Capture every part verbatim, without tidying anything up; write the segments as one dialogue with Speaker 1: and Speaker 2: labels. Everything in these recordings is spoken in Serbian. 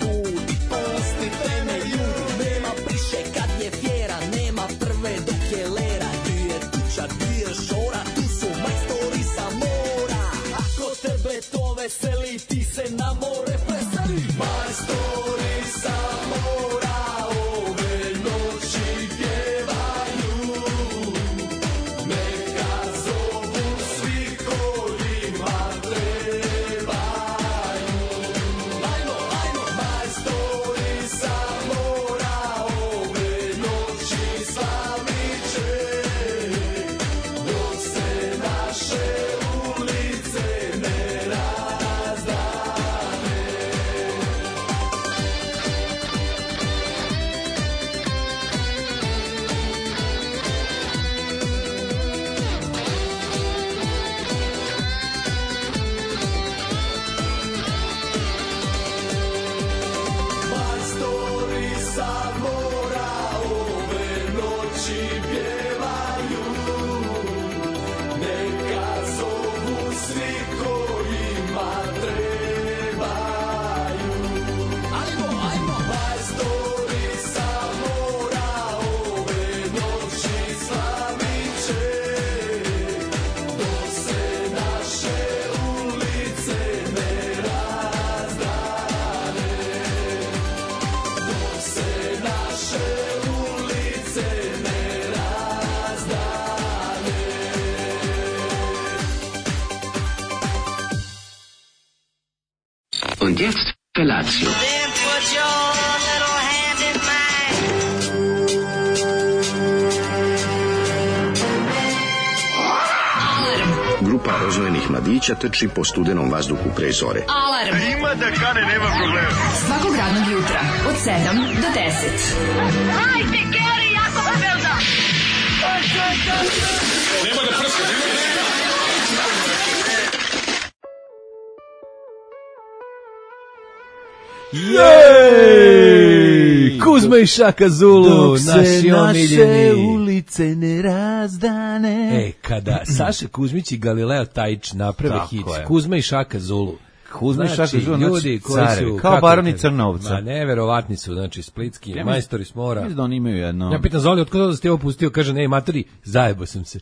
Speaker 1: budi, pustite me ljudi. Nema priše kad je fjera, nema prve dok je lera. Di je tuča, di je šora, tu su majstori sa mora. Ako tebe to veseli, ti se na more preseli. Majstori sa mora ove noći pjevaju. Neka zovu svi kojima trebaju. Ajmo, ajmo, majstori sa mora ove noći slavit će. Dok se naše ulice ne razdane. Majstori sa mora ove noći pjevaju. Neka zovu svi kojima trebaju. Ajmo, ajmo, majstori sa mora ove noći slavit će. Dok se naše ulice ne razdane. Dok se naše ulice ne razdane.
Speaker 2: Und jetzt Felatio.
Speaker 3: Then put your little hand in mine.
Speaker 2: Grupa rozvojenih mladića trči po studenom vazduhu pre zore.
Speaker 4: Alarm. Ima da kane, nema problema. Svakog radnog jutra, od sedam do deset.
Speaker 3: Hajde, Geri, jako se velda.
Speaker 5: Jej! Kuzma i Šaka Zulu,
Speaker 6: Dok se
Speaker 5: naši
Speaker 6: naše
Speaker 5: omiljeni.
Speaker 6: ulice ne razdane.
Speaker 5: E, kada Saša Kuzmić i Galileo Tajić naprave
Speaker 6: Tako
Speaker 5: hit,
Speaker 6: je.
Speaker 5: Kuzma i Šaka Zulu.
Speaker 6: Kuzma i Šaka
Speaker 5: Znači,
Speaker 6: Zulu,
Speaker 5: ljudi
Speaker 6: znači,
Speaker 5: koji
Speaker 6: carevi,
Speaker 5: su...
Speaker 6: kao
Speaker 5: kako
Speaker 6: baroni
Speaker 5: kažem,
Speaker 6: Crnovca.
Speaker 5: Ma, neverovatni su, znači, splitski,
Speaker 6: Ja mislim-
Speaker 5: majstori s mora.
Speaker 6: Mislim da oni imaju jedno...
Speaker 5: Ja pitam Zoli, otkud da ste ovo pustio? Kaže, ne, matori, zajebo sam se.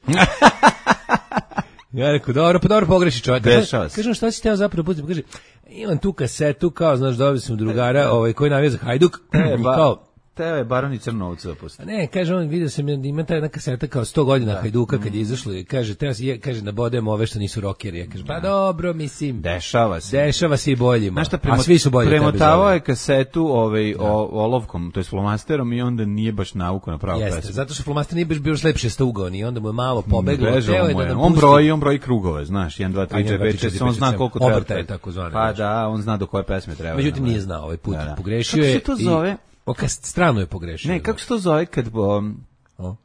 Speaker 5: Ja rekao, dobro, pa dobro pogreši čovjek.
Speaker 6: Dešava se.
Speaker 5: Kažem, šta si teo zapravo pustiti? Kaže, imam tu kasetu, kao, znaš, dobio sam drugara ovaj, koji navija za Hajduk.
Speaker 6: E,
Speaker 5: I
Speaker 6: ba,
Speaker 5: kao,
Speaker 6: teo je baroni Crnovca pusti.
Speaker 5: a ne, kaže on, vidio sam, ima ta jedna kaseta kao sto godina Hajduka kad je izašlo i kaže, treba se, je- kaže, nabodemo ove što nisu rockeri. Ja kaže, pa dobro, mislim,
Speaker 6: Dešava se.
Speaker 5: dešava se i boljima.
Speaker 6: Znaš šta,
Speaker 5: a svi su bolji od tebe,
Speaker 6: premotavao
Speaker 5: Zoli.
Speaker 6: je kasetu ovaj, o, olovkom, to je flomasterom i onda nije baš navuko na pravu
Speaker 5: Jeste,
Speaker 6: pesmu.
Speaker 5: zato što flomaster nije baš bio lepše staugan i onda mu je malo pobeglo.
Speaker 6: Bežao
Speaker 5: Teo je
Speaker 6: mu
Speaker 5: da
Speaker 6: je.
Speaker 5: nam
Speaker 6: On
Speaker 5: pusti-
Speaker 6: broji, on broji krugove, znaš, jedan, dva,
Speaker 5: A,
Speaker 6: tri,
Speaker 5: jedan, dva,
Speaker 6: četiri,
Speaker 5: tri,
Speaker 6: pet, šest,
Speaker 5: četiri,
Speaker 6: on zna
Speaker 5: pet,
Speaker 6: koliko
Speaker 5: sedam.
Speaker 6: treba.
Speaker 5: Obrtaje takozvane,
Speaker 6: Pa
Speaker 5: znaš.
Speaker 6: da, on zna do koje pesme treba.
Speaker 5: Međutim,
Speaker 6: da,
Speaker 5: nije znao ovaj put.
Speaker 6: Da, da.
Speaker 5: Pogrešio
Speaker 6: Kako
Speaker 5: je.
Speaker 6: se to
Speaker 5: i-
Speaker 6: zove?
Speaker 5: O, kas- strano je pogrešio.
Speaker 6: Ne, kako se to zove kad... Um,
Speaker 5: O?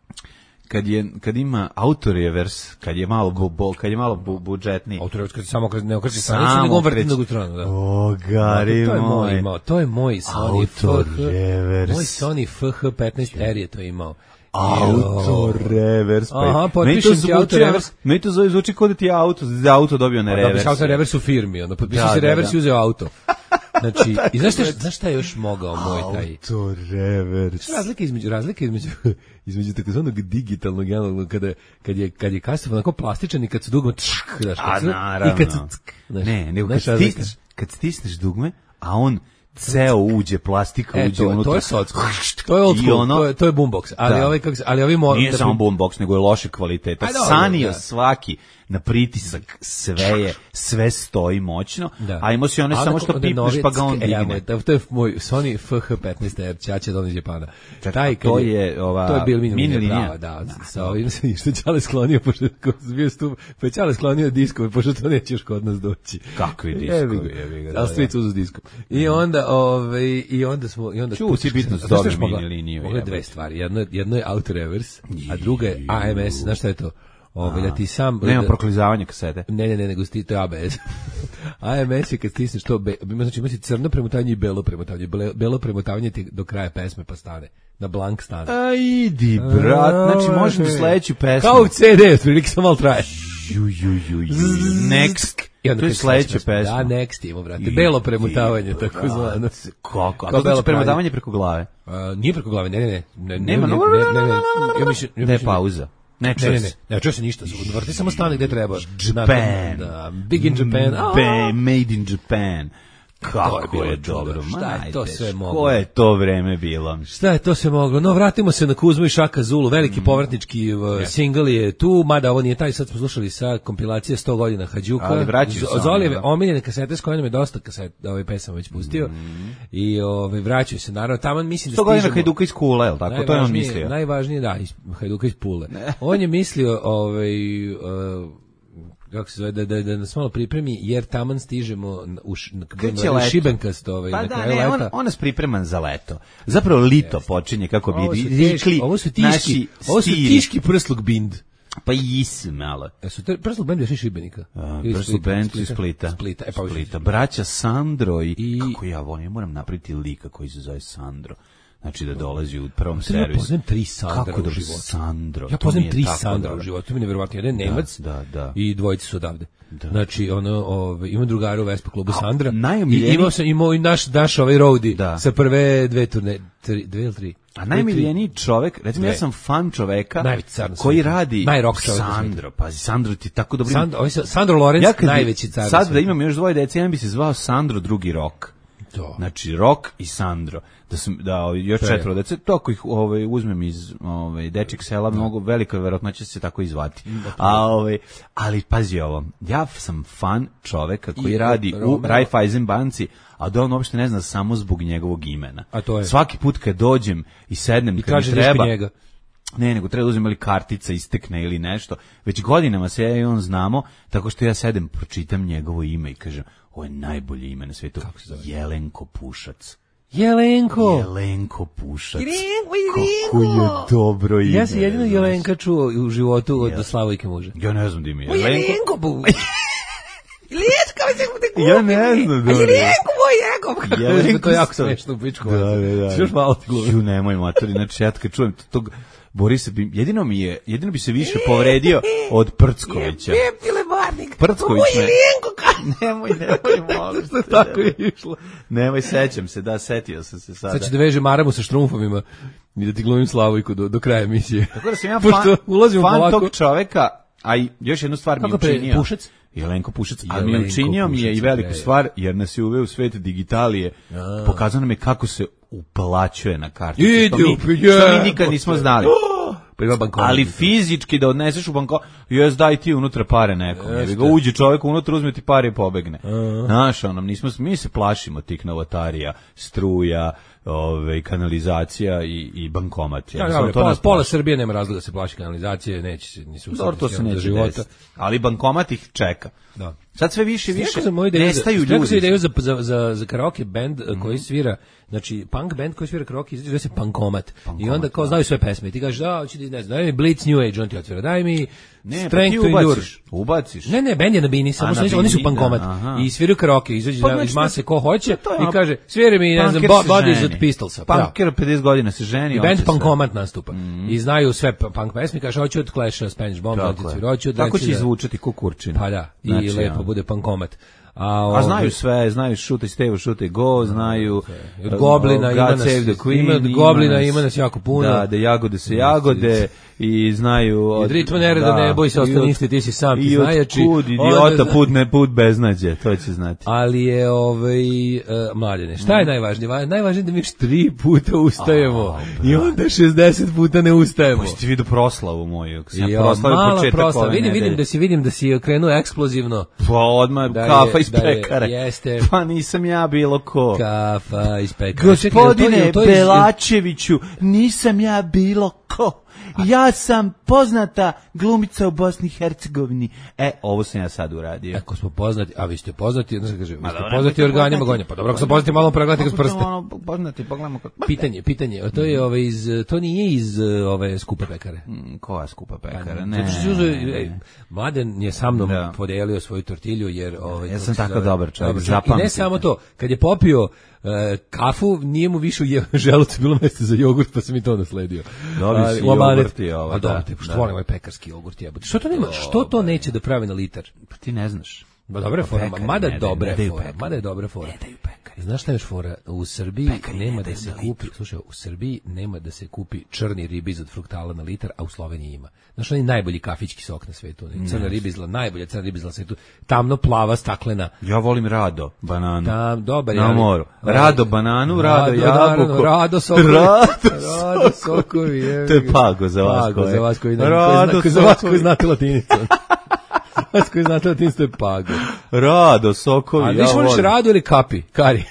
Speaker 6: kad je kad ima autorevers, kad je malo bu, bu, kad je malo bu, budžetniji.
Speaker 5: Autorevers kad se samo kad ne okreće
Speaker 6: Samo
Speaker 5: stranicu, nego on vrti
Speaker 6: okreće.
Speaker 5: drugu stranu, da.
Speaker 6: O, gari
Speaker 5: to je moj
Speaker 6: moj.
Speaker 5: imao, to je moj Sony F H.
Speaker 6: Autorevers.
Speaker 5: Moj Sony F H petnaest R je to imao.
Speaker 6: Autorevers. Pa
Speaker 5: Aha,
Speaker 6: meni
Speaker 5: potpišem
Speaker 6: to
Speaker 5: ti
Speaker 6: zvuči,
Speaker 5: autorevers.
Speaker 6: meni to zvuči, zvuči kao da ti je auto, za auto dobio na
Speaker 5: Da bi
Speaker 6: revers.
Speaker 5: se auto revers u firmi, onda potpisao
Speaker 6: Da,
Speaker 5: se
Speaker 6: da,
Speaker 5: revers
Speaker 6: da.
Speaker 5: i uzeo auto. Znači, i znaš šta, znaš šta je još mogao moj taj?
Speaker 6: Autorevers.
Speaker 5: Razlika između razlika između između takozvanog digitalnog i analognog kada kad je kad je kaseta onako plastičan i kad su dugme tšk, znaš,
Speaker 6: A
Speaker 5: kad su-
Speaker 6: naravno.
Speaker 5: i kad su tsk, znaš,
Speaker 6: Ne, nego
Speaker 5: znaš
Speaker 6: kad
Speaker 5: razlika?
Speaker 6: stisneš, kad stisneš dugme, a on ceo uđe, plastika
Speaker 5: E,
Speaker 6: uđe
Speaker 5: to,
Speaker 6: unutra.
Speaker 5: to je socko. To je old
Speaker 6: I
Speaker 5: school,
Speaker 6: ono-
Speaker 5: to je, to je boombox. Ali
Speaker 6: Da.
Speaker 5: ovaj kako se, ali ovi mo,
Speaker 6: Nije
Speaker 5: da
Speaker 6: samo
Speaker 5: pri-
Speaker 6: boombox, nego je loše kvaliteta.
Speaker 5: A, dobro,
Speaker 6: Sanio
Speaker 5: da.
Speaker 6: svaki na pritisak, sve je, sve stoji moćno,
Speaker 5: Da.
Speaker 6: a imao si one
Speaker 5: A
Speaker 6: samo
Speaker 5: onda
Speaker 6: što
Speaker 5: onda
Speaker 6: pipneš
Speaker 5: novi
Speaker 6: pa ga on
Speaker 5: ck, e, ja,
Speaker 6: digne.
Speaker 5: moj, to, to je moj Sony F H petnaest R, ćaća don iz Japana.
Speaker 6: Čekaj,
Speaker 5: Taj, kad
Speaker 6: to je ova
Speaker 5: to je bil mini,
Speaker 6: mini
Speaker 5: linija,
Speaker 6: linija?
Speaker 5: prava, da, sa ovim se što Ćale sklonio, pošto kao bio stup, pa Ćale sklonio diskove, pošto to neće još kod nas doći.
Speaker 6: Kakvi
Speaker 5: Jebi
Speaker 6: diskovi,
Speaker 5: ga,
Speaker 6: jebi ga, da,
Speaker 5: ali
Speaker 6: da.
Speaker 5: stric uzu s diskom. I onda, ovaj, i onda smo, i onda...
Speaker 6: Čuo si bitno
Speaker 5: Znaš
Speaker 6: da
Speaker 5: šta
Speaker 6: dobio
Speaker 5: još mogla?
Speaker 6: mini liniju,
Speaker 5: Mogla je
Speaker 6: jebote.
Speaker 5: dve stvari, jedno, je- jedno je auto reverse, a druga je A M S, znaš šta je to? Ovaj, da ti sam...
Speaker 6: Nema
Speaker 5: da-
Speaker 6: proklizavanja kasete.
Speaker 5: Ne, ne, ne, nego sti, to je A B S. A M S je kad stisneš to, be, ima, znači ima si crno premotavanje i belo premotavanje. Bele- Belo premotavanje ti do kraja pesme pa stane. Na blank stane.
Speaker 6: A idi, brat, znači možemo sledeću pesmu.
Speaker 5: Kao u C D, otprilike samo malo traje.
Speaker 6: Ju, ju, ju, ju. Next
Speaker 5: I onda
Speaker 6: to je
Speaker 5: kad
Speaker 6: sledeća
Speaker 5: sledeća
Speaker 6: pesma.
Speaker 5: Da, next ima, brate. Belo premutavanje,
Speaker 6: I-
Speaker 5: tako zvano.
Speaker 6: Kako? A
Speaker 5: Kao
Speaker 6: to
Speaker 5: belo
Speaker 6: znači premotavanje preko glave?
Speaker 5: A, nije preko glave, ne, ne, ne. ne
Speaker 6: Nema,
Speaker 5: ne, ne, ne, ne, ne. Ja mislim, ja
Speaker 6: Ne,
Speaker 5: mislim-
Speaker 6: pauza. Ne,
Speaker 5: Ne,
Speaker 6: čuje
Speaker 5: ne,
Speaker 6: se.
Speaker 5: ne, ne, čuje se ništa. Vrti samo stane gde treba.
Speaker 6: Japan.
Speaker 5: Da, big in Japan. A,
Speaker 6: Ba- made in Japan. Kako
Speaker 5: bilo
Speaker 6: je
Speaker 5: čudo.
Speaker 6: dobro.
Speaker 5: Šta je to
Speaker 6: majte,
Speaker 5: sve moglo?
Speaker 6: Ko je to vreme bilo?
Speaker 5: Šta je to se moglo? No, vratimo se na Kuzmu i Šaka Zulu, veliki povratnički uh, singl je tu, mada ovo nije taj, sad smo slušali sa kompilacije sto godina Hađuka.
Speaker 6: Ali vraćaju se
Speaker 5: Z-
Speaker 6: oni,
Speaker 5: Zolijeve
Speaker 6: da.
Speaker 5: omiljene kasete s kojima nam je dosta kaset, ovaj pesama već pustio. I ovaj vraćaju se, naravno, tamo mislim da
Speaker 6: sto godina
Speaker 5: stižemo...
Speaker 6: Hajduka iz Kule, jel tako? To je on
Speaker 5: Najvažnije-
Speaker 6: mislio.
Speaker 5: Najvažnije, da, iz Hajduka iz Pule. On je mislio, ovaj, uh, kako se zove, da, da, da nas malo pripremi, jer taman stižemo na- u š, na,
Speaker 6: Kreće
Speaker 5: na
Speaker 6: leto.
Speaker 5: Šibenkast ovaj,
Speaker 6: Pa
Speaker 5: na
Speaker 6: da,
Speaker 5: kraju
Speaker 6: ne, on,
Speaker 5: leta.
Speaker 6: on nas pripreman za leto. Zapravo lito počinje, kako
Speaker 5: Ovo
Speaker 6: bi
Speaker 5: su
Speaker 6: rekli
Speaker 5: teški, ovo su tiški,
Speaker 6: naši
Speaker 5: ovo su
Speaker 6: stiri.
Speaker 5: tiški prsluk bind.
Speaker 6: Pa isi malo.
Speaker 5: E su te prsluk bend iz Šibenika?
Speaker 6: A,
Speaker 5: Ili
Speaker 6: Brsu
Speaker 5: Splita?
Speaker 6: band iz Splita.
Speaker 5: Splita, e pa
Speaker 6: Splita. Braća Sandro i,
Speaker 5: I-
Speaker 6: kako ja volim, ja moram napraviti lika koji se zove Sandro. Znači da dolazi u prvom
Speaker 5: Ja
Speaker 6: servisu.
Speaker 5: poznajem tri Sandra
Speaker 6: Kako
Speaker 5: u
Speaker 6: da
Speaker 5: životu.
Speaker 6: Sandro?
Speaker 5: Ja
Speaker 6: to mi
Speaker 5: poznajem
Speaker 6: je
Speaker 5: tri
Speaker 6: tako
Speaker 5: Sandra
Speaker 6: dobro.
Speaker 5: u životu, to mi je nevjerovatno. Jedan je Nemac
Speaker 6: da, da.
Speaker 5: i dvojice su odavde. Znači, ono, ove, imam drugara u Vespa klubu Sandra.
Speaker 6: najomiljeniji-
Speaker 5: I imao sam, imao i naš, naš ovaj roadie
Speaker 6: Da.
Speaker 5: sa prve dve turne, tri, dve ili tri.
Speaker 6: A najmiljeniji čovek, recimo
Speaker 5: Dve.
Speaker 6: ja sam fan čoveka
Speaker 5: Najveći car na
Speaker 6: koji
Speaker 5: svijetu.
Speaker 6: radi
Speaker 5: Najrock čovek na
Speaker 6: Sandro, pazi, Sandro ti tako dobro.
Speaker 5: Sandro, ovaj sa- Sandro Lorenz,
Speaker 6: ja kad bi-
Speaker 5: najveći car na
Speaker 6: sad da
Speaker 5: svijetu.
Speaker 6: imam još dvoje dece, ja bi se zvao Sandro drugi rok.
Speaker 5: To.
Speaker 6: Znači Rok i Sandro. Da sam da ovaj, još
Speaker 5: To je.
Speaker 6: četvoro dece, to ako ih ovaj uzmem iz ovaj dečjeg sela, mnogo velika verovatnoća će se tako i zvati. A ovaj ali pazi ovo, ja sam fan čoveka koji
Speaker 5: I
Speaker 6: radi u
Speaker 5: Romeo.
Speaker 6: Raiffeisen banci, a da on uopšte ne zna samo zbog njegovog imena.
Speaker 5: A to je?
Speaker 6: Svaki put kad dođem i sednem
Speaker 5: I
Speaker 6: kad mi
Speaker 5: traži nešto
Speaker 6: treba
Speaker 5: njega.
Speaker 6: Ne, nego treba da uzmem ili kartica istekne ili nešto. Već godinama se ja i on znamo, tako što ja sedem, pročitam njegovo ime i kažem, ovo je najbolje ime na svijetu.
Speaker 5: Kako se zove?
Speaker 6: Jelenko Pušac.
Speaker 5: Jelenko!
Speaker 6: Jelenko Pušac.
Speaker 5: Jelenko,
Speaker 6: Kako je dobro ime.
Speaker 5: Ja sam jedino
Speaker 6: znaš.
Speaker 5: Jelenka čuo u životu od Slavojke muža.
Speaker 6: Ja ne znam da ime.
Speaker 5: Moj Jelenko bu. Jelenko mi se te kupi.
Speaker 6: Ja ne znam da
Speaker 5: A
Speaker 6: li-
Speaker 5: Jelenko moj Jelenko.
Speaker 6: Jelenko
Speaker 5: To je jako
Speaker 6: sam-
Speaker 5: smešno u pičku.
Speaker 6: Da, da, da.
Speaker 5: Još malo ti glumi.
Speaker 6: Ju, nemoj matori, znači ja kad čujem tog Borisa bi, jedino mi je, jedino bi se više povredio od Prckovića.
Speaker 5: Pile barnik.
Speaker 6: Prcković
Speaker 5: Moj
Speaker 6: me-
Speaker 5: Jelenko ka.
Speaker 6: Nemoj, nemoj, molim te.
Speaker 5: Tako je išlo.
Speaker 6: Nemoj, sećam se, da, setio sam se sada.
Speaker 5: Sad ću da vežem maramu sa štrumfovima i da ti glumim Slavojku do, do kraja emisije.
Speaker 6: Tako da sam ja
Speaker 5: Pošto
Speaker 6: fan,
Speaker 5: ulazimo
Speaker 6: fan
Speaker 5: polako.
Speaker 6: tog čoveka, a i još jednu stvar mi je
Speaker 5: Kako pre-
Speaker 6: učinio.
Speaker 5: Pušac?
Speaker 6: Jelenko Pušac, a mi je
Speaker 5: Jelenko
Speaker 6: učinio mi je
Speaker 5: Pušac,
Speaker 6: i veliku
Speaker 5: bre.
Speaker 6: stvar, jer nas je uveo u svet digitalije. Pokazao nam je kako se uplaćuje na karticu.
Speaker 5: Idi
Speaker 6: Što mi,
Speaker 5: u
Speaker 6: što mi
Speaker 5: jebote.
Speaker 6: nikad nismo znali.
Speaker 5: Pa ima bankomat.
Speaker 6: Ali fizički da odneseš u banko, jes daj ti unutra pare nekom.
Speaker 5: Jeste.
Speaker 6: Jebi ga, uđe čovjek unutra, uzme ti pare i pobegne. Znaš, ono, nismo, mi se plašimo tih novotarija, struja, ove, kanalizacija i, i bankomat.
Speaker 5: Ja,
Speaker 6: Jednostavno,
Speaker 5: ja,
Speaker 6: to
Speaker 5: pola,
Speaker 6: nas
Speaker 5: pola
Speaker 6: plaši.
Speaker 5: Srbije nema razloga da se plaši kanalizacije, neće se, nisu
Speaker 6: Dobro, to se
Speaker 5: sistemu za
Speaker 6: neće
Speaker 5: života.
Speaker 6: desiti. Ali bankomat ih čeka.
Speaker 5: Da.
Speaker 6: Sad sve više i više
Speaker 5: Rekao sam moju ideju,
Speaker 6: nestaju
Speaker 5: za, rekao sam
Speaker 6: ljudi.
Speaker 5: ideju za, za, za, za karaoke band mm. koji svira, znači punk band koji svira karaoke, zove se Punkomat. I onda kao znaju sve pesme. I ti kažeš, da, hoće ti, ne znam, daj mi Blitz New Age, on ti otvira, daj mi
Speaker 6: Ne, pa ti
Speaker 5: Strength to Endure.
Speaker 6: ubaciš. Ubaciš.
Speaker 5: Ne, ne, bend je na bini, samo
Speaker 6: A,
Speaker 5: su,
Speaker 6: na
Speaker 5: oni- oni su
Speaker 6: bini,
Speaker 5: Punkomat.
Speaker 6: da, aha.
Speaker 5: I sviraju karaoke, izađe
Speaker 6: Pa
Speaker 5: na-
Speaker 6: znači
Speaker 5: iz mase
Speaker 6: da-
Speaker 5: ko hoće
Speaker 6: to je
Speaker 5: i
Speaker 6: ono-
Speaker 5: kaže, sviri mi, ne znam,
Speaker 6: Punker
Speaker 5: Bo-
Speaker 6: se
Speaker 5: Bodies
Speaker 6: ženi.
Speaker 5: od Pistolsa. Pa,
Speaker 6: Punker pedeset godina se ženi.
Speaker 5: i
Speaker 6: hoće
Speaker 5: band
Speaker 6: sve.
Speaker 5: Punkomat nastupa. I znaju sve p- punk pesme, kaže, hoću od Clash, Spanish Bomb,
Speaker 6: Tako
Speaker 5: hoću
Speaker 6: je.
Speaker 5: od hoću od
Speaker 6: Tako će
Speaker 5: Rancida.
Speaker 6: izvučati kukurčina.
Speaker 5: Pa da, i
Speaker 6: Znači,
Speaker 5: lepo
Speaker 6: ono.
Speaker 5: bude Punkomat. A,
Speaker 6: A
Speaker 5: ovaj,
Speaker 6: znaju sve, znaju Šute Stevo, Šute Go, znaju
Speaker 5: Od Goblina ima
Speaker 6: God
Speaker 5: nas-
Speaker 6: Save the Queen,
Speaker 5: ima od Goblina ima nas jako puno.
Speaker 6: Da, da jagode se jagode i znaju
Speaker 5: Od ritma nereda, ne boj se,
Speaker 6: i
Speaker 5: ostani
Speaker 6: od-
Speaker 5: isti, ti si sam, ti
Speaker 6: i od
Speaker 5: znajači.
Speaker 6: kud
Speaker 5: Onda
Speaker 6: idiota
Speaker 5: zna-
Speaker 6: put ne put beznađe, to će znati.
Speaker 5: Ali je ovaj uh, mladene, šta je najvažnije? Va- Najvažnije je da mi još tri puta ustajemo
Speaker 6: A,
Speaker 5: i onda šezdeset puta ne ustajemo.
Speaker 6: Možete ti vidio proslavu moju, kako sam ja
Speaker 5: Jo,
Speaker 6: proslavio
Speaker 5: mala
Speaker 6: početak
Speaker 5: proslava.
Speaker 6: ove
Speaker 5: Vidim, vidim
Speaker 6: nedelje.
Speaker 5: da si vidim da si krenuo eksplozivno.
Speaker 6: Pa odmah
Speaker 5: Da je-
Speaker 6: kafa iz
Speaker 5: da je-
Speaker 6: pekare.
Speaker 5: jeste.
Speaker 6: Pa nisam ja bilo ko.
Speaker 5: Kafa iz pekara. Čekaj, jel to-
Speaker 6: Gospodine
Speaker 5: jel to iz-
Speaker 6: Belačeviću, nisam ja bilo ko. Ja sam poznata glumica u Bosni i Hercegovini. E, ovo sam ja sad uradio.
Speaker 5: Ako smo poznati, a vi ste poznati, onda se kaže, vi ste
Speaker 6: dobro,
Speaker 5: poznati
Speaker 6: nemojte
Speaker 5: organima
Speaker 6: poznati.
Speaker 5: gonja. Pa dobro, ako sam poznati, malo pregledajte kroz
Speaker 6: Kako
Speaker 5: prste.
Speaker 6: smo ono poznati, pogledamo kako...
Speaker 5: Pitanje, pitanje, to je ove iz, to nije iz uh, ove skupe pekare.
Speaker 6: Mm, koja skupa pekara?
Speaker 5: Zato
Speaker 6: Ne.
Speaker 5: što si uzeo, ej, Mladen je sa mnom
Speaker 6: Da.
Speaker 5: podelio svoju tortilju jer ovaj
Speaker 6: Ja
Speaker 5: kako
Speaker 6: sam
Speaker 5: se
Speaker 6: tako
Speaker 5: zove,
Speaker 6: dobar čovjek,
Speaker 5: I ne
Speaker 6: zapamtite.
Speaker 5: samo to, kad je popio e, kafu, nije mu više u je- želucu bilo mesta za jogurt, pa sam i to nasledio.
Speaker 6: Dobio si
Speaker 5: u amanet.
Speaker 6: jogurt i ovo,
Speaker 5: A dobro,
Speaker 6: da,
Speaker 5: te, što
Speaker 6: da.
Speaker 5: volim ovaj pekarski jogurt jebote. Što to nema, što to neće da pravi na litar?
Speaker 6: Pa ti ne znaš.
Speaker 5: Ba dobra je fora,
Speaker 6: Pekari
Speaker 5: mada
Speaker 6: ne daju,
Speaker 5: dobra
Speaker 6: ne
Speaker 5: je
Speaker 6: daju
Speaker 5: fora,
Speaker 6: pekari.
Speaker 5: mada je dobra fora.
Speaker 6: Ne daju pekari.
Speaker 5: Znaš šta je još fora? U Srbiji
Speaker 6: Pekari
Speaker 5: nema
Speaker 6: ne
Speaker 5: da
Speaker 6: daju
Speaker 5: se
Speaker 6: na
Speaker 5: kupi, slušaj, u Srbiji nema da se kupi črni ribiz od fruktala na litar, a u Sloveniji ima. Znaš, onaj najbolji kafićki sok na svetu, onaj crna ribizla, najbolja crna ribizla na svetu, tamno plava, staklena.
Speaker 6: Ja volim Rado, bananu.
Speaker 5: Tam, dobar je.
Speaker 6: Na
Speaker 5: ali-
Speaker 6: moru. Rado bananu, Rado
Speaker 5: Rado,
Speaker 6: jabuku.
Speaker 5: naravno, Rado sokovi.
Speaker 6: Rado
Speaker 5: Rado sokovi. je.
Speaker 6: To je pago za vas
Speaker 5: Pago
Speaker 6: koje-
Speaker 5: za vas koji ne,
Speaker 6: Rado
Speaker 5: koji zna- za vas
Speaker 6: sokovi.
Speaker 5: koji znate latinicu. Vas koji znate latinicu, to je pago.
Speaker 6: Rado, sokovi,
Speaker 5: A
Speaker 6: ja
Speaker 5: više voliš
Speaker 6: volim.
Speaker 5: Rado ili kapi? Kari.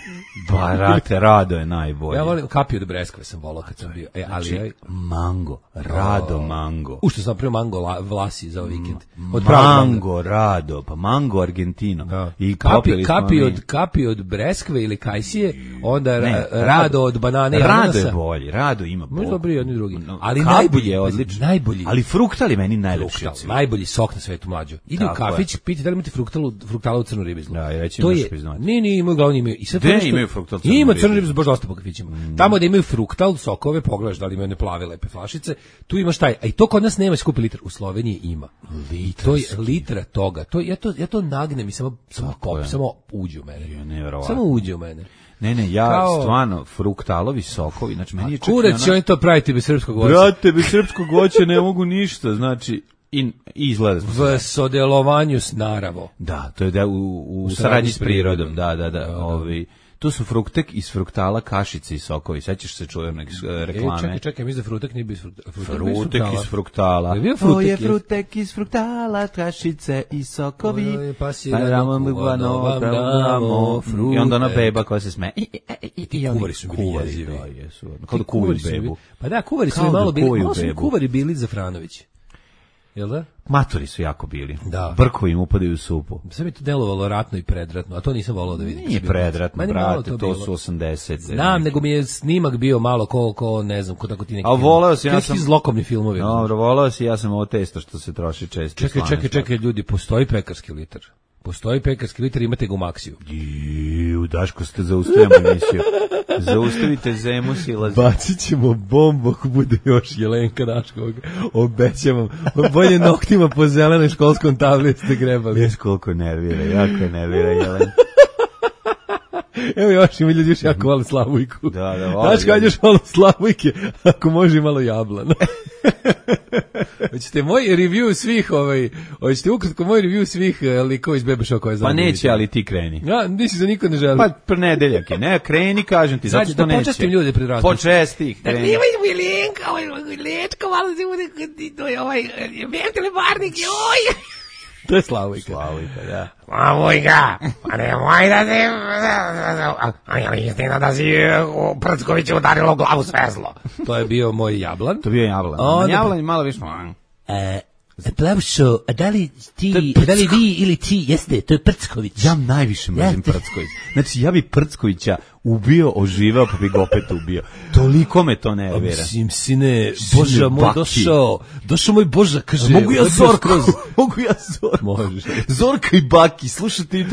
Speaker 6: Ba, rate, Rado je najbolje.
Speaker 5: Ja volim kapi od breskve sam volao kad sam bio. E, ali
Speaker 6: Znači,
Speaker 5: ja,
Speaker 6: mango, Rado mango.
Speaker 5: u što sam napravio mango la, vlasi za ovaj vikend. Od pravog
Speaker 6: Mango, Rado, pa mango Argentino.
Speaker 5: Da.
Speaker 6: I
Speaker 5: kapi,
Speaker 6: popili smo
Speaker 5: kapi
Speaker 6: mi.
Speaker 5: od kapi od breskve ili kajsije, onda
Speaker 6: Ne,
Speaker 5: ra, rado od banane i
Speaker 6: Rado
Speaker 5: ananasa.
Speaker 6: je bolji, Rado ima
Speaker 5: Možda
Speaker 6: bolji.
Speaker 5: dobri jedni drugi.
Speaker 6: No,
Speaker 5: Ali
Speaker 6: kapi
Speaker 5: najbolji
Speaker 6: je odličan.
Speaker 5: Najbolji.
Speaker 6: Ali fruktal je meni najlepši
Speaker 5: Fruktal,
Speaker 6: od svih.
Speaker 5: najbolji sok na svetu mlađo. Idi u
Speaker 6: Tako je.
Speaker 5: kafić, piti da li imate fruktalu, fruktalu u crnu ribizlu.
Speaker 6: Da, i reći
Speaker 5: to
Speaker 6: imaš
Speaker 5: je,
Speaker 6: priznati.
Speaker 5: ne, ne, imaju glavni imaju. I sve to
Speaker 6: Gde
Speaker 5: nešto-
Speaker 6: imaju fruktal crnu
Speaker 5: Ima
Speaker 6: ribizlu?
Speaker 5: crnu ribizlu baš dosta po kafićima. Tamo da imaju fruktal, sokove, pogledaš da li imaju one plave lepe flašice, tu imaš taj, a i to kod nas nema skupi litar, u Sloveniji ima. Litra, to je litra toga. To ja to ja to nagnem i samo samo pop,
Speaker 6: je.
Speaker 5: samo uđe u mene.
Speaker 6: Je, neverovatno.
Speaker 5: Samo uđe u mene.
Speaker 6: Ne, ne, ja
Speaker 5: Kao-
Speaker 6: stvarno fruktalovi sokovi, znači meni je čak i
Speaker 5: Kurac će
Speaker 6: ona-
Speaker 5: oni to praviti bez srpskog voća.
Speaker 6: Brate, bez srpskog voća ne mogu ništa, znači i, i izgleda.
Speaker 5: V sodelovanju s naravo.
Speaker 6: Da, to je da u, u, saradnji s prirodom, da, da, da, ovi. Tu su fruktek iz fruktala, kašice i sokovi. Sećaš se čuvenog e, reklame?
Speaker 5: E, čekaj, čekaj, mislim da frutak nije bio iz fruktala.
Speaker 6: Frutek iz fruktala.
Speaker 5: Je bio
Speaker 6: To
Speaker 5: frutek
Speaker 6: je
Speaker 5: iz-
Speaker 6: frutek iz fruktala, kašice i sokovi.
Speaker 5: Oj, pa si
Speaker 6: Pa
Speaker 5: da
Speaker 6: damo
Speaker 5: ne
Speaker 6: mi
Speaker 5: kuvano
Speaker 6: vano,
Speaker 5: vam
Speaker 6: da
Speaker 5: damo
Speaker 6: damo. I onda ona
Speaker 5: frutek.
Speaker 6: beba koja se sme. I, i, i, i, i oni
Speaker 5: kuvari su bili
Speaker 6: kuvari,
Speaker 5: jezivi.
Speaker 6: da, jesu. Kao da
Speaker 5: Ti
Speaker 6: kuvaju
Speaker 5: su mi-
Speaker 6: bebu.
Speaker 5: Pa da, kuvari su
Speaker 6: Kao
Speaker 5: mi
Speaker 6: da
Speaker 5: malo bili,
Speaker 6: kuvaju
Speaker 5: malo su mi
Speaker 6: bebu.
Speaker 5: kuvari bili Zafranović. Jel da?
Speaker 6: Maturi su jako bili.
Speaker 5: Da.
Speaker 6: Brkovi im upadaju u supu.
Speaker 5: Sve mi to delovalo ratno i predratno, a to nisam volao da vidim.
Speaker 6: Nije predratno,
Speaker 5: Meni malo
Speaker 6: brate, to
Speaker 5: bilo.
Speaker 6: su osamdesete.
Speaker 5: Znam, nego mi je snimak bio malo ko, ko ne znam, ko tako ti neki
Speaker 6: A voleo si, ja
Speaker 5: neki
Speaker 6: sam-
Speaker 5: zlokovni filmovi.
Speaker 6: Dobro, volao si, ja sam ovo testo što se troši često.
Speaker 5: Čekaj,
Speaker 6: slane
Speaker 5: čekaj,
Speaker 6: stvari.
Speaker 5: čekaj, ljudi, postoji pekarski litar. Postoji pekarski litar, imate ga u Maksiju.
Speaker 6: Iu, Daško, ste zaustavljamo emisiju. Zaustavite zemu silazi.
Speaker 5: Bacit ćemo bombu ako bude još Jelenka Daškovog. Obećavam. Bolje noktima po zelenoj školskom tabli ste grebali.
Speaker 6: Viš koliko nervira, jako je nervira, Jelen.
Speaker 5: Evo još ima ljudi još jako vole Slavujku.
Speaker 6: Da, da, vole
Speaker 5: Daško, ajde
Speaker 6: ljudi.
Speaker 5: još malo Slavujke, ako može i malo jablan. Hoćete moj review svih, ovaj, hoćete ukratko moj review svih uh, likova iz Bebe Show koje znam.
Speaker 6: Pa
Speaker 5: da
Speaker 6: neće,
Speaker 5: vidite.
Speaker 6: ali ti kreni.
Speaker 5: Ja, nisi za niko ne želim.
Speaker 6: Pa prenedeljak je, ne, kreni, kažem ti, zato
Speaker 5: Sad,
Speaker 6: što
Speaker 5: da
Speaker 6: neće.
Speaker 5: počestim ljude pred različitim.
Speaker 6: Počesti ih, kreni.
Speaker 5: Jelenka, ovaj, Lečko, malo se bude, to je ovaj, Bertele Barnik, joj! To je Slavujka.
Speaker 6: Slavujka, da.
Speaker 7: Ma Vujka, pa nemoj da se... A je istina da si u Prckoviću udarilo u glavu svezlo.
Speaker 5: To je bio moj jablan.
Speaker 6: To bio je jablan.
Speaker 5: Onda-
Speaker 6: Jablan je malo više...
Speaker 5: E, Plavšo, a da li ti, da li vi ili ti jeste, to je Prcković.
Speaker 6: Ja najviše mrzim
Speaker 5: Jeste.
Speaker 6: Prcković. Znači, ja bi Prckovića ubio, oživao, pa bi ga opet ubio. Toliko me to nervira.
Speaker 5: Mislim, sine,
Speaker 6: Sine,
Speaker 5: Boža moj
Speaker 6: baki.
Speaker 5: došao, došao moj Boža, kaže.
Speaker 6: Mogu ja
Speaker 5: odbio
Speaker 6: Zorko?
Speaker 5: skroz.
Speaker 6: Mogu ja Zorko?
Speaker 5: Možeš.
Speaker 6: Zorka i Baki, slušajte, i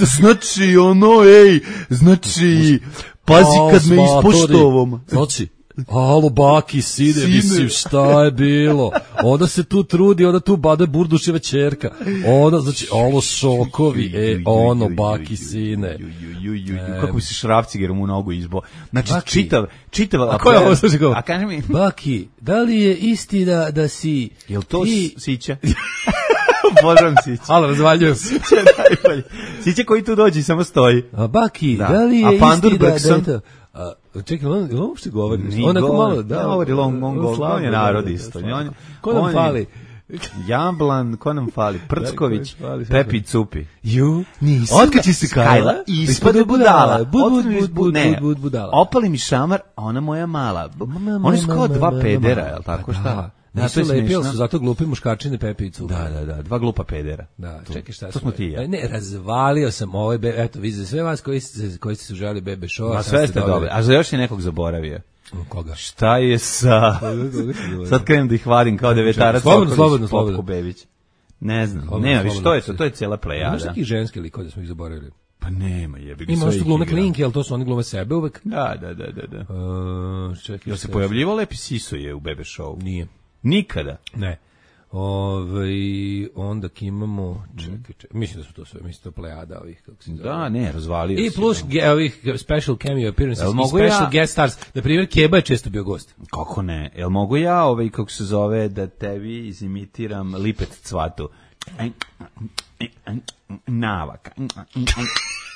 Speaker 6: znači ono, ej, znači, pazi kad me ispoštovom.
Speaker 5: Znači, alo, Baki, sine,
Speaker 6: Sine.
Speaker 5: mislim, šta je bilo? Onda se tu trudi, onda tu bade Burduševa ćerka. Onda, znači, alo, šokovi, e, ono, Baki, sine.
Speaker 6: Kako bi se šrafcigerom u nogu izbo. Znači,
Speaker 5: Baki.
Speaker 6: čitav, čitav...
Speaker 5: A ko je ovo, slušaj govor?
Speaker 6: A kaži mi,
Speaker 5: Baki, da li je istina da si...
Speaker 6: jel to
Speaker 5: ti...
Speaker 6: Sića? Obožavam Sića.
Speaker 5: Alo, razvaljujem.
Speaker 6: Sića je najbolji. Sića koji tu dođe i samo stoji.
Speaker 5: A Baki,
Speaker 6: Da.
Speaker 5: da, li je
Speaker 6: A Pandur
Speaker 5: istina da je
Speaker 6: Bergson?
Speaker 5: to... A, čekaj, on, on uopšte govori.
Speaker 6: Nije
Speaker 5: On neko
Speaker 6: govor,
Speaker 5: malo, da.
Speaker 6: ne govori, on- on govor,
Speaker 5: slabo
Speaker 6: on je
Speaker 5: govori,
Speaker 6: narod
Speaker 5: da,
Speaker 6: isto.
Speaker 5: slabo.
Speaker 6: On-
Speaker 5: Ko nam
Speaker 6: on je-
Speaker 5: fali?
Speaker 6: Jablan, ko nam fali? Prcković,
Speaker 5: Ko nam fali, sve
Speaker 6: Pepi Cupi.
Speaker 5: Ju,
Speaker 6: Nisam
Speaker 5: otkači se Kajla,
Speaker 6: ispade budala.
Speaker 5: Bud, bud,
Speaker 6: Otmi mi
Speaker 5: bud, bud,
Speaker 6: ne,
Speaker 5: bud, bud, budala.
Speaker 6: Opali mi šamar, a ona moja mala. Oni su kao dva pedera, jel tako šta?
Speaker 5: Da,
Speaker 6: Da,
Speaker 5: nisu
Speaker 6: to je
Speaker 5: lepi, ali
Speaker 6: smiješno.
Speaker 5: su zato glupi muškarčine Pepe i Cupa.
Speaker 6: Da, da, da, dva glupa pedera.
Speaker 5: Da, čekaj šta
Speaker 6: To smo ti i ja.
Speaker 5: E, Ne, razvalio sam ovaj, be, eto, vi za sve vas koji ste, koji ste se užali Bebe Show.
Speaker 6: Ma sve ste dobili. A za još je nekog zaboravio.
Speaker 5: Koga?
Speaker 6: Šta je sa... Sad krenem da ih vadim kao devetarac.
Speaker 5: Slobodno,
Speaker 6: Sokolić,
Speaker 5: slobodno,
Speaker 6: Popko
Speaker 5: slobodno.
Speaker 6: Bebić. Ne znam,
Speaker 5: Slobodno,
Speaker 6: nema više,
Speaker 5: slobodno.
Speaker 6: to je to, to je cijela
Speaker 5: Imaš
Speaker 6: plejada.
Speaker 5: neki ženski likove da smo ih zaboravili.
Speaker 6: Pa nema, jebi ga.
Speaker 5: Ima
Speaker 6: sve
Speaker 5: što
Speaker 6: ih
Speaker 5: glume
Speaker 6: igra.
Speaker 5: klinke, ali to su oni glume sebe uvek.
Speaker 6: Da, da, da, da, da.
Speaker 5: Uh, čekaj,
Speaker 6: Jel se
Speaker 5: šta-
Speaker 6: pojavljivao Lepi Siso je u Bebe Show?
Speaker 5: Nije.
Speaker 6: Nikada.
Speaker 5: Ne. Ove, onda imamo, čekaj, čekaj, mislim da su to sve, mislim da to plejada ovih, kako se zove.
Speaker 6: Da, ne, razvalio
Speaker 5: I
Speaker 6: si,
Speaker 5: plus
Speaker 6: da.
Speaker 5: ge, ovih special cameo appearances
Speaker 6: Jel
Speaker 5: i
Speaker 6: mogu
Speaker 5: special
Speaker 6: ja-
Speaker 5: guest stars. Na primjer, Keba je često bio gost.
Speaker 6: Kako ne? Jel mogu ja, ovaj, kako se zove, da tebi izimitiram Lipet Cvatu? Navaka.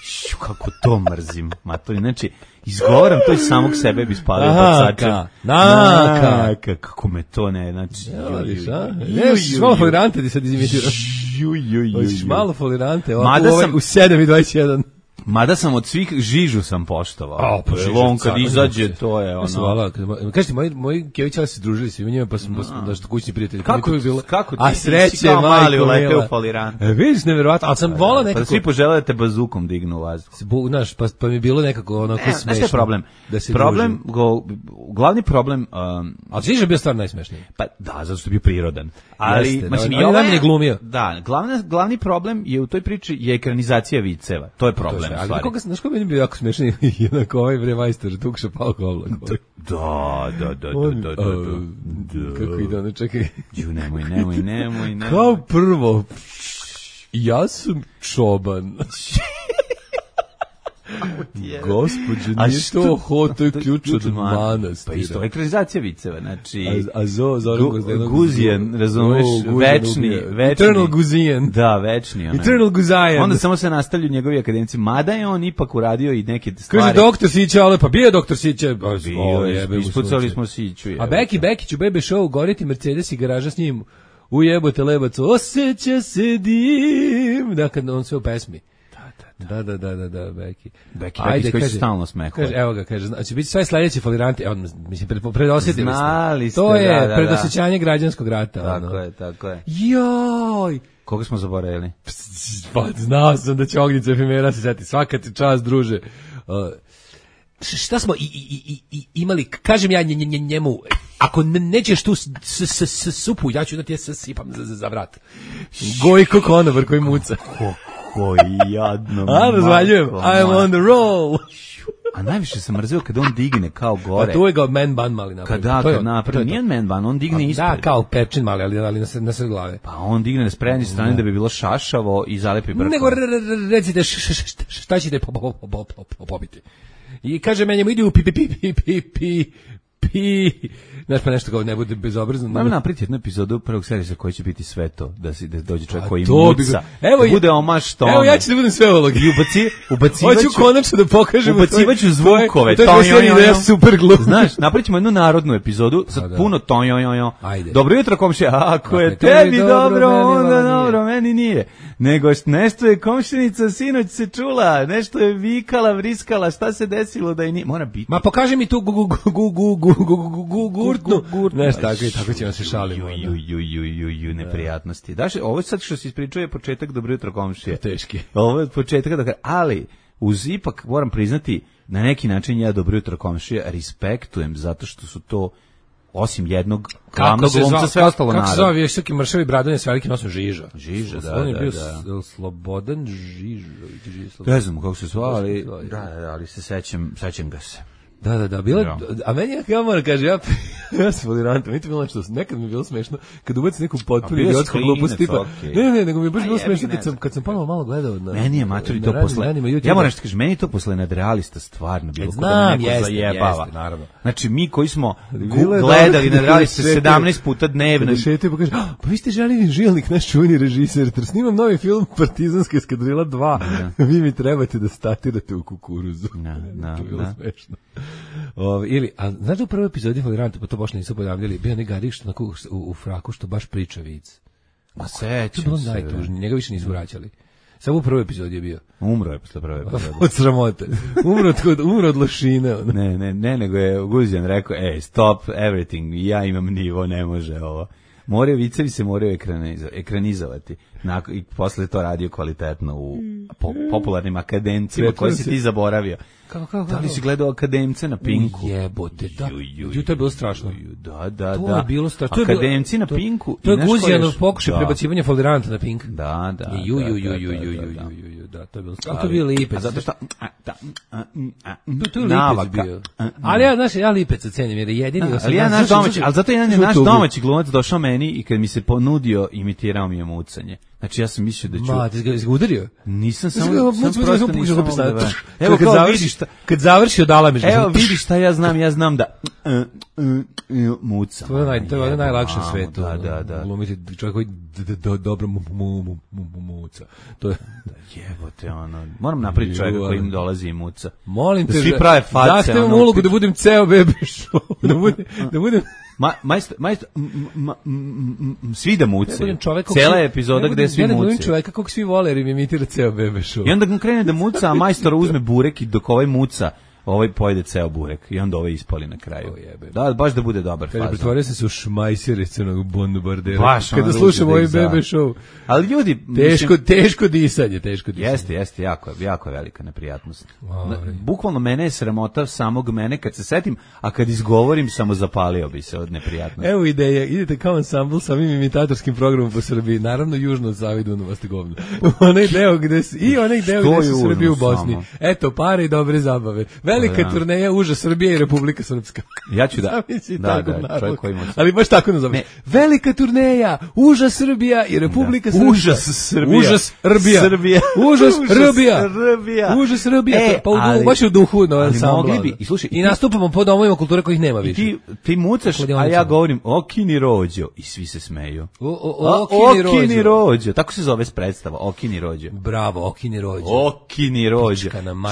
Speaker 6: Šu, kako to mrzim, matori. Znači, izgovaram to iz samog sebe bi spalio bacačem.
Speaker 5: Naka, naka.
Speaker 6: Naka, kako me to ne, znači.
Speaker 5: Ja, vidiš, a?
Speaker 6: ju,
Speaker 5: Ne,
Speaker 6: ju,
Speaker 5: si malo
Speaker 6: ju.
Speaker 5: folirante ti sad izimitiram.
Speaker 6: Ju, ju, ju,
Speaker 5: Hoćeš
Speaker 6: ju.
Speaker 5: malo folirante, ovako
Speaker 6: Mada
Speaker 5: u ovaj-
Speaker 6: sam-
Speaker 5: u sedam i dvadeset jedan.
Speaker 6: Mada sam od svih Žižu sam poštovao.
Speaker 5: A, pa
Speaker 6: Jer
Speaker 5: Žiža,
Speaker 6: on kad
Speaker 5: car,
Speaker 6: izađe,
Speaker 5: ne,
Speaker 6: to je
Speaker 5: Ja sam
Speaker 6: ono...
Speaker 5: volao, kad mo- kažete, moji, moji Kevićali se družili svima njima, pa smo, pa smo došto kućni prijatelji.
Speaker 6: Kako
Speaker 5: To bi bilo,
Speaker 6: kako ti
Speaker 5: a
Speaker 6: si
Speaker 5: sreće,
Speaker 6: kao mali
Speaker 5: majko
Speaker 6: uleteo
Speaker 5: mila.
Speaker 6: u folirante?
Speaker 5: E, vidiš, nevjerovatno, ali sam volao
Speaker 6: Pa
Speaker 5: nekako...
Speaker 6: da svi požele da te bazukom dignu u vazduh.
Speaker 5: Bu, znaš, pa, pa mi je bilo nekako onako
Speaker 6: Ne,
Speaker 5: smešno.
Speaker 6: znaš šta je problem?
Speaker 5: Da se
Speaker 6: problem,
Speaker 5: družim.
Speaker 6: go, glavni problem, um,
Speaker 5: Ali Žiža je bio stvarno najsmešniji.
Speaker 6: pa da, zato što je bio prirodan. Ali,
Speaker 5: Jeste,
Speaker 6: mislim,
Speaker 5: da,
Speaker 6: i
Speaker 5: on je
Speaker 6: ovo
Speaker 5: najmanje glumio.
Speaker 6: Da, glavna, glavni problem je u toj priči je ekranizacija viceva. To je
Speaker 5: To
Speaker 6: problem,
Speaker 5: sve,
Speaker 6: u
Speaker 5: ali
Speaker 6: stvari.
Speaker 5: koga, znaš ko meni bio jako smešan i onako ovaj bre majstor Tukša Palko Oblak.
Speaker 6: Da, da, da,
Speaker 5: On,
Speaker 6: da, da, da,
Speaker 5: a,
Speaker 6: da.
Speaker 5: Kako ide ono, čekaj.
Speaker 6: Ju, nemoj, nemoj, nemoj, nemoj.
Speaker 5: Kao prvo, ja sam čoban. Gospodže,
Speaker 6: A
Speaker 5: nije
Speaker 6: što-
Speaker 5: to ho, to je ključ od
Speaker 6: man-
Speaker 5: manastira.
Speaker 6: Pa isto, ekranizacija viceva, znači...
Speaker 5: A, a zo, Zoran
Speaker 6: Gu-
Speaker 5: Guzdenov.
Speaker 6: Guzijan, razumeš,
Speaker 5: O, Guzijan
Speaker 6: večni,
Speaker 5: ubije.
Speaker 6: večni.
Speaker 5: Eternal Guzijan.
Speaker 6: Da, večni. Onaj.
Speaker 5: Eternal Guzajan.
Speaker 6: Onda samo se nastavlju njegovi akademici, mada je on ipak uradio i neke stvari.
Speaker 5: Kaže doktor Sića, ale pa bio je doktor Sića.
Speaker 6: Bio,
Speaker 5: O, jebe mu
Speaker 6: ispucali
Speaker 5: sunce.
Speaker 6: smo Siću.
Speaker 5: A
Speaker 6: jebe.
Speaker 5: Beki Bekić u Bebe Show, goriti Mercedes i garaža s njim. Ujebote lebaco, osjeća se dim. Da, kad on sve u pesmi. Da, da, da, da, da, Beki.
Speaker 6: Beki, Beki koji se stalno smehuje.
Speaker 5: Kaže, evo ga, kaže, znači, biti sve sledeći foliranti, evo, mislim, pred, predosjetili ste.
Speaker 6: Znali ste,
Speaker 5: To je
Speaker 6: da, da, da.
Speaker 5: predosjećanje građanskog rata.
Speaker 6: Tako
Speaker 5: ono.
Speaker 6: je, tako je.
Speaker 5: Joj!
Speaker 6: Koga smo zaboravili?
Speaker 5: Pa, znao sam da će Ognjica Efimera se seti. Svaka ti čast, druže. Uh, š- šta smo i, i, i, i, imali, kažem ja nje, nje, njemu, ako ne, nećeš tu s, s, s, s, supu, ja ću da ti je sipam za, za, za vrat. Gojko konobar koji muca.
Speaker 6: Kako jadno.
Speaker 5: A, razvaljujem.
Speaker 6: majko
Speaker 5: I'm
Speaker 6: moja.
Speaker 5: on the roll.
Speaker 6: A najviše sam mrzio kada on digne kao gore.
Speaker 5: Pa tu je ga man ban mali napravio.
Speaker 6: Kada,
Speaker 5: To je-
Speaker 6: kad napravi,
Speaker 5: to je to.
Speaker 6: nije man ban, on digne
Speaker 5: A,
Speaker 6: ispred.
Speaker 5: Da, kao pečin mali, ali, ali na, sred- na sred glave.
Speaker 6: Pa on digne na sprednje strane da bi bilo šašavo i zalepi brkom.
Speaker 5: Nego re- re- re- recite š- š- š- šta ćete po- po- po- po- po- po- popiti. I kaže meni mu idi u pi pi pi pi pi pi pi. Znaš, pa nešto kao ne bude bezobrazno.
Speaker 6: Ajmo napraviti jednu epizodu prvog serisa koji će biti sve to, da si da dođe čovjek
Speaker 5: A
Speaker 6: koji
Speaker 5: to bi
Speaker 6: muca.
Speaker 5: ga- evo
Speaker 6: da
Speaker 5: ja-
Speaker 6: bude omaš tome.
Speaker 5: Evo ja ću da budem sve uloge.
Speaker 6: I ubaci, ubacivaću,
Speaker 5: Hoću konačno da pokažem.
Speaker 6: ubacivaću zvukove.
Speaker 5: To je
Speaker 6: to,
Speaker 5: serija da ja super glum.
Speaker 6: Znaš, napravit ćemo jednu narodnu epizodu sa
Speaker 5: A, da.
Speaker 6: puno to, jo, jo, jo.
Speaker 5: Ajde.
Speaker 6: Dobro jutro, komšija. Ako je
Speaker 5: Dakle, to
Speaker 6: tebi
Speaker 5: je
Speaker 6: dobro,
Speaker 5: dobro, meni
Speaker 6: onda
Speaker 5: malo nije.
Speaker 6: dobro, meni nije. Nego š- nešto je komšinica sinoć se čula, nešto je vikala, vriskala, šta se desilo da je nije. Mora biti.
Speaker 5: Ma pokaži mi tu gu gu gu gu gu gu gu gu gu gurtnu.
Speaker 6: Gurtnu.
Speaker 5: Nešto tako i tako ćemo se šalimo.
Speaker 6: Ju, ju, ju, ju, ju, ju, neprijatnosti. Daš, ovo sad što si ispričao je početak dobro jutro komšije.
Speaker 5: Teški.
Speaker 6: Ovo je početak da, ali uz ipak moram priznati na neki način ja dobro jutro komšije respektujem zato što su to osim jednog glavnog glumca sve ostalo
Speaker 5: Kako se
Speaker 6: narod.
Speaker 5: zove visoki mršavi bradovi s velikim nosom Žiža?
Speaker 6: Žiža, da,
Speaker 5: On je
Speaker 6: da,
Speaker 5: bio
Speaker 6: da.
Speaker 5: s- Slobodan Žižović. Žiža Slobodan.
Speaker 6: Ne znam kako se zvao, ali
Speaker 5: Kako se
Speaker 6: da,
Speaker 5: zvao,
Speaker 6: da, da, ali se sećam, sećam ga se.
Speaker 5: Da, da, da, bila,
Speaker 6: Da.
Speaker 5: a meni je, ja moram kaže, ja, ja sam folirantom, vidite bilo nešto, nekad mi je bilo smešno, kad ubaci neku potpuno
Speaker 6: A bio
Speaker 5: idiotsku
Speaker 6: klinac,
Speaker 5: glupost, tipa,
Speaker 6: okej.
Speaker 5: ne, ne, nego mi je baš
Speaker 6: A
Speaker 5: bilo
Speaker 6: jebi
Speaker 5: smešno
Speaker 6: ga,
Speaker 5: kad
Speaker 6: ne
Speaker 5: sam,
Speaker 6: znam.
Speaker 5: kad sam ponovo malo gledao na...
Speaker 6: Meni je matori
Speaker 5: na
Speaker 6: to
Speaker 5: raznim
Speaker 6: posle.
Speaker 5: danima YouTube-a.
Speaker 6: Ja moram nešto kažem, meni je to posle nadrealista stvarno bilo
Speaker 5: E,
Speaker 6: kao da
Speaker 5: znam,
Speaker 6: me neko
Speaker 5: jeste,
Speaker 6: zajebava.
Speaker 5: jeste, naravno.
Speaker 6: Znači mi koji smo
Speaker 5: Bilo je
Speaker 6: gledali
Speaker 5: dobro kad
Speaker 6: nadrealiste
Speaker 5: šetaju-
Speaker 6: sedamnaest puta dnevno.
Speaker 5: Kada šetaju pa kaže, "Ah, pa vi ste Željin Žilnik, naš čuveni režiser, ter snimam novi film Partizanska eskadrila dva, vi mi trebate da statirate u kukuruzu."
Speaker 6: Da, da,
Speaker 5: To je bilo
Speaker 6: da.
Speaker 5: smešno. O, ili, a znaš da u prvoj epizodi Foliranta, pa to baš nisu pojavljali, bio onaj Garik što onako u, u fraku što baš priča vic.
Speaker 6: Ma
Speaker 5: To je
Speaker 6: sećam
Speaker 5: bilo
Speaker 6: se.
Speaker 5: najtužnije, njega više nisu vraćali. Samo u prvoj epizodi je bio.
Speaker 6: Umro je posle prve epizode.
Speaker 5: Od sramote. Umro od, umro od lošine. ono.
Speaker 6: Ne, ne, ne, nego je Guzijan rekao, ej, stop everything, ja imam nivo, ne može ovo. Moraju vicevi se moraju ekranizo- ekranizovati. Nakon, i posle to radio kvalitetno u po, popularnim akademcima koji si ti zaboravio.
Speaker 5: Kako, kako,
Speaker 6: da li si gledao akademce na Pinku?
Speaker 5: Jebote, da. Ju, to je bilo strašno.
Speaker 6: Da, da,
Speaker 5: to
Speaker 6: da.
Speaker 5: je bilo strašno.
Speaker 6: Akademci na Pinku.
Speaker 5: To je Guzijanov pokušaj prebacivanja foliranta na Pink.
Speaker 6: Da, da.
Speaker 5: Ju, ju, ju, ju, ju, ju, ju, da, to je bilo strašno. To je bio Lipec.
Speaker 6: A zato što...
Speaker 5: To je Lipec bio. Ali ja, znaš, ja Lipeca cenim, jer je jedini...
Speaker 6: Ali ja naš domaći, ali zato jedan je naš domaći glumac došao meni i kad mi se ponudio, imitirao mi je mucanje. Znači ja sam mislio da ću...
Speaker 5: Ma, ti ga udario?
Speaker 6: Nisam samo... Sam prosto nisam mogu da...
Speaker 5: Evo, kad završiš... Kad završi odala mi žena.
Speaker 6: Evo, vidiš šta ja znam, ja znam da... Muca.
Speaker 5: To je naj, to je najlakše na svetu.
Speaker 6: Da, da, da.
Speaker 5: Glumiti čovjek koji dobro muca. To je...
Speaker 6: Jebote, ono... Moram napraviti čovjeka koji im dolazi i muca.
Speaker 5: Molim te,
Speaker 6: da svi prave face.
Speaker 5: Zahtevam ulogu da budem ceo bebe show. Da budem... Da budem...
Speaker 6: Ma, majstor, majstor, svi da mucaju. Cela epizoda gde svi mucaju. Ja ne budem
Speaker 5: čoveka kog svi vole jer im imitira ceo bebe show.
Speaker 6: I onda on krene da muca, a majstor uzme burek i dok ovaj muca, ovaj pojede ceo burek i onda ovaj ispali na kraju. Da, baš da bude dobar fazon.
Speaker 5: Pretvorio sam se u šmajsere crnog bombardera. Kada slušam ovaj bebe show.
Speaker 6: Ali ljudi...
Speaker 5: Teško, teško disanje, teško disanje.
Speaker 6: Jeste, jeste, jako, jako je velika neprijatnost. Bukvalno mene je sramota samog mene kad se setim, a kad izgovorim samo zapalio bi se od neprijatnosti.
Speaker 5: Evo ideja, idete kao ansambl sa ovim imitatorskim programom po Srbiji, naravno južno od Save i Dunava ste govno. Onaj deo gde se, i onaj deo gde se Srbiji u Bosni. Eto, pare i dobre zabave. Velika turneja Uža Srbije i Republika Srpska.
Speaker 6: Ja ću da. Da, da, čovjek koji ima.
Speaker 5: Ali baš tako nazoveš. Velika turneja Uža Srbija i Republika Srpska.
Speaker 6: Užas Srbija.
Speaker 5: Užas Srbija.
Speaker 6: Srbija.
Speaker 5: Užas Srbija.
Speaker 6: Srbija.
Speaker 5: Užas Srbija. Pa u baš u duhu na ansamblu.
Speaker 6: I slušaj,
Speaker 5: i nastupamo po domovima kulture kojih nema više.
Speaker 6: Ti ti mucaš, a ja govorim Okini Rođo i svi se smeju.
Speaker 5: Okini
Speaker 6: Rođo. Tako se zove predstava, Okini Rođo.
Speaker 5: Bravo, Okini Rođo.
Speaker 6: Okini Rođo.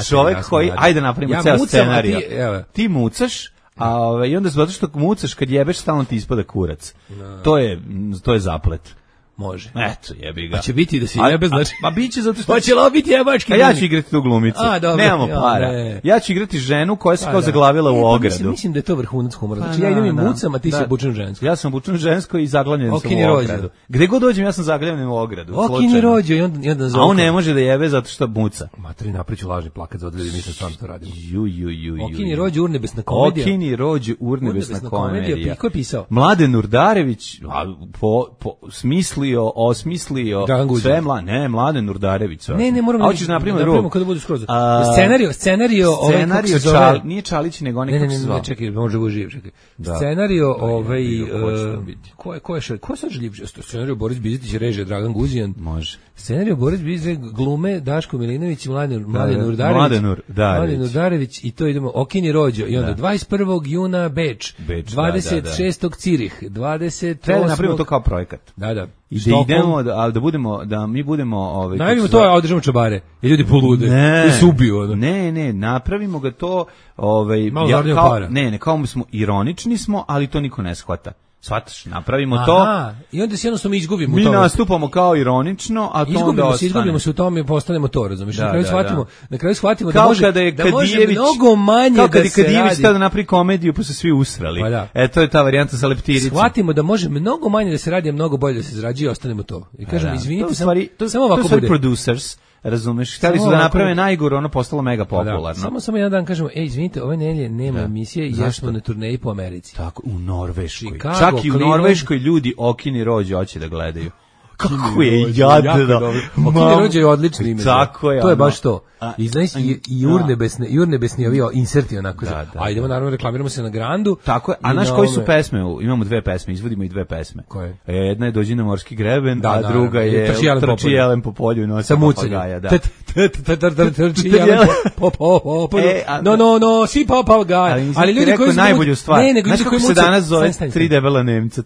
Speaker 6: Čovjek koji, ajde napravimo ceo scenarij. Ti, ti mucaš, a ove, i onda zato što mucaš kad jebeš stalno ti ispada kurac. No. To je to je zaplet.
Speaker 5: Može.
Speaker 6: Eto, jebi ga.
Speaker 5: A će biti da se jebe, znači.
Speaker 6: Pa biće zato što
Speaker 5: hoće li biti jebački?
Speaker 6: A ja ću igrati tu glumicu.
Speaker 5: A, dobro.
Speaker 6: Nemamo para. Ne. Ja ću igrati ženu koja se kao zaglavila u ogradu.
Speaker 5: Mislim, mislim da je to vrhunac humora. Znači ja idem i mucam, a ti si obučen žensko.
Speaker 6: Ja sam obučen žensko i zaglavljen sam u ogradu. Gde god dođem ja sam zaglavljen u ogradu.
Speaker 5: Okini Rođo i onda i onda
Speaker 6: zove. A on ne može da jebe zato što muca.
Speaker 5: Materi napriču lažni plakat za odledi, mislim stvarno to radimo.
Speaker 6: Ju ju ju ju.
Speaker 5: Okini Rođo urnebesna komedija.
Speaker 6: Okini Rođo urnebesna komedija.
Speaker 5: Ko je pisao?
Speaker 6: Mladen Urdarević, po smislio, osmislio sve mla, ne, Mladen Nurdarević.
Speaker 5: Ne, ne, moramo.
Speaker 6: A hoćeš napravimo drugo.
Speaker 5: Kada bude skroz. Scenario, scenario,
Speaker 6: scenario Čal, nije Čalić nego onaj kako se zvao.
Speaker 5: Ne, čekaj, može bude živ, čekaj. Scenario, ovaj ko je ko je ko je živ? Scenario Boris Bizetić, režija Dragan Guzijan.
Speaker 6: Može.
Speaker 5: Scenario Boris Bizetić, glume Daško Milinović i Mladen Mladen Nurdarević.
Speaker 6: Mladen Nurdarević.
Speaker 5: Mladen Nurdarević i to idemo Okini Rođo i onda dvadeset prvog juna Beč, dvadeset šestog Cirih, dvadeset osmog
Speaker 6: Treba napravimo to kao projekat.
Speaker 5: Da, da.
Speaker 6: I da idemo, da, da budemo, da mi budemo... Ovaj,
Speaker 5: najavimo to, a održamo čabare. I ljudi polude.
Speaker 6: Ne,
Speaker 5: i se ubiju. Ono.
Speaker 6: Ne, ne, napravimo ga to... Ovaj,
Speaker 5: malo
Speaker 6: ja, kao,
Speaker 5: para.
Speaker 6: Ne, ne, kao smo ironični smo, ali to niko ne shvata. Shvataš, napravimo
Speaker 5: Aha,
Speaker 6: to.
Speaker 5: I onda se jednostavno izgubimo
Speaker 6: mi
Speaker 5: u tome.
Speaker 6: Mi nastupamo kao ironično, a to
Speaker 5: izgubimo
Speaker 6: onda
Speaker 5: se, izgubimo se u tome i postanemo to, razumiješ?
Speaker 6: Da,
Speaker 5: na kraju
Speaker 6: da,
Speaker 5: shvatimo,
Speaker 6: da.
Speaker 5: na kraju shvatimo
Speaker 6: kao
Speaker 5: da može
Speaker 6: kada je
Speaker 5: da može
Speaker 6: Kadijević,
Speaker 5: mnogo manje
Speaker 6: kao
Speaker 5: da se
Speaker 6: Kadijević
Speaker 5: radi.
Speaker 6: Kao da napravi komediju pa su svi usrali.
Speaker 5: Pa da.
Speaker 6: E, to je ta varijanta sa leptiricom.
Speaker 5: Shvatimo da može mnogo manje da se radi, a mnogo bolje da se zarađuje i ostanemo to. I kažem, izvinite, samo
Speaker 6: to,
Speaker 5: samo ovako
Speaker 6: to
Speaker 5: bude.
Speaker 6: Producers, razumeš, hteli su da naprave najgore, ono postalo mega popularno.
Speaker 5: Da, samo samo jedan dan kažemo, ej, izvinite, ove nedelje nema emisije i ja smo na turneji po Americi.
Speaker 6: Tako, u Norveškoj.
Speaker 5: Chicago,
Speaker 6: čak i u
Speaker 5: Cleveland.
Speaker 6: Norveškoj ljudi Okini Rođo hoće da gledaju. Kako je jadno.
Speaker 5: Okini Rođo je odlično ime.
Speaker 6: Tako je.
Speaker 5: To je baš to. I znaš, i, i urnebesne, i urnebesni ovi inserti onako. Da, da, a idemo naravno, reklamiramo se na Grandu.
Speaker 6: Tako je. A znaš koji su pesme? Imamo dve pesme, izvodimo i dve pesme.
Speaker 5: Koje?
Speaker 6: Jedna je Dođi na morski greben,
Speaker 5: da,
Speaker 6: a druga je Trči jelen po polju i nosi papagaja. Da.
Speaker 5: Trči jelen po polju. No, no, no, si papagaj.
Speaker 6: Ali ljudi koji najbolju stvar. Znaš kako se danas zove tri debela Nemca?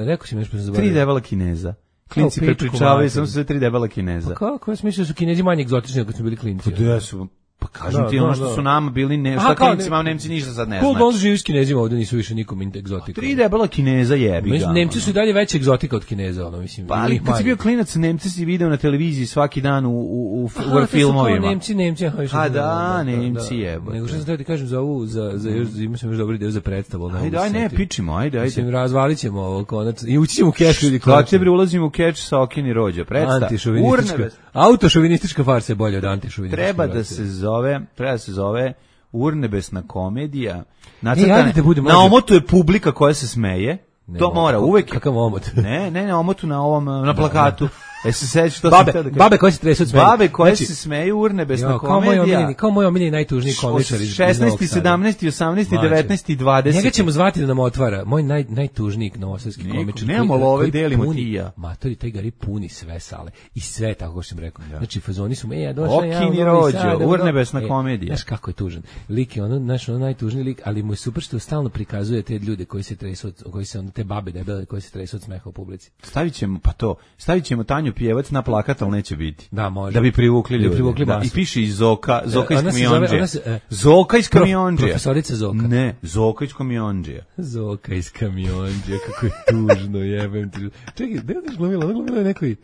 Speaker 5: Rekao si mi nešto zaboravio.
Speaker 6: Tri debela Kineza. Klinci prepričavaju, samo su sve tri debela Kineza.
Speaker 5: Pa kako? Ja sam mislio da su Kinezi manje egzotični kad smo bili klinci.
Speaker 6: Pa da su, Pa kažem
Speaker 5: Da,
Speaker 6: ti
Speaker 5: da,
Speaker 6: ono što
Speaker 5: da.
Speaker 6: su nama bili, ne,
Speaker 5: Aha,
Speaker 6: šta
Speaker 5: kao
Speaker 6: klincima,
Speaker 5: ne-
Speaker 6: Nemci ništa sad ne
Speaker 5: Cool
Speaker 6: znači.
Speaker 5: Bones živi s Kinezima, ovde nisu više nikom egzotika.
Speaker 6: Tri debela Kineza jebi ga.
Speaker 5: Mislim, Nemci
Speaker 6: ono.
Speaker 5: su i dalje veća egzotika od Kineza, ono, mislim.
Speaker 6: Pa ali
Speaker 5: ili
Speaker 6: kad si bio
Speaker 5: manje.
Speaker 6: klinac, Nemci si video na televiziji svaki dan u, u, u,
Speaker 5: Aha,
Speaker 6: u
Speaker 5: to su
Speaker 6: filmovima.
Speaker 5: kao Nemci, Nemci, aha, više
Speaker 6: A
Speaker 5: sam-
Speaker 6: da, Nemci,
Speaker 5: da.
Speaker 6: jebote.
Speaker 5: Nego što sam teo ti kažem za ovu, za, za još, imao sam još dobri deo za predstavu. ali ne
Speaker 6: Ajde,
Speaker 5: mogu
Speaker 6: aj
Speaker 5: se
Speaker 6: ne,
Speaker 5: setiti.
Speaker 6: pičimo, ajde,
Speaker 5: Mislim,
Speaker 6: ajde.
Speaker 5: razvalit ćemo ovo konačno. I ući ćemo u keš ljudi
Speaker 6: Kako te bre ulazimo u keč sa Okini Rođa, predstav.
Speaker 5: Antišovinistička.
Speaker 6: Urnebes.
Speaker 5: Autošovinistička farsa je bolja od antišovinističke.
Speaker 6: Treba da
Speaker 5: farse.
Speaker 6: se zove, treba da se zove Urnebesna komedija.
Speaker 5: E,
Speaker 6: Nacrtana,
Speaker 5: ajde da budemo-
Speaker 6: na omotu je publika koja se smeje.
Speaker 5: Ne,
Speaker 6: to
Speaker 5: mogu.
Speaker 6: mora uvek.
Speaker 5: Kakav omot.
Speaker 6: Ne, ne, na omotu na ovom na plakatu. E se sećaš što
Speaker 5: Babe,
Speaker 6: sam htio da kažem?
Speaker 5: babe koje se tresu od smeja.
Speaker 6: Babe koje
Speaker 5: Znači,
Speaker 6: se smeju, Urnebesna
Speaker 5: Jo, kao moj
Speaker 6: komedija.
Speaker 5: omiljeni, kao moj omiljeni najtužniji komičar iz iz Novog
Speaker 6: šesnaesti,
Speaker 5: Sada.
Speaker 6: sedamnaesti, osamnaesti,
Speaker 5: Mlađe.
Speaker 6: devetnaesti, dvadeseti.
Speaker 5: Njega ćemo zvati da nam otvara. Moj naj, najtužniji novosadski
Speaker 6: Niko,
Speaker 5: komičar.
Speaker 6: nemamo
Speaker 5: koji-
Speaker 6: love,
Speaker 5: koji
Speaker 6: delimo
Speaker 5: puni-
Speaker 6: ti i ja.
Speaker 5: Matori, taj gari puni sve sale. I sve, tako kao što sam rekao. Znači, fazoni su, e, ja došao ja.
Speaker 6: Okini
Speaker 5: u Novi
Speaker 6: Rođo,
Speaker 5: Sad, evo,
Speaker 6: Urnebesna
Speaker 5: e,
Speaker 6: komedija.
Speaker 5: Znaš kako je tužan. Lik je ono, znaš, ono najtužniji lik, ali mu je super što stalno prikazuje te ljude koji se tresu, od, koji se, ono, te babe debele koji se tresu od smeha u publici.
Speaker 6: Stavit ćemo, pa to, stavit ćemo Tanju Pjevac na plakat, ali neće biti.
Speaker 5: Da, može.
Speaker 6: Da bi privukli
Speaker 5: Da bi
Speaker 6: ljude.
Speaker 5: privukli
Speaker 6: Da,
Speaker 5: masu.
Speaker 6: i piše i Zoka, Zoka iz
Speaker 5: ona se zove-
Speaker 6: Kamionđije.
Speaker 5: ona se, e,
Speaker 6: Zoka iz
Speaker 5: prof-
Speaker 6: Kamionđije.
Speaker 5: profesorica Zoka.
Speaker 6: Ne, Zoka iz Kamionđije.
Speaker 5: Zoka iz Kamionđija, kako je tužno, jebem ti. Čekaj, gde je glumila? Ona glumila nekoj...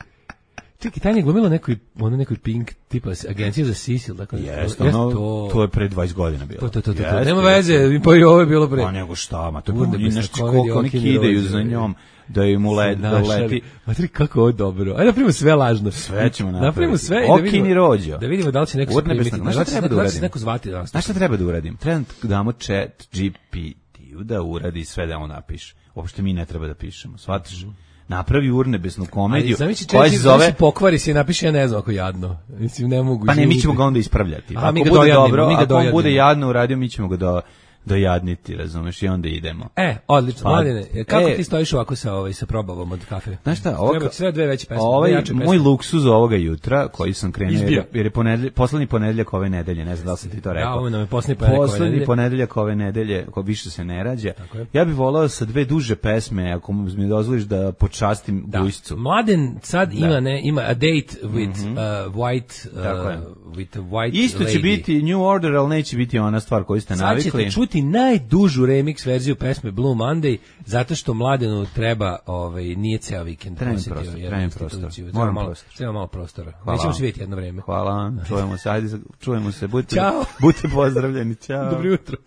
Speaker 5: Čekaj, Tanja je glumila nekoj, ono nekoj Pink, tipa agencija za Sisil, tako da.
Speaker 6: Jeste,
Speaker 5: Jeste
Speaker 6: ono,
Speaker 5: to.
Speaker 6: to je pre dvadeset godina bilo.
Speaker 5: To, to, to, to, to.
Speaker 6: Jeste,
Speaker 5: Nema
Speaker 6: jeste.
Speaker 5: veze, pa i ovo je bilo pre.
Speaker 6: Pa nego šta, ma to je
Speaker 5: Urnebesna
Speaker 6: pa nešto
Speaker 5: komedija,
Speaker 6: koliko oni
Speaker 5: Okini
Speaker 6: kidaju
Speaker 5: Rođe,
Speaker 6: za
Speaker 5: je.
Speaker 6: njom, da im ule, da
Speaker 5: Našali.
Speaker 6: leti.
Speaker 5: Matri, kako ovo je dobro. Ajde napravimo sve lažno.
Speaker 6: Sve ćemo napraviti.
Speaker 5: Napravimo sve i da
Speaker 6: Okini
Speaker 5: vidimo.
Speaker 6: Rođo.
Speaker 5: Da vidimo da li će neko
Speaker 6: Urnebesna,
Speaker 5: spremiti.
Speaker 6: znaš šta
Speaker 5: Da li će-
Speaker 6: treba da
Speaker 5: da li će
Speaker 6: uradim?
Speaker 5: neko zvati danas.
Speaker 6: Znaš šta treba da uradim? Treba da damo chat G P T-u da uradi sve da on napiše. Uopšte mi ne treba da pišemo, shvatiš? Napravi Urnebesnu komediju
Speaker 5: Ali
Speaker 6: koja se zove...
Speaker 5: pokvari se i napiše, ja ne znam ako je jadno. Mislim, ne mogu.
Speaker 6: Pa ne, mi
Speaker 5: izvinite.
Speaker 6: ćemo ga onda ispravljati.
Speaker 5: Aha, mi
Speaker 6: Ako
Speaker 5: ga
Speaker 6: bude
Speaker 5: dojadnimo,
Speaker 6: dobro,
Speaker 5: mi ga
Speaker 6: ako on
Speaker 5: dojadnimo.
Speaker 6: bude jadno uradio, mi ćemo ga do, dojadniti, razumeš, i onda idemo.
Speaker 5: E, odlično.
Speaker 6: Pa,
Speaker 5: Mladene, kako
Speaker 6: e,
Speaker 5: ti stojiš ovako sa ovaj sa probavom od kafe?
Speaker 6: Znaš šta, ovo,
Speaker 5: Treba ti sve dve veće pesme,
Speaker 6: ovaj,
Speaker 5: dve jače pesme.
Speaker 6: moj luksuz ovoga jutra, koji sam krenuo, jer,
Speaker 5: Izbija.
Speaker 6: je- jer je ponedelj, poslednji ponedeljak ove nedelje, ne znam da li sam ti to rekao.
Speaker 5: Da, ovo nam je poslednji ponedeljak ove
Speaker 6: Poslednji
Speaker 5: nedelje.
Speaker 6: ponedeljak ove nedelje, ko više se ne rađa.
Speaker 5: je.
Speaker 6: Ja bih volao sa dve duže pesme, ako mi dozvoliš da počastim
Speaker 5: Da.
Speaker 6: Gujscu.
Speaker 5: Mladen sad ima ne ima a date with uh, white uh,
Speaker 6: Tako je.
Speaker 5: with a white
Speaker 6: Isto će
Speaker 5: lady.
Speaker 6: biti New Order, ali neće biti ona stvar koju ste
Speaker 5: Sad
Speaker 6: navikli.
Speaker 5: ćete čuti najdužu remix verziju pesme Blue Monday, zato što Mladenu treba, ovaj, nije ceo vikend.
Speaker 6: Treba mi
Speaker 5: posjetio
Speaker 6: prostor,
Speaker 5: jednu
Speaker 6: treba mi
Speaker 5: instituciju.
Speaker 6: prostor.
Speaker 5: Treba
Speaker 6: Moram
Speaker 5: malo,
Speaker 6: prostor.
Speaker 5: treba malo prostora.
Speaker 6: Hvala
Speaker 5: Nećemo
Speaker 6: vam.
Speaker 5: se vidjeti jedno vreme.
Speaker 6: Hvala vam, čujemo se, ajde, čujemo se, budite,
Speaker 5: Ćao.
Speaker 6: budite pozdravljeni, ćao.
Speaker 5: Dobro jutro.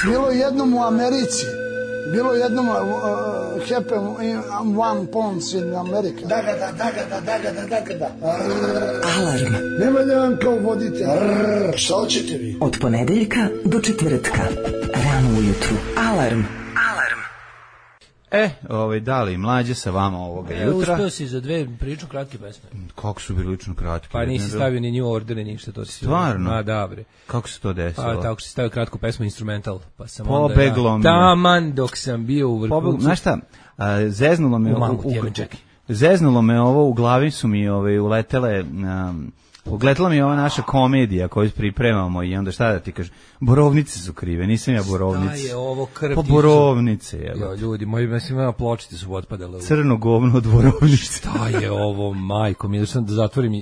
Speaker 8: Bilo jednom u Americi, bilo jednom uh, happen in one pounds in America. Da ga da, da ga da, da ga da, da ga da.
Speaker 9: Alarm
Speaker 8: Nema da vam kao vodite. Arr, šta hoćete vi?
Speaker 9: od ponedeljka do četvrtka. Rano ujutru. Alarm.
Speaker 6: E, ovaj, da li mlađe sa vama ovoga
Speaker 5: E,
Speaker 6: jutra?
Speaker 5: uspeo si za dve prilično kratke pesme.
Speaker 6: Kako su bili lično kratki?
Speaker 5: Pa
Speaker 6: jedna
Speaker 5: nisi
Speaker 6: je bila-
Speaker 5: stavio ni New Order, ni ništa, to si...
Speaker 6: Stvarno?
Speaker 5: Ma, da, bre.
Speaker 6: Kako se to desilo?
Speaker 5: Pa tako si stavio kratku pesmu Instrumental, pa sam
Speaker 6: Pobeglo
Speaker 5: onda
Speaker 6: mi
Speaker 5: ja...
Speaker 6: je.
Speaker 5: Taman dok sam bio u
Speaker 6: Pobeglo,
Speaker 5: vrhuncu.
Speaker 6: znaš šta, a, zeznulo me...
Speaker 5: U mamu
Speaker 6: u-
Speaker 5: ti jebem, čekaj.
Speaker 6: Zeznulo me ovo, u glavi su mi ovaj, uletele... Um, Ugletala mi je ova naša komedija koju pripremamo i onda šta da ti kažem, borovnice su krive, nisam ja
Speaker 5: Da
Speaker 6: borovnice.
Speaker 5: je ovo krv.
Speaker 6: Pa
Speaker 5: ti su-
Speaker 6: borovnice,
Speaker 5: Jo,
Speaker 6: evo.
Speaker 5: ljudi, moji mislim ima pločice su otpadale. u-
Speaker 6: Crno govno od borovnice.
Speaker 5: Šta je ovo, majko, mi sam da zatvorim i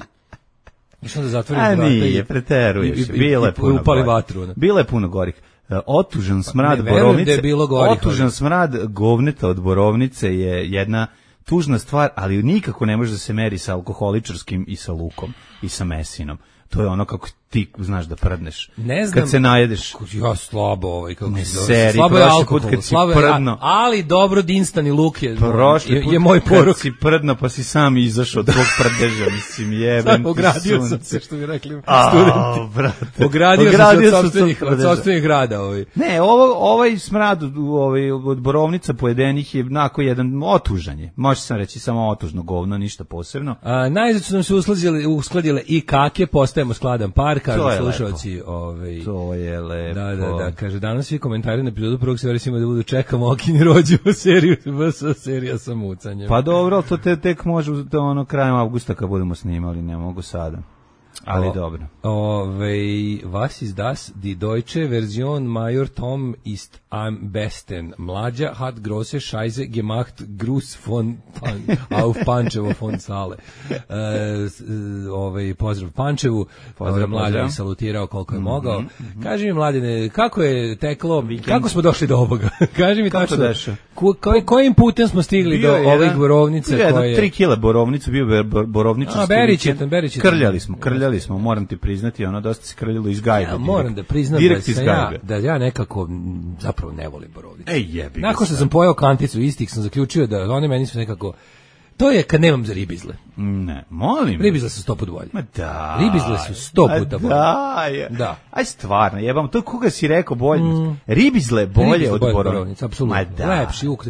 Speaker 5: išao da zatvorim
Speaker 6: A
Speaker 5: vrata i-
Speaker 6: nije, preteruješ.
Speaker 5: i- i-
Speaker 6: Bilo je
Speaker 5: i-
Speaker 6: puno
Speaker 5: upali
Speaker 6: gorih.
Speaker 5: vatru. ono.
Speaker 6: Bilo je puno gorih. E, Otužan smrad
Speaker 5: ne, verujem
Speaker 6: borovnice.
Speaker 5: da je bilo gorih,
Speaker 6: Otužan
Speaker 5: ali-
Speaker 6: smrad govneta od borovnice je jedna tužna stvar, ali nikako ne može da se meri sa alkoholičarskim i sa lukom i sa mesinom. To je ono kako ti znaš da prdneš.
Speaker 5: Ne znam.
Speaker 6: Kad se najedeš.
Speaker 5: Ja slabo ovaj kako
Speaker 6: Ne
Speaker 5: se zove.
Speaker 6: seri,
Speaker 5: slabo je
Speaker 6: prošli
Speaker 5: alkohol,
Speaker 6: put kad si
Speaker 5: slabo je,
Speaker 6: prdno.
Speaker 5: ali dobro Dinstan i luk je,
Speaker 6: Prošli
Speaker 5: je,
Speaker 6: put
Speaker 5: je moj
Speaker 6: kad
Speaker 5: poruk.
Speaker 6: si prdno pa si sam izašao od tvog prdeža, mislim, jebem
Speaker 5: Sad
Speaker 6: ti
Speaker 5: ogradio sam
Speaker 6: sunce.
Speaker 5: se, što bi rekli
Speaker 6: A,
Speaker 5: studenti.
Speaker 6: brate.
Speaker 5: Ogradio,
Speaker 6: Ogradio
Speaker 5: sam
Speaker 6: sam
Speaker 5: se od sopstvenih,
Speaker 6: se od
Speaker 5: od
Speaker 6: prdeža.
Speaker 5: sopstvenih rada. Ovaj.
Speaker 6: Ne, ovo, ovaj smrad ovaj, od borovnica pojedenih je onako jedan otužanje. Može sam reći samo otužno govno, ništa posebno.
Speaker 5: A, najzad su nam se uskladile, uskladile i kake, postajemo skladan par, kažu
Speaker 6: To je
Speaker 5: slušalci. Ovaj,
Speaker 6: To je lepo.
Speaker 5: da, da, da, kaže, danas svi komentari na epizodu prvog se verisimo da budu čekamo Okini Rođu u seriju, V S serija sa mucanjem.
Speaker 6: Pa dobro, ali to te, tek može to ono krajem avgusta kad budemo snimali, ne mogu sada. Ali
Speaker 5: o,
Speaker 6: dobro.
Speaker 5: Ove, was ist das? Die deutsche Version Major Tom ist am besten. Mlađa hat große Scheiße gemacht. Gruß von pan, auf Pančevo von Sale. E, ove, pozdrav Pančevu. Pozdrav Mlađa je salutirao koliko je mm-hmm, mogao. Mm-hmm. Kaži mi, Mladine, kako je teklo, Weekend. Kako smo došli do ovoga? Kaži mi tačno, ko, ko, kojim putem smo stigli bio do jedan, ovih borovnica?
Speaker 6: Bio je tri kila borovnica, bio je borovničar.
Speaker 5: A, beričetan, beričetan.
Speaker 6: Krljali smo, krljali smo, moram ti priznati, ono dosta se krljalo iz gajbe.
Speaker 5: Ja, moram da priznam
Speaker 6: direkt
Speaker 5: da,
Speaker 6: iz
Speaker 5: ja, da ja nekako zapravo ne volim borovnice.
Speaker 6: Ej, jebi.
Speaker 5: Nakon što sam pojeo kanticu istih, sam zaključio da one meni su nekako... To je kad nemam za ribizle.
Speaker 6: Ne, molim.
Speaker 5: Ribizle su sto put bolje.
Speaker 6: Ma da.
Speaker 5: Ribizle su sto puta bolje.
Speaker 6: Da, je. Da. Aj stvarno, jebam, to koga si rekao bolje. Mm. Ribizle bolje ribizle od borovnice.
Speaker 5: Apsolutno. Lepši ukus.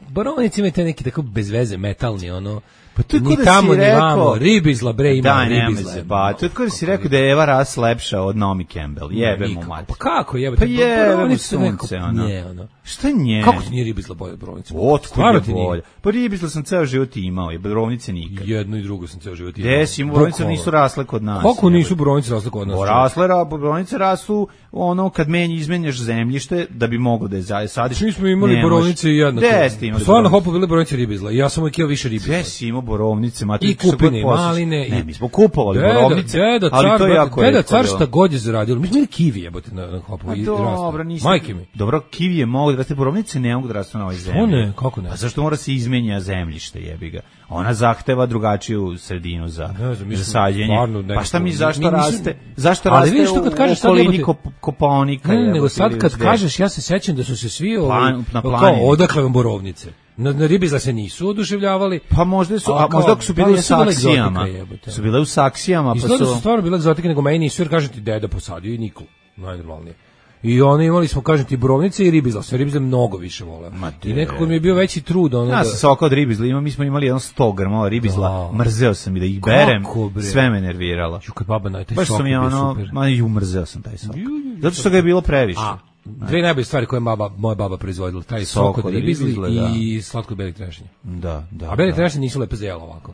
Speaker 5: Borovnice imaju te neki tako bez veze, metalni, ono...
Speaker 6: Pa to
Speaker 5: ni tamo, ni vamo, ribizla, bre, ima
Speaker 6: da,
Speaker 5: ribizla.
Speaker 6: Se, pa, to je kada si rekao da je Eva Ras lepša od Naomi Campbell. Jebe mu mati.
Speaker 5: Pa kako jebate?
Speaker 6: Pa jebe mu sunce, ono.
Speaker 5: Nje, ono.
Speaker 6: Šta nje?
Speaker 5: Kako ti nije ribizla bolje od borovnice?
Speaker 6: Otkud je bolje? Pa ribizla sam ceo život imao, je borovnice nikad.
Speaker 5: Jedno i drugo sam ceo život imao.
Speaker 6: Gde si, borovnice nisu rasle kod nas.
Speaker 5: Kako nisu borovnice rasle kod nas?
Speaker 6: Rasle, borovnice rastu ono kad menji izmenjaš zemljište da bi moglo da je sadiš.
Speaker 5: Mi smo imali borovnice i jednako. Stvarno hopo bile borovnice ribizla. Ja sam uvijek jeo više ribizla.
Speaker 6: Gde si imao borovnice,
Speaker 5: i kupine, i maline.
Speaker 6: Ne, mi smo kupovali borovnice,
Speaker 5: deda,
Speaker 6: ali
Speaker 5: car,
Speaker 6: to je jako
Speaker 5: deda, car šta god je zaradio. Mi smo imali kivi jebote na, na hopu i
Speaker 6: dobro,
Speaker 5: nisam. Majke mi.
Speaker 6: Dobro, kivi je mogu da raste, borovnice ne mogu da rastu na ovoj zemlji.
Speaker 5: O ne, kako ne?
Speaker 6: Pa zašto mora se izmenja zemljište, jebi ga? Ona zahteva drugačiju sredinu za, za sađenje. Pa šta mi, zašto mi, raste? Zašto
Speaker 5: ali
Speaker 6: raste
Speaker 5: vidiš to kad kažeš
Speaker 6: u okolini Kopaonika?
Speaker 5: Ne, nego sad kad kažeš, ja se sećam da su se svi
Speaker 6: Plan, na
Speaker 5: kao odakle vam borovnice. Na, na ribizla se nisu oduševljavali.
Speaker 6: Pa možda su, a, a možda su bile u saksijama. Su bile u saksijama, pa su...
Speaker 5: Izgleda su stvarno bile egzotike, nego meni nisu, jer kažem ti deda posadio i Nikol, najnormalnije. I oni imali smo, kažem ti, borovnice i ribizla, sve ribizle mnogo više voleo. I nekako mi je bio veći trud. Ono
Speaker 6: ja
Speaker 5: da...
Speaker 6: sam soka od ribizla, ima, mi smo imali jedno sto grama ribizla, da. Mrzeo sam i da ih berem, sve me nerviralo.
Speaker 5: Ju, kad baba na taj
Speaker 6: baš
Speaker 5: sok
Speaker 6: sam ja ono,
Speaker 5: super.
Speaker 6: Ma ju, mrzeo sam taj sok. Zato što ga je bilo previše.
Speaker 5: A, dve najbolje stvari koje baba, moja baba proizvodila, taj sok, sok od ribizli i slatko belih trešnje.
Speaker 6: Da, da.
Speaker 5: A beli trešnje nisu lepe za jelo ovako.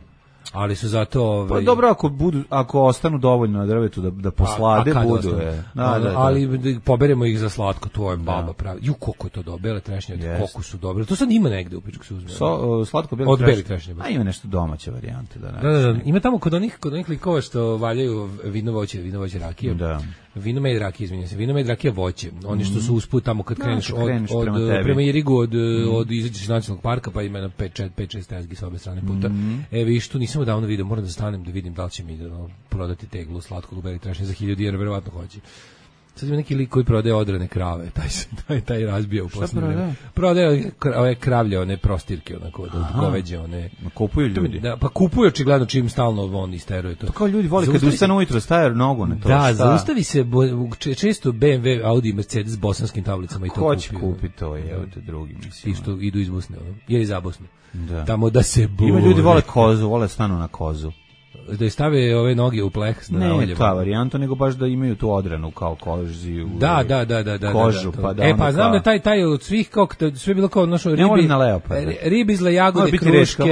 Speaker 5: Ali su zato ovaj...
Speaker 6: Pa dobro, ako budu, ako ostanu dovoljno na drvetu da da poslade, a, a budu je. Da, da, da.
Speaker 5: Ali da poberemo ih za slatko, to je baba da. Pravi. Ju, koliko je to dobro, bele trešnje, yes. Koliko su dobre. To sad ima negde u pičku se uzme.
Speaker 6: So, uh, slatko bele
Speaker 5: od
Speaker 6: trešnje.
Speaker 5: Beli trešnje.
Speaker 6: A ima nešto domaće varijante da.
Speaker 5: Da, da, da. Ima tamo kod onih kod onih likova što valjaju vino voće, vino voće rakije.
Speaker 6: Da.
Speaker 5: Vino med rakije, izvinjavam se. Vino med rakije voće. Oni što su usput tamo kad
Speaker 6: da,
Speaker 5: kreneš od
Speaker 6: kreneš
Speaker 5: od
Speaker 6: prema,
Speaker 5: prema Irigu od mm. od izađeš iz nacionalnog parka pa ima na pet šest tezgi sa obe strane puta. Mm. E vi što nisam davno video, moram da stanem da vidim da li će mi da no, prodati teglu slatkog beli trešnje za hiljadu dinara, verovatno hoće. Sad ima neki lik koji prodaje odrane krave, taj se taj taj razbija u poslednje. Prodaje ove kravlje, one prostirke, onako od goveđe, one.
Speaker 6: Kupuju ljudi.
Speaker 5: Da, pa kupuju očigledno čim stalno on isteruje to.
Speaker 6: To kao ljudi vole kad ustanu ujutro stavljaju nogu na to.
Speaker 5: Da, šta? Zaustavi se bo, često B M W, Audi i Mercedes s bosanskim tablicama i to
Speaker 6: kupi. Ko će kupiti to, je te drugi mislim.
Speaker 5: I što idu iz Bosne, ili za Bosnu.
Speaker 6: Da.
Speaker 5: Tamo da se bure.
Speaker 6: Ima ljudi vole kozu, vole stanu na kozu.
Speaker 5: Da stave ove noge u pleh na
Speaker 6: ne, ne ta varijanta, nego baš da imaju tu odranu kao koži u
Speaker 5: da, da, da, da, da,
Speaker 6: kožu,
Speaker 5: da, da,
Speaker 6: pa da
Speaker 5: e, pa znam kao... da taj, taj od svih, kao, sve bilo kao našo ribi,
Speaker 6: ne na leoparda.
Speaker 5: Ribizle, jagode, kruške,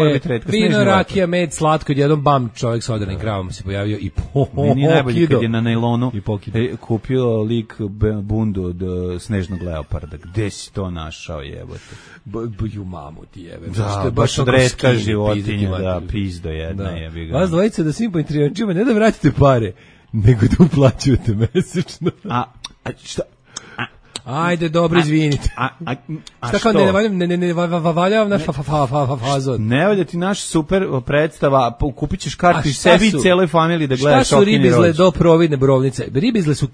Speaker 5: vino, rakija, med, slatko, jedan bam čovjek sa odranim kravama se pojavio i po,
Speaker 6: meni najbolje kad je na najlonu i kupio lik bundu od snežnog leoparda. Gde si to našao, jebote?
Speaker 5: Buju mamu ti jebe.
Speaker 6: Da, baš od retka životinja, da, pizdo jedna jebi ga.
Speaker 5: Vas dvojice da svim pointrijančima ne da vratite pare, nego da uplaćujete mesečno.
Speaker 6: A, a šta?
Speaker 5: Ajde, dobro, izvinite.
Speaker 6: A, a, a
Speaker 5: šta kao ne valjam, ne, ne, ne, valjavam naš fa, fa, fa, fa, fazon.
Speaker 6: Ne valja ti naš super predstava, kupit ćeš kartu i sebi i cijeloj familiji da gledaš
Speaker 5: Šta su ribizle do providne borovnice? Ribizle su e,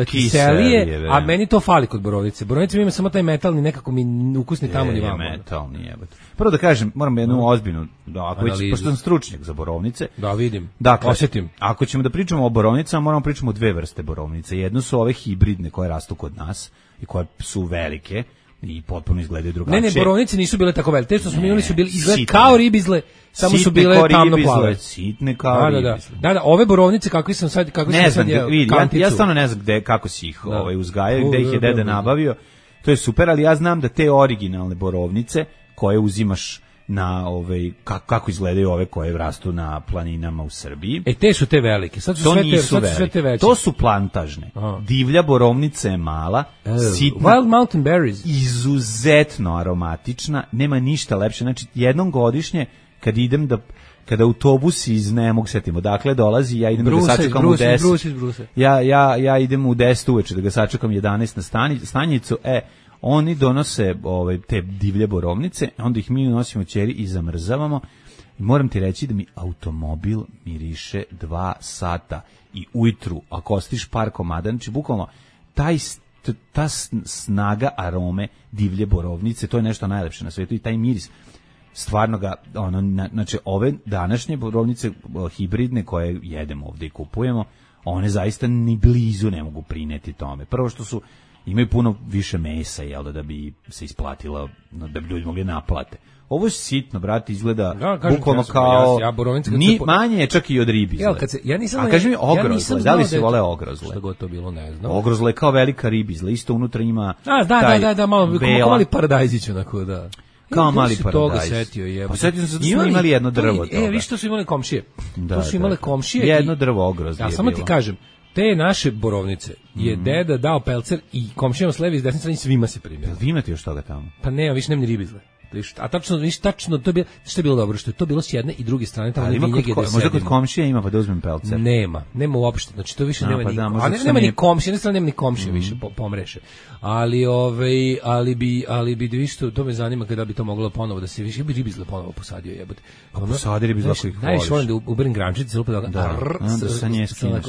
Speaker 5: kiselije, kiselije, a meni to fali kod borovnice. Borovnice ima samo taj metalni, nekako mi ukusni je, tamo ni vamo.
Speaker 6: Je, metalni, jebate. Prvo da kažem, moram jednu no. ozbiljnu, da, ako već, pošto sam stručnjak za borovnice.
Speaker 5: Da, vidim,
Speaker 6: dakle,
Speaker 5: osjetim.
Speaker 6: Ako ćemo da pričamo o borovnicama, moramo pričamo o dve vrste borovnice. Jedno su ove hibridne koje rastu kod nas i koje su velike i potpuno izgledaju drugačije.
Speaker 5: Ne, ne, borovnice nisu bile tako velike. Te što smo imali su bili izgled kao ribizle, samo su bile tamno plave.
Speaker 6: Sitne kao
Speaker 5: da,
Speaker 6: ribizle.
Speaker 5: Da, da, da, ove borovnice kako sam sad kako
Speaker 6: ne
Speaker 5: sam
Speaker 6: znam,
Speaker 5: sad
Speaker 6: vidi, ja, ja stvarno ne znam gde, kako si ih ovaj, uzgajao, gde ih je deda nabavio. To je super, ali ja znam da te originalne borovnice koje uzimaš na ovaj kako, kako izgledaju ove koje rastu na planinama u Srbiji.
Speaker 5: E te su te velike. Sad su
Speaker 6: to
Speaker 5: sve te,
Speaker 6: nisu
Speaker 5: sad su sve te veće.
Speaker 6: To su plantažne. Aha. Divlja borovnica je mala, uh, sitna.
Speaker 5: Wild Mountain Berries.
Speaker 6: Izuzetno aromatična, nema ništa lepše. Znači jednom godišnje kad idem da kada autobus iz ne mogu setimo dakle dolazi, ja idem Bruce, da ga sačekam Bruce, u deset.
Speaker 5: Bruce, Bruce.
Speaker 6: Ja ja ja idem u deset uveče da ga sačekam jedanaest na stani, stanicu. E oni donose ovaj te divlje borovnice, onda ih mi nosimo ćeri i zamrzavamo. I moram ti reći da mi automobil miriše dva sata i ujutru ako ostiš par komada, znači bukvalno taj ta snaga arome divlje borovnice, to je nešto najlepše na svetu i taj miris stvarno ga, ono, znači ove današnje borovnice hibridne koje jedemo ovdje i kupujemo, one zaista ni blizu ne mogu prineti tome. Prvo što su, imaju puno više mesa, jel da, da bi se isplatilo, da bi ljudi mogli naplate. Ovo je sitno, brate, izgleda da, bukvalno kao, ja, ja ni, po... manje je čak i od ribizle.
Speaker 5: Jel, kad se, ja nisam,
Speaker 6: a kaži mi ogrozle, ja da li se vole ogrozle?
Speaker 5: Što god to bilo, ne znam.
Speaker 6: Ogrozle je kao velika ribizla, isto unutra ima
Speaker 5: a, da, taj da, da, da, malo, bela, mali paradajzić, onako, da.
Speaker 6: Kao mali paradajz.
Speaker 5: Toga setio je.
Speaker 6: Pa setio sam se da smo imali jedno drvo.
Speaker 5: E, vi što su imali komšije. Da, to su imale
Speaker 6: da,
Speaker 5: komšije.
Speaker 6: Jedno drvo ogrozlje.
Speaker 5: Ja samo ti kažem, te naše borovnice je mm. deda dao pelcer i komšijama s leve i s desne strane svima se primio.
Speaker 6: Vi imate još toga tamo?
Speaker 5: Pa nema, više nema ni ribizle. A tačno, viš, tačno, to je bilo, što je bilo dobro, što je to bilo s jedne i druge strane, tamo vinjege gde sedimo.
Speaker 6: Možda kod komšije ima pa da uzmem pelcer?
Speaker 5: Nema, nema uopšte, znači to više a, nema pa ni, da, a ne, nema ni komšije, ne strane nema ni komšije mm. više po, pomreše. Ali, ovaj, ali bi, ali bi, viš, to, to me zanima kada bi to moglo ponovo da se više, bi ribizle ponovo posadio jebote.
Speaker 6: Pa posadi ribizle ako ih voliš.
Speaker 5: Najviše volim da uberem grančice, lupa da
Speaker 6: da, da sa nje skineš.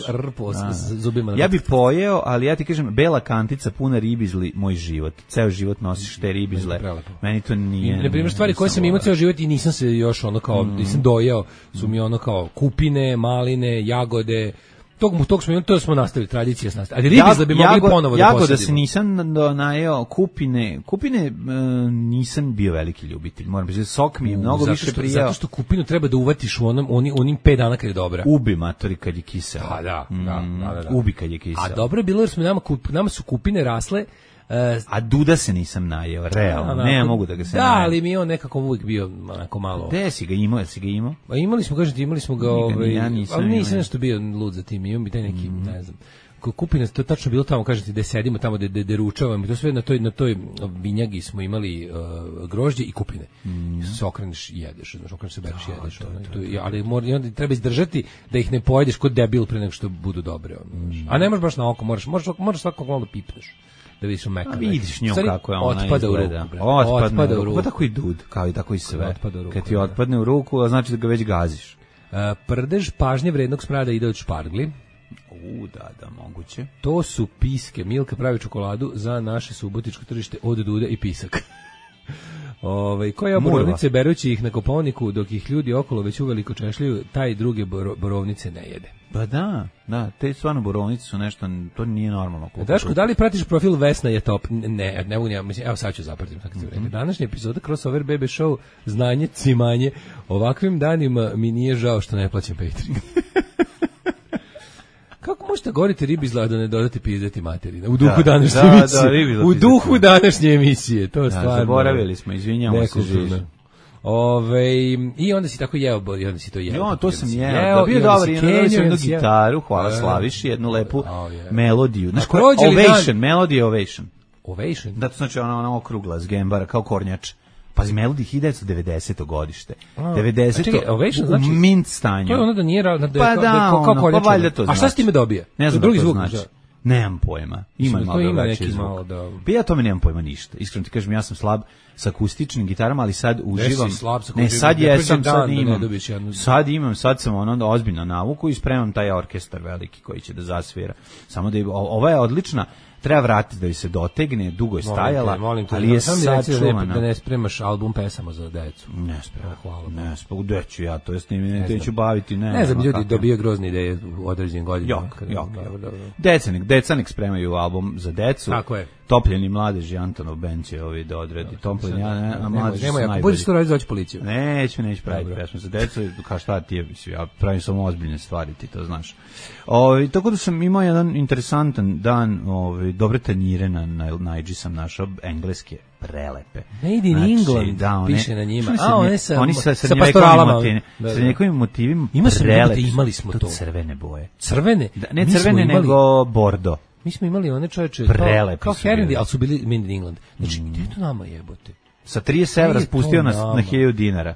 Speaker 5: Zubima.
Speaker 6: Ja bih pojeo, ali ja ti kažem, bela kantica puna ribizli, moj život. Ceo život nosiš te ribizle. Meni to nije.
Speaker 5: Na primjer, stvari koje sam imao ceo život i nisam se još ono kao, mm. nisam dojao, su mi ono kao kupine, maline, jagode, tog, tog smo, to smo nastavili, tradicija smo nastavili. Ali ribizle bi mogli jago, ponovo da posadimo.
Speaker 6: Jagoda se nisam najeo, kupine, kupine uh, nisam bio veliki ljubitelj, moram reći, sok mi je mnogo zato što, više prijao.
Speaker 5: Zato što kupinu treba da uvatiš u onom, onim, onim pet dana kad je dobra.
Speaker 6: Ubi matori kad je kisela.
Speaker 5: A, da, da, da, da, da.
Speaker 6: Ubi kad je kisela.
Speaker 5: A dobro je bilo jer smo nama, nama su kupine rasle.
Speaker 6: Uh, a duda se nisam najeo, realno, da, ne ja mogu da ga se
Speaker 5: da,
Speaker 6: najem.
Speaker 5: Da, ali mi on nekako uvijek bio onako malo.
Speaker 6: Gde si ga imao, jesi ga imao?
Speaker 5: Pa imali smo, kažete, imali smo ga, ovaj,
Speaker 6: ja nisam,
Speaker 5: ali nisam nešto bio lud za tim, imam bi taj neki, mm. ne znam. Kupina, to tačno bilo tamo, kažete, da sedimo tamo, da de, de ručavamo, to sve na toj, na toj vinjagi smo imali uh, grožđe i kupine. Mm. Se okreneš i jedeš, znaš, okreneš se bereš i jedeš. To, to, to, ali mora, onda treba izdržati da ih ne pojedeš kod debil pre nego što budu dobre. Ono, mm. A ne možeš baš na oko, moraš, moraš, moraš svakog malo pipneš. Da vidiš meka.
Speaker 6: Vidiš njom kako je ona
Speaker 5: otpada
Speaker 6: izgleda.
Speaker 5: U ruku, otpadne,
Speaker 6: otpada u ruku. Pa tako i dud, kao i tako i sve.
Speaker 5: Ruku,
Speaker 6: kad ti otpadne u ruku, a znači da ga već gaziš.
Speaker 5: Uh, prdež pažnje vrednog smrada ide od špargli.
Speaker 6: U, da, da, moguće.
Speaker 5: To su piske. Milka pravi čokoladu za naše subotičko tržište od dude i pisak. Ove, koje borovnice berući ih na Kopaoniku, dok ih ljudi okolo već uveliko češljaju, taj druge borovnice ne jede.
Speaker 6: Pa da, da, te stvarno borovnice su nešto, to nije normalno.
Speaker 5: Daško, da li pratiš profil Vesna je top? Ne, ne mogu ja, mislim, evo sad ću zapratim. Mm-hmm. Današnja epizoda Crossover Bebe Show, znanje, cimanje, ovakvim danima mi nije žao što ne plaćam Patreon. Kako možete govoriti ribizla da ne dodate pizdati materina? U duhu da, današnje da, emisije. Da, u duhu današnje emisije. To
Speaker 6: da,
Speaker 5: stvarno.
Speaker 6: Zaboravili smo, izvinjamo se žiži.
Speaker 5: Ove, i onda si tako jeo, i onda si to jeo.
Speaker 6: Jo, to sam jeo. jeo da bio dobar, i onda sam jednu gitaru, hvala Slaviši, jednu lepu oh, yeah. melodiju. Znaš koja? Ovation, melodija Ovation.
Speaker 5: Ovation?
Speaker 6: Da, to znači ona, ona okrugla z gembara, kao kornjač. Pazi, Melody hiljadu devetsto devedeseto godište.
Speaker 5: A,
Speaker 6: devedeseto
Speaker 5: čekaj, Ovation, znači,
Speaker 6: u mint stanju.
Speaker 5: To je ono da nije... Da, da,
Speaker 6: pa da,
Speaker 5: da, kao, kao
Speaker 6: ono, pa valjda to znači.
Speaker 5: A šta s time dobije?
Speaker 6: Ne znam
Speaker 5: drugi
Speaker 6: da to
Speaker 5: zvuk,
Speaker 6: znači. Nemam pojma. Ima
Speaker 5: Mislim,
Speaker 6: malo
Speaker 5: ima
Speaker 6: neki
Speaker 5: zvuk.
Speaker 6: Malo
Speaker 5: da...
Speaker 6: Pa ja tome nemam pojma ništa. Iskreno ti kažem, ja sam slab sa akustičnim gitarama, ali sad uživam.
Speaker 5: Slab sa
Speaker 6: ne, sad jesam, sad imam.
Speaker 5: Jednu...
Speaker 6: Sad imam, sad sam ono ozbiljno navuku i spremam taj orkestar veliki koji će da zasvira. Samo da je, ova je odlična. Treba vratiti da bi se dotegne, dugo je stajala,
Speaker 5: molim te,
Speaker 6: ali je sad čuvana.
Speaker 5: Da ne spremaš album pesama za decu.
Speaker 6: Ne spremam, hvala. Ne spremam, gde ću ja, to jest ne, ne ću baviti, ne.
Speaker 5: Ne znam, ljudi dobije grozne ideje u određenim godinama.
Speaker 6: Jok, jok, jok. Decanik, Decanik spremaju album za decu.
Speaker 5: Tako je.
Speaker 6: Topljeni mladeži, Antonov band će ovi da odredi. Topljeni, a, ne, a mladeži su
Speaker 5: nemoj,
Speaker 6: najbolji.
Speaker 5: budeš to raditi, doći policiju.
Speaker 6: Neću, neću praviti pesmu za decu, kao šta ti je, ja pravim samo ozbiljne stvari, ti to znaš. Ovi, tako da sam imao jedan interesantan dan, ovi, dobre tanjire na, na Naidži sam našao, engleske, prelepe.
Speaker 5: Made in
Speaker 6: znači,
Speaker 5: England,
Speaker 6: da, one,
Speaker 5: piše na njima.
Speaker 6: A,
Speaker 5: one sa,
Speaker 6: oni sa,
Speaker 5: sa,
Speaker 6: sa
Speaker 5: pastoralama.
Speaker 6: Motivima,
Speaker 5: da, da.
Speaker 6: sa njegovim motivima
Speaker 5: Ima se
Speaker 6: prelepi.
Speaker 5: imali smo to.
Speaker 6: To crvene boje.
Speaker 5: Crvene?
Speaker 6: Da, ne
Speaker 5: Mi
Speaker 6: crvene,
Speaker 5: imali,
Speaker 6: nego bordo.
Speaker 5: Mi smo imali one čoveče,
Speaker 6: Prelepi
Speaker 5: kao, kao
Speaker 6: su
Speaker 5: Herndi,
Speaker 6: bili.
Speaker 5: ali su bili Made in England. Znači, mm. gdje je to nama jebote?
Speaker 6: Sa trideset evra
Speaker 5: Gdje je
Speaker 6: spustio
Speaker 5: to
Speaker 6: na,
Speaker 5: nama?
Speaker 6: na hiljadu dinara.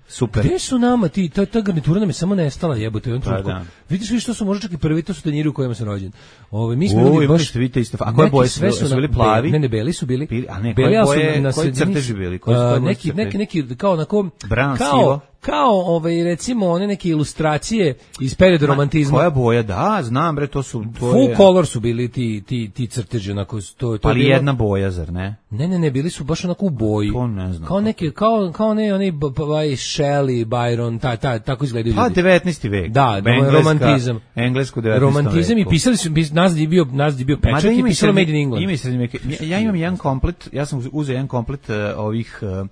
Speaker 6: Super.
Speaker 5: Gde su nama ti, ta, ta garnitura nam je samo nestala jebote.
Speaker 6: Pa, da.
Speaker 5: Vidiš vi što su možda čak i prvi, to su tanjiri u kojima sam rođen. Ove, mi smo
Speaker 6: U,
Speaker 5: imali
Speaker 6: imali
Speaker 5: baš...
Speaker 6: ste vidite isto. A koje boje su,
Speaker 5: sve
Speaker 6: su
Speaker 5: na-
Speaker 6: bili plavi?
Speaker 5: Ne, ne, beli su bili.
Speaker 6: Bili, a ne,
Speaker 5: Beli,
Speaker 6: koje
Speaker 5: ali su
Speaker 6: boje,
Speaker 5: na
Speaker 6: koji
Speaker 5: sredini-
Speaker 6: crteži bili? Koji su
Speaker 5: A,
Speaker 6: koje boje
Speaker 5: neki,
Speaker 6: crteži?
Speaker 5: neki, neki, kao onako...
Speaker 6: Brown,
Speaker 5: kao,
Speaker 6: sivo?
Speaker 5: kao, ovaj, recimo, one neke ilustracije iz perioda romantizma.
Speaker 6: Koja boja? Da, znam bre, to su... To
Speaker 5: Full
Speaker 6: je,
Speaker 5: color su bili ti, ti, ti crteži, onako, to, to
Speaker 6: ali
Speaker 5: je bilo-
Speaker 6: jedna boja, zar ne?
Speaker 5: Ne, ne, ne, bili su baš onako u boji.
Speaker 6: To ne znam
Speaker 5: Kao neke, kao, kao ne, oni, b- b- ovaj Shelley, Byron, ta, ta, tako izgledaju
Speaker 6: Pa
Speaker 5: ljudi.
Speaker 6: devetnaesti vek.
Speaker 5: Da,
Speaker 6: Engleska-
Speaker 5: romantizam.
Speaker 6: Englesko devetnaestom
Speaker 5: Romantizam i
Speaker 6: veku.
Speaker 5: pisali su, pis- nazad je bio, nazad je bio
Speaker 6: Mada
Speaker 5: pečat i
Speaker 6: ima i
Speaker 5: pisalo
Speaker 6: srednje-
Speaker 5: Made in England.
Speaker 6: Ima i srednje veke. Ja, ja imam jedan komplet, ja sam uzeo jedan komplet uh, ovih uh,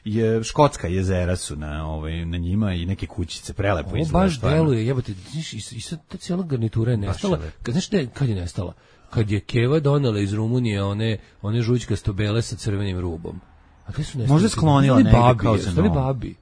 Speaker 6: je, škotska jezera su na ovaj na njima i neke kućice prelepo
Speaker 5: Ovo
Speaker 6: izgleda.
Speaker 5: baš
Speaker 6: stvarno.
Speaker 5: deluje, jebote, znaš, i, i sad ta cijela garnitura je nestala.
Speaker 6: je lepo.
Speaker 5: Kad, znaš te, kad je nestala? Kad je Keva donela iz Rumunije one, one žućkasto bele sa crvenim rubom. A gde su nestali?
Speaker 6: Možda sklonila
Speaker 5: Dali
Speaker 6: negde
Speaker 5: babi,
Speaker 6: kao za
Speaker 5: ostali
Speaker 6: novo.
Speaker 5: babi.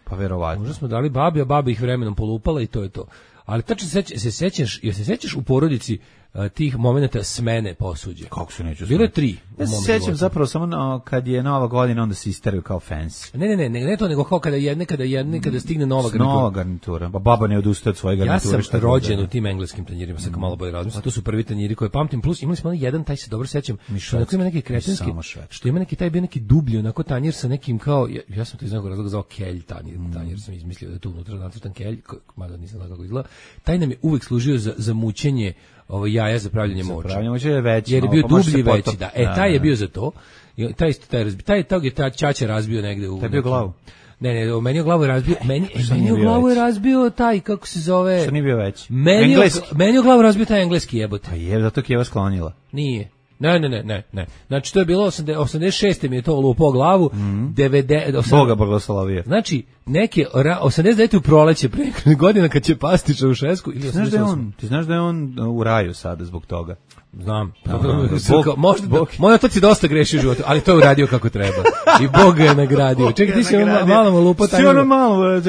Speaker 6: Pa verovatno.
Speaker 5: Možda smo dali babi, a baba ih vremenom polupala i to je to. Ali tačno se seća- se sećaš, jel se sećaš u porodici a, tih momenata smene posuđe?
Speaker 6: Kako se neću
Speaker 5: Bilo je
Speaker 6: smeti?
Speaker 5: tri. u
Speaker 6: Ja se
Speaker 5: mom
Speaker 6: sećam
Speaker 5: životu.
Speaker 6: zapravo samo na, kad je Nova godina, onda se isteraju kao fans.
Speaker 5: Ne, ne, ne, ne, ne to, nego kao kada jedne, kada jedne, kada stigne nova garnitura.
Speaker 6: Nova garnitura. Pa baba ne odustaje od svoje
Speaker 5: Ja
Speaker 6: garniture.
Speaker 5: sam
Speaker 6: šta god
Speaker 5: rođen
Speaker 6: da je.
Speaker 5: u tim engleskim tanjirima, sad kao malo bolje razmislim. To su prvi tanjiri koje pamtim, plus imali smo onaj jedan, taj se dobro sećam,
Speaker 6: Mi
Speaker 5: što onako ima neki
Speaker 6: švedski,
Speaker 5: kretenski,
Speaker 6: mi samo švedski.
Speaker 5: što ima neki taj bio neki dublji, onako tanjir sa nekim kao, ja, ja sam to iz nekog razloga zvao kelj tanjir,
Speaker 6: Mm.
Speaker 5: tanjir sam izmislio da je tu unutra nacrtan kelj, ko- mada nisam znao kako izgleda. Taj nam je uvek služio za, za mućenje ovo jaja za pravljenje moča.
Speaker 6: Pravljamo će je veći.
Speaker 5: Jer je
Speaker 6: malo,
Speaker 5: bio
Speaker 6: pa može
Speaker 5: dublji
Speaker 6: se
Speaker 5: i veći,
Speaker 6: potop-
Speaker 5: da. E, taj je bio za to. I taj isto taj razbi, taj tog je ta ćaća razbio negde u.
Speaker 6: Taj je bio
Speaker 5: nekim-
Speaker 6: glavu?
Speaker 5: Ne, ne, o, meni je glavu je razbio, meni, e,
Speaker 6: Što
Speaker 5: meni
Speaker 6: nije
Speaker 5: je
Speaker 6: bio
Speaker 5: glavu je
Speaker 6: veći?
Speaker 5: razbio taj, kako se zove.
Speaker 6: Što nije bio veći?
Speaker 5: Meni je,
Speaker 6: Engleski.
Speaker 5: meni je u glavu razbio taj engleski jebote.
Speaker 6: Pa je, zato Kijeva sklonila.
Speaker 5: Nije. Ne, ne, ne, ne, ne. Znači, to je bilo osamdeset osamdeset šeste mi je to lupo glavu. devedeset osam
Speaker 6: Boga blagoslovio.
Speaker 5: Znači, neke ra- osamdeset devete u proleće pre nekoliko godina kad će pasti Čaušesku ili
Speaker 6: Ti znaš da je
Speaker 5: osamdeset osam.
Speaker 6: on, ti znaš da je on u raju sada zbog toga.
Speaker 5: Znam.
Speaker 6: Aha,
Speaker 5: Bog,
Speaker 6: Bog-
Speaker 5: možda,
Speaker 6: Bog-
Speaker 5: moj otac je dosta grešio u životu, ali to je uradio kako treba. I Bog ga je nagradio. Čekaj, ti si ono malo mu lupo
Speaker 6: Ti ono malo,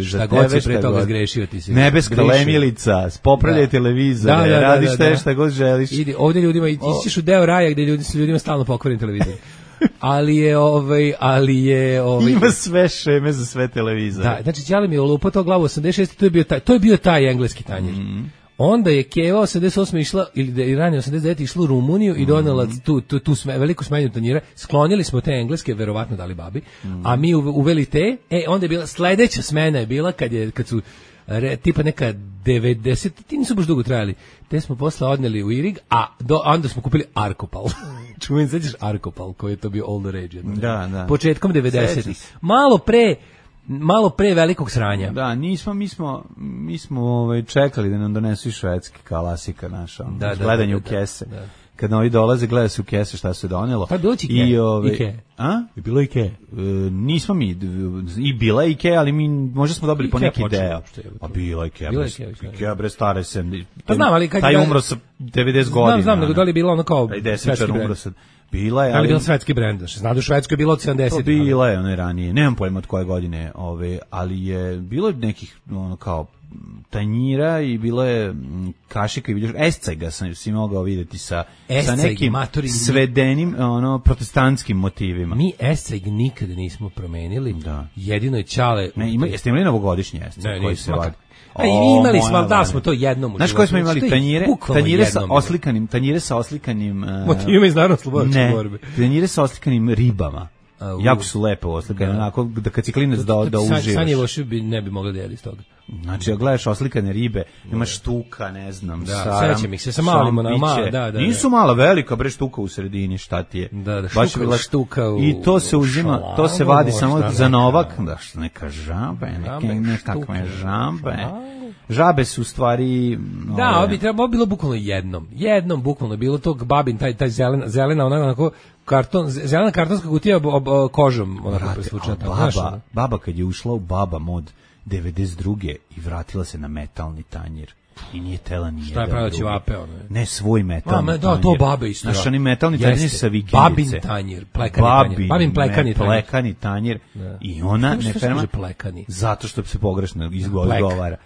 Speaker 5: Šta god si pre toga zgrešio, ti si
Speaker 6: Nebeska
Speaker 5: grešio.
Speaker 6: lemilica, spopravljaj
Speaker 5: Da.
Speaker 6: televizore,
Speaker 5: Da, da, da,
Speaker 6: radiš
Speaker 5: da,
Speaker 6: te
Speaker 5: da.
Speaker 6: šta god želiš.
Speaker 5: Idi, ovdje ljudima, ti ćeš u deo raja gdje ljudi, su ljudima stalno pokvaren televizor. Ali je, ovaj, ali je, ovaj,
Speaker 6: Ima sve šeme za sve televizore.
Speaker 5: da, znači Ćale mi je olupo to glavu osamdeset šeste, to je bio taj, to je bio taj engleski tanjir. Onda je Keva osamdeset osme išla, ili da je ranije osamdeset devete išla u Rumuniju i donela tu, tu, tu sme, veliku smenju tanjira. Sklonili smo te engleske, verovatno dali babi, a mi uve- uveli te. E, onda je bila, sledeća smena je bila kad, je, kad su re, tipa neka devedeset, ti nisu baš dugo trajali. Te smo posle odneli u Irig, a do, onda smo kupili Arkopal. Čujem, sećaš Arkopal, koji je to bio all the rage. jedno
Speaker 6: Da,
Speaker 5: vreme.
Speaker 6: da.
Speaker 5: Početkom
Speaker 6: Sećam
Speaker 5: devedesetih.
Speaker 6: se.
Speaker 5: Malo pre, malo pre velikog sranja.
Speaker 6: Da, nismo, mi smo, mi smo ovaj, čekali da nam donesu i švedski klasika naša, ono,
Speaker 5: Da, da,
Speaker 6: gledanje
Speaker 5: da,
Speaker 6: u
Speaker 5: da,
Speaker 6: kese.
Speaker 5: da.
Speaker 6: Kad novi dolaze, gleda se u kese šta se donelo.
Speaker 5: Pa je bilo Ike.
Speaker 6: I, ovaj,
Speaker 5: Ike.
Speaker 6: A?
Speaker 5: Je bilo Ike.
Speaker 6: E, nismo mi, d- i bila je Ikea, ali mi možda smo dobili po
Speaker 5: Ikea
Speaker 6: neki
Speaker 5: počela
Speaker 6: deo.
Speaker 5: uopšte, je li to?
Speaker 6: A bila je Ikea,
Speaker 5: Bila je
Speaker 6: bre,
Speaker 5: Ikea,
Speaker 6: Ikea bre stare sem.
Speaker 5: Pa znam, ali kad
Speaker 6: taj
Speaker 5: je-
Speaker 6: umro sa devedeset godina.
Speaker 5: Znam, znam, nego da li je bila ono kao
Speaker 6: Taj
Speaker 5: svetski
Speaker 6: desničar
Speaker 5: brend?
Speaker 6: umro sa... Bila je,
Speaker 5: Da li je
Speaker 6: ali...
Speaker 5: bila svetski brend? Znaš, zna da u Švedskoj je bilo od
Speaker 6: To
Speaker 5: sedamdesetih.
Speaker 6: bila je one ranije, nemam pojma od koje godine, ove, ali je bilo nekih ono kao tanjira i bilo je mm, kašika i vidiš escega sam si mogao vidjeti sa sa
Speaker 5: Esceg,
Speaker 6: nekim
Speaker 5: matori,
Speaker 6: svedenim ono protestantskim motivima.
Speaker 5: Mi esceg nikada nismo promenili.
Speaker 6: Da.
Speaker 5: Jedino je Ćale...
Speaker 6: Ne, ima, jeste imali novogodišnji esceg
Speaker 5: Ne,
Speaker 6: koji
Speaker 5: nismo.
Speaker 6: se
Speaker 5: Ma
Speaker 6: vadi?
Speaker 5: A i
Speaker 6: O,
Speaker 5: imali
Speaker 6: moja
Speaker 5: smo, ali da
Speaker 6: Vanja.
Speaker 5: smo to jednom u
Speaker 6: Znaš
Speaker 5: životu.
Speaker 6: koje smo imali
Speaker 5: Što je
Speaker 6: tanjire?
Speaker 5: bukvalno
Speaker 6: Tanjire sa
Speaker 5: jednom bilo.
Speaker 6: oslikanim, tanjire sa oslikanim uh,
Speaker 5: Motivima iz narodno-slobodačke
Speaker 6: ne,
Speaker 5: borbe.
Speaker 6: tanjire sa oslikanim ribama.
Speaker 5: A, u...
Speaker 6: Jako su lepe oslikane, da. Onako da kad si klinac da, da uživaš.
Speaker 5: Sanjevoši bi ne bi mogli da jeli iz toga.
Speaker 6: Znači, ako gledaš oslikane ribe, ima štuka, ne znam,
Speaker 5: da,
Speaker 6: saram,
Speaker 5: sećam ih se sa malima, na mala, da, da, da.
Speaker 6: Nisu mala, velika, bre štuka u sredini, šta ti je?
Speaker 5: Da, da,
Speaker 6: baš
Speaker 5: štuka, štuka u...
Speaker 6: I to se uzima, to se vadi samo za novak, da, što neka žabe, neke, nekakve žabe. Žabe su u stvari...
Speaker 5: Da, ovo bi trebalo, bilo bukvalno jednom. Jednom bukvalno bilo tog babin, taj, taj zelena, zelena onako, onako karton, zelena kartonska kutija ob, ob, kožom. Onako presvučena.
Speaker 6: Baba, baba kad je ušla u Baba mod devedeset druge i vratila se na metalni tanjir. I nije tela ni jedan.
Speaker 5: Šta je pravila ćevape? Ono?
Speaker 6: Ne, svoj metalni tanjir.
Speaker 5: Da, to babe isto.
Speaker 6: Znaš, oni metalni tanjir sa vikendice.
Speaker 5: Babin tanjir, plekani Babin, tanjir. Babin plekani tanjir.
Speaker 6: Plekani tanjir.
Speaker 5: Da.
Speaker 6: I ona, ne ferma,
Speaker 5: plekani?
Speaker 6: Zato što se pogrešno izgovara.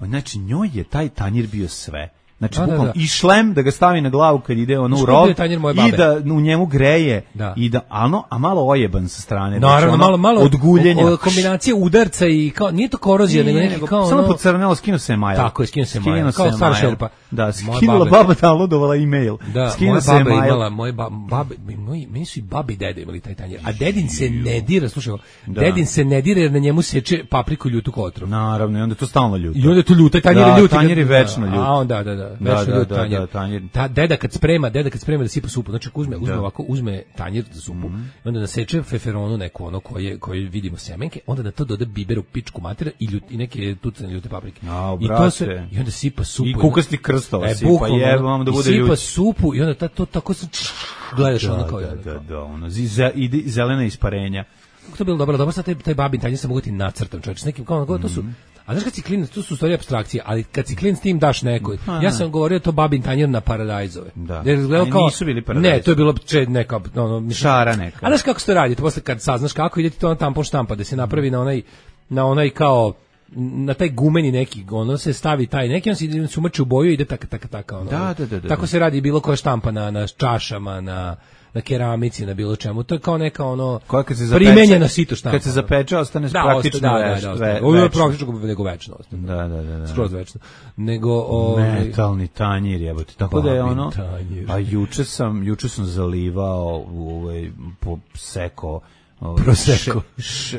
Speaker 6: Znači, njoj je taj tanjir bio sve. Znači, da, bukvalno, da, da. I šlem da ga stavi na glavu kad ide ono u rov i da u njemu greje da. I da, ano, a malo ojeban sa strane.
Speaker 5: Naravno,
Speaker 6: znači,
Speaker 5: malo, malo
Speaker 6: od guljenja.
Speaker 5: O, kombinacija udarca i kao, nije to korozija, nego neki kao
Speaker 6: samo
Speaker 5: ono...
Speaker 6: pocrnelo, skinuo se maja.
Speaker 5: Tako je, skinuo se maja, kao stara šerpa.
Speaker 6: Da, skinula baba, downloadovala e-mail.
Speaker 5: Da,
Speaker 6: skinuo se
Speaker 5: moja baba
Speaker 6: mail.
Speaker 5: imala, moje babe, moji, meni su i babi i dede imali taj tanjir. A dedin se ne dira, slušaj, dedin se ne dira jer na njemu seče papriku ljutu kotrov.
Speaker 6: Naravno, i onda to stalno ljuto.
Speaker 5: I onda to ljuto, tanjir je ljuti.
Speaker 6: Tanjir je večno ljut.
Speaker 5: A onda, da, da, večno ljut tanjir. Ta deda kad sprema, deda kad sprema da sipa supu, znači uzme, uzme ovako, uzme tanjir za supu, mm-hmm. onda naseče feferonu neku ono koje koje vidimo semenke, onda na to doda biber u pičku matera i, ljut, i neke tucane ljute paprike.
Speaker 6: A,
Speaker 5: I to se i onda sipa supu.
Speaker 6: I kukasti krstova e, sipa, jebam da bude ljut.
Speaker 5: Sipa supu i onda ta, to tako se gledaš
Speaker 6: da,
Speaker 5: ono kao
Speaker 6: da, da, da, ono ide zelena isparenja.
Speaker 5: Kako to bilo dobro, dobro sa taj taj babin tanjir se mogu ti nacrtam, čovjek, s nekim kao to su. A znaš kad si klinac, to su stvari apstrakcije, ali kad si klinac tim daš nekoj. Ja sam govorio to babin tanjir na Paradajzove.
Speaker 6: Da.
Speaker 5: Jer izgledao kao
Speaker 6: nisu bili Paradajzovi.
Speaker 5: Ne, to je bilo če neka ono
Speaker 6: šara neka.
Speaker 5: A znaš kako se to radi? Posle kad saznaš kako ide ti to na tampon štampa da se napravi na onaj na onaj kao na taj gumeni neki, ono se stavi taj neki, on se se umači u boju i ide tak tak tak ono.
Speaker 6: Da, da, da, da.
Speaker 5: Tako se radi bilo koja štampa na na čašama, na na keramici, na bilo čemu. To je kao neka ono
Speaker 6: kad se
Speaker 5: primenjena sito štampa.
Speaker 6: Kad se zapeče, ostane
Speaker 5: da,
Speaker 6: praktično
Speaker 5: da,
Speaker 6: veš,
Speaker 5: da, da,
Speaker 6: ve,
Speaker 5: ovo je praktično nego večno.
Speaker 6: Da, da, da, da.
Speaker 5: Skroz večno. Nego ovaj
Speaker 6: metalni tanjir, jebote. Tako da je ono. A juče sam, juče sam zalivao u ovaj po seko
Speaker 5: proseko.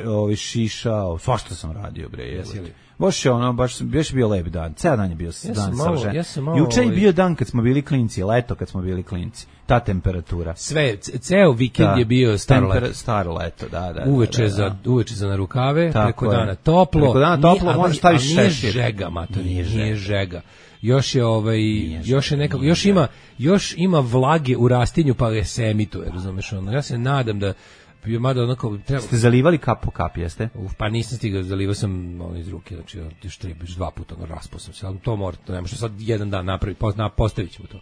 Speaker 6: Ovaj šišao, svašta sam radio bre, jebote. Baš je ono, baš baš bio lep dan. Ceo dan je bio ja dan savršen. Ja juče je bio dan kad smo bili klinci, leto kad smo bili klinci. Ta temperatura.
Speaker 5: Sve, ceo vikend da, je bio staro leto.
Speaker 6: Staro leto, da, da.
Speaker 5: Uveče
Speaker 6: da, da,
Speaker 5: za
Speaker 6: da.
Speaker 5: uveče za na rukave,
Speaker 6: tako
Speaker 5: preko
Speaker 6: je.
Speaker 5: Dana toplo.
Speaker 6: Preko dana toplo, možeš staviti
Speaker 5: šešir. Žega, mater, nije, nije žega. Još je ovaj nije još je nekako još ima još ima vlage u rastinju pa je se emituje, razumeš ono. Ja se nadam da bio mada onako treba.
Speaker 6: Ste zalivali kap po kap, jeste?
Speaker 5: Uf, pa nisam stigao, zalivao sam ono iz ruke, znači još tri, dva puta ono raspao sam se, ali to mora, to ne može sad jedan dan napraviti, postavit ćemo to.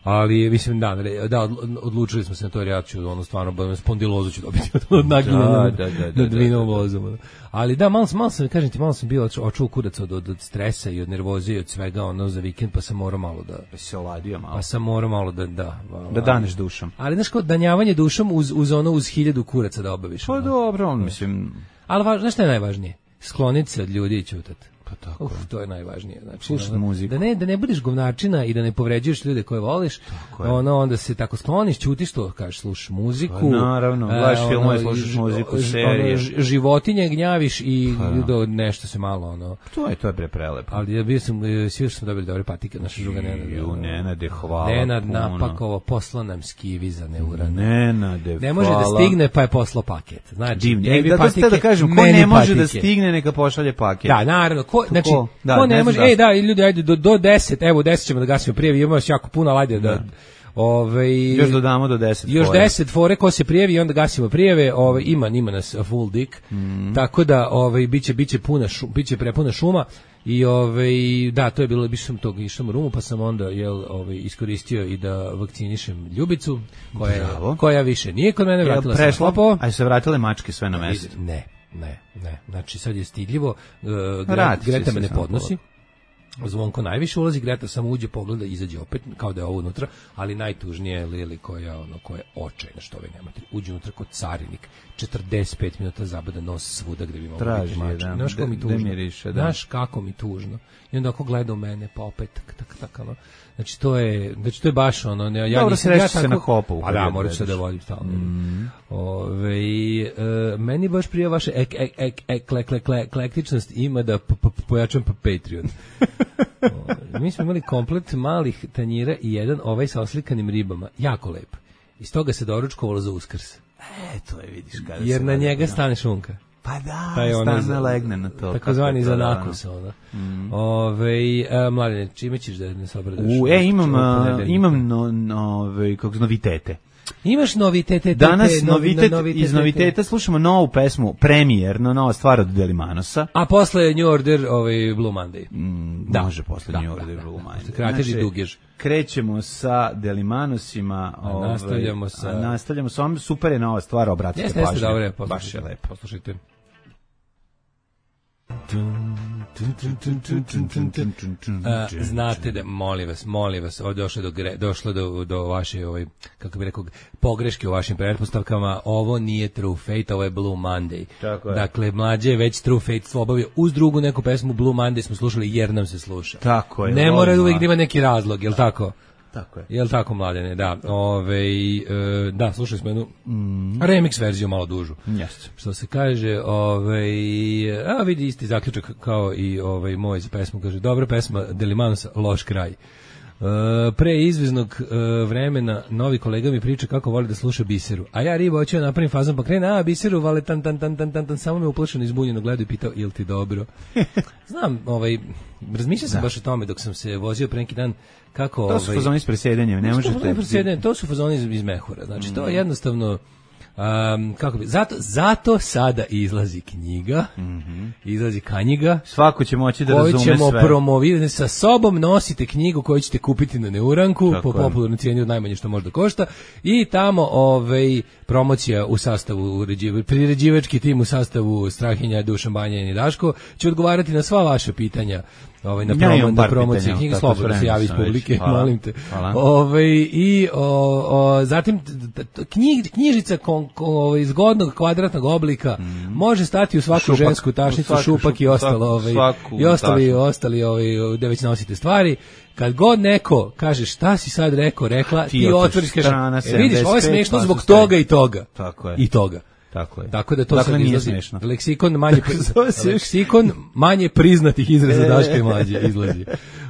Speaker 5: Ali mislim da, da odlučili smo se na to, jer ja ću ono stvarno spondilozu ću dobiti od naginjanja nad vinom vozom. Ali da, malo sam, malo sam, kažem ti, malo sam bio očuo kurac od, od stresa i od nervoze i od svega ono za vikend, pa sam morao malo da...
Speaker 6: Pa se oladio malo.
Speaker 5: Pa sam morao malo da... Da,
Speaker 6: da daneš dušom.
Speaker 5: Ali znaš kao danjavanje dušom uz, uz ono, uz hiljadu kuraca da obaviš.
Speaker 6: Pa ono. Dobro, on mislim...
Speaker 5: Ali važ, znaš šta je najvažnije? Skloniti se od ljudi i čutati.
Speaker 6: Pa tako.
Speaker 5: Uf, to je najvažnije, znači
Speaker 6: slušati muziku.
Speaker 5: Da ne da ne budeš govnačina i da ne povređuješ ljude koje voliš. Ono onda se tako skloniš, ćutiš to, kažeš slušaš muziku. Pa,
Speaker 6: naravno, gledaš e, filmove, slušaš muziku, serije.
Speaker 5: Ono, životinje gnjaviš i pa, do nešto se malo ono.
Speaker 6: To je to je bre prelepo.
Speaker 5: Ali ja bio sam svi smo dobili dobre patike, naša druga Nenad.
Speaker 6: Ju Nenade, hvala.
Speaker 5: Nenad napakovo, poslao nam skivi za neurane.
Speaker 6: Nenade,
Speaker 5: ne može da stigne, pa je poslao paket. Znači,
Speaker 6: e, da, patike, da kažem, ko ne može patike. Da stigne, neka pošalje paket.
Speaker 5: Da, naravno, ko, znači
Speaker 6: Da,
Speaker 5: ko ne, ne može, ej da, ljudi, ajde, do, do deset, evo, deset ćemo da gasimo prijavi, imamo još jako puno, ajde, da, ove,
Speaker 6: još dodamo do deset
Speaker 5: još fore. deset fore, ko se prijavi i onda gasimo prijave, ove, ima, ima nas full dick, mm. tako da, ove, biće, biće puna šu, biće prepuna šuma, i ove, da, to je bilo, biš sam tog, išao u Rumu, pa sam onda, jel, ove, iskoristio i da vakcinišem Ljubicu, koja, koja više nije kod mene, vratila
Speaker 6: jel, prešlo,
Speaker 5: sam slopo.
Speaker 6: A se vratile mačke sve na mesto?
Speaker 5: Ne. Ne, ne, znači sad je stidljivo, uh, Greta me ne podnosi, Zvonko najviše ulazi, Greta samo uđe, pogleda i izađe opet, kao da je ovo unutra, ali najtužnije je Lili koja, ono, koja je očajna, što ovaj nemate. Uđe unutra kod carinik, četrdeset pet minuta zabada nos svuda gde bi mogli
Speaker 6: Traži,
Speaker 5: biti mački.
Speaker 6: da,
Speaker 5: Znaš kako mi tužno?
Speaker 6: Miriše, da.
Speaker 5: Znaš kako mi tužno? I onda ako gleda u mene, pa opet, tak, tak, tak, ono. Znači, to je, znači, to je baš ono, ne, ja
Speaker 6: dobro,
Speaker 5: nisam, ja
Speaker 6: se na hopu.
Speaker 5: A da, moraš se da vodim stalno. Mm. Ove, e, meni baš prije vaše ek, ek, ek, ek, ek, ek, eklektičnost ima da p, p, pojačam pa Patreon. O, mi smo imali komplet malih tanjira i jedan ovaj sa oslikanim ribama. Jako lep. Iz toga se doručkovalo za Uskrs.
Speaker 6: E, to je, vidiš, kada
Speaker 5: jer
Speaker 6: se
Speaker 5: na njega
Speaker 6: da.
Speaker 5: stane šunka.
Speaker 6: Pa da,
Speaker 5: ono
Speaker 6: stane legne na to.
Speaker 5: Takozvani za nakus, ono. Mm. Ove, a, Mladine, čime ćeš da ne se obradaš?
Speaker 6: U, e, imam, a, imam no, no, ove, kako novitete.
Speaker 5: Imaš novitete?
Speaker 6: Danas
Speaker 5: tete,
Speaker 6: novitet,
Speaker 5: novitete,
Speaker 6: iz noviteta slušamo novu pesmu, premijerno, nova stvar od Delimanosa.
Speaker 5: A posle New Order, ovaj Blue Monday.
Speaker 6: Mm, da, može posle da, New Order, da, Blue
Speaker 5: da,
Speaker 6: Monday.
Speaker 5: Kratež i dugež.
Speaker 6: Krećemo sa Delimanosima.
Speaker 5: A ovaj, nastavljamo sa...
Speaker 6: A nastavljamo sa ovom, super je nova stvar, obratite
Speaker 5: pažnju. Jeste, jeste, dobro,
Speaker 6: baš je lepo.
Speaker 5: Poslušajte. A, znate da, molim vas, molim vas, ovdje došlo do, gre, došlo do, do vaše, ovaj, kako bi rekao, pogreške u vašim pretpostavkama. Ovo nije True Fate, ovo je Blue Monday.
Speaker 6: Tako je.
Speaker 5: Dakle, mlađe je već True Fate obavio uz drugu neku pesmu. Blue Monday smo slušali jer nam se sluša.
Speaker 6: Tako je.
Speaker 5: Ne mora uvijek da ima neki razlog, jel tako?
Speaker 6: Tako je.
Speaker 5: Jel tako, Mladene, da. Ove, e, da, slušali smo jednu mm. remix verziju malo dužu.
Speaker 6: Jeste.
Speaker 5: Što se kaže, ove, a vidi isti zaključak kao i ovaj moj za pesmu, kaže, dobra pesma Delimanosa, loš kraj. Uh, pre izveznog uh, vremena novi kolega mi priča kako voli da sluša Biseru, a ja riba hoću da napravim fazon pa krene, a Biseru vale tan tan tan tan tan, tan samo me uplašeno izbunjeno gledao i pitao jel ti dobro. Znam, ovaj, razmišljao sam da. baš o tome dok sam se vozio pre neki dan kako...
Speaker 6: To su ovaj, fazoni s presedenjem, ne možete...
Speaker 5: To su fazoni iz, iz mehura, znači mm. to je jednostavno... Um, kako bi, zato, zato sada izlazi knjiga, mm-hmm. izlazi kanjiga,
Speaker 6: svako će moći da razume sve.
Speaker 5: Koju ćemo promovirati, sa sobom nosite knjigu koju ćete kupiti na Neuranku, tako po popularnoj cijeni od najmanje što možda košta, i tamo ovaj, promocija u sastavu, uređiva, priređivački tim u sastavu Strahinja, Dušan Banjanin i Daško će odgovarati na sva vaša pitanja. Ovaj na promo, na promociji knjige, slobodno se javi iz publike, hvala, molim te. Ovaj i o, o, zatim knjig, knjižica kon, kon, ovaj, zgodnog kvadratnog oblika mm. može stati u svaku šupak, žensku tašnicu, svaku, šupak šupak, i ostalo ovaj i ostali ostali ovaj da već nosite stvari. Kad god neko kaže šta si sad rekao, rekla, ti, ti otvoriš kažeš, e, vidiš, ovo je smešno zbog toga i toga.
Speaker 6: Tako je.
Speaker 5: I toga.
Speaker 6: Tako je.
Speaker 5: Tako da to
Speaker 6: dakle,
Speaker 5: sad
Speaker 6: nije
Speaker 5: izlazi.
Speaker 6: Smešno.
Speaker 5: Leksikon manje leksikon manje priznatih izraza Daška i Mlađe izlazi.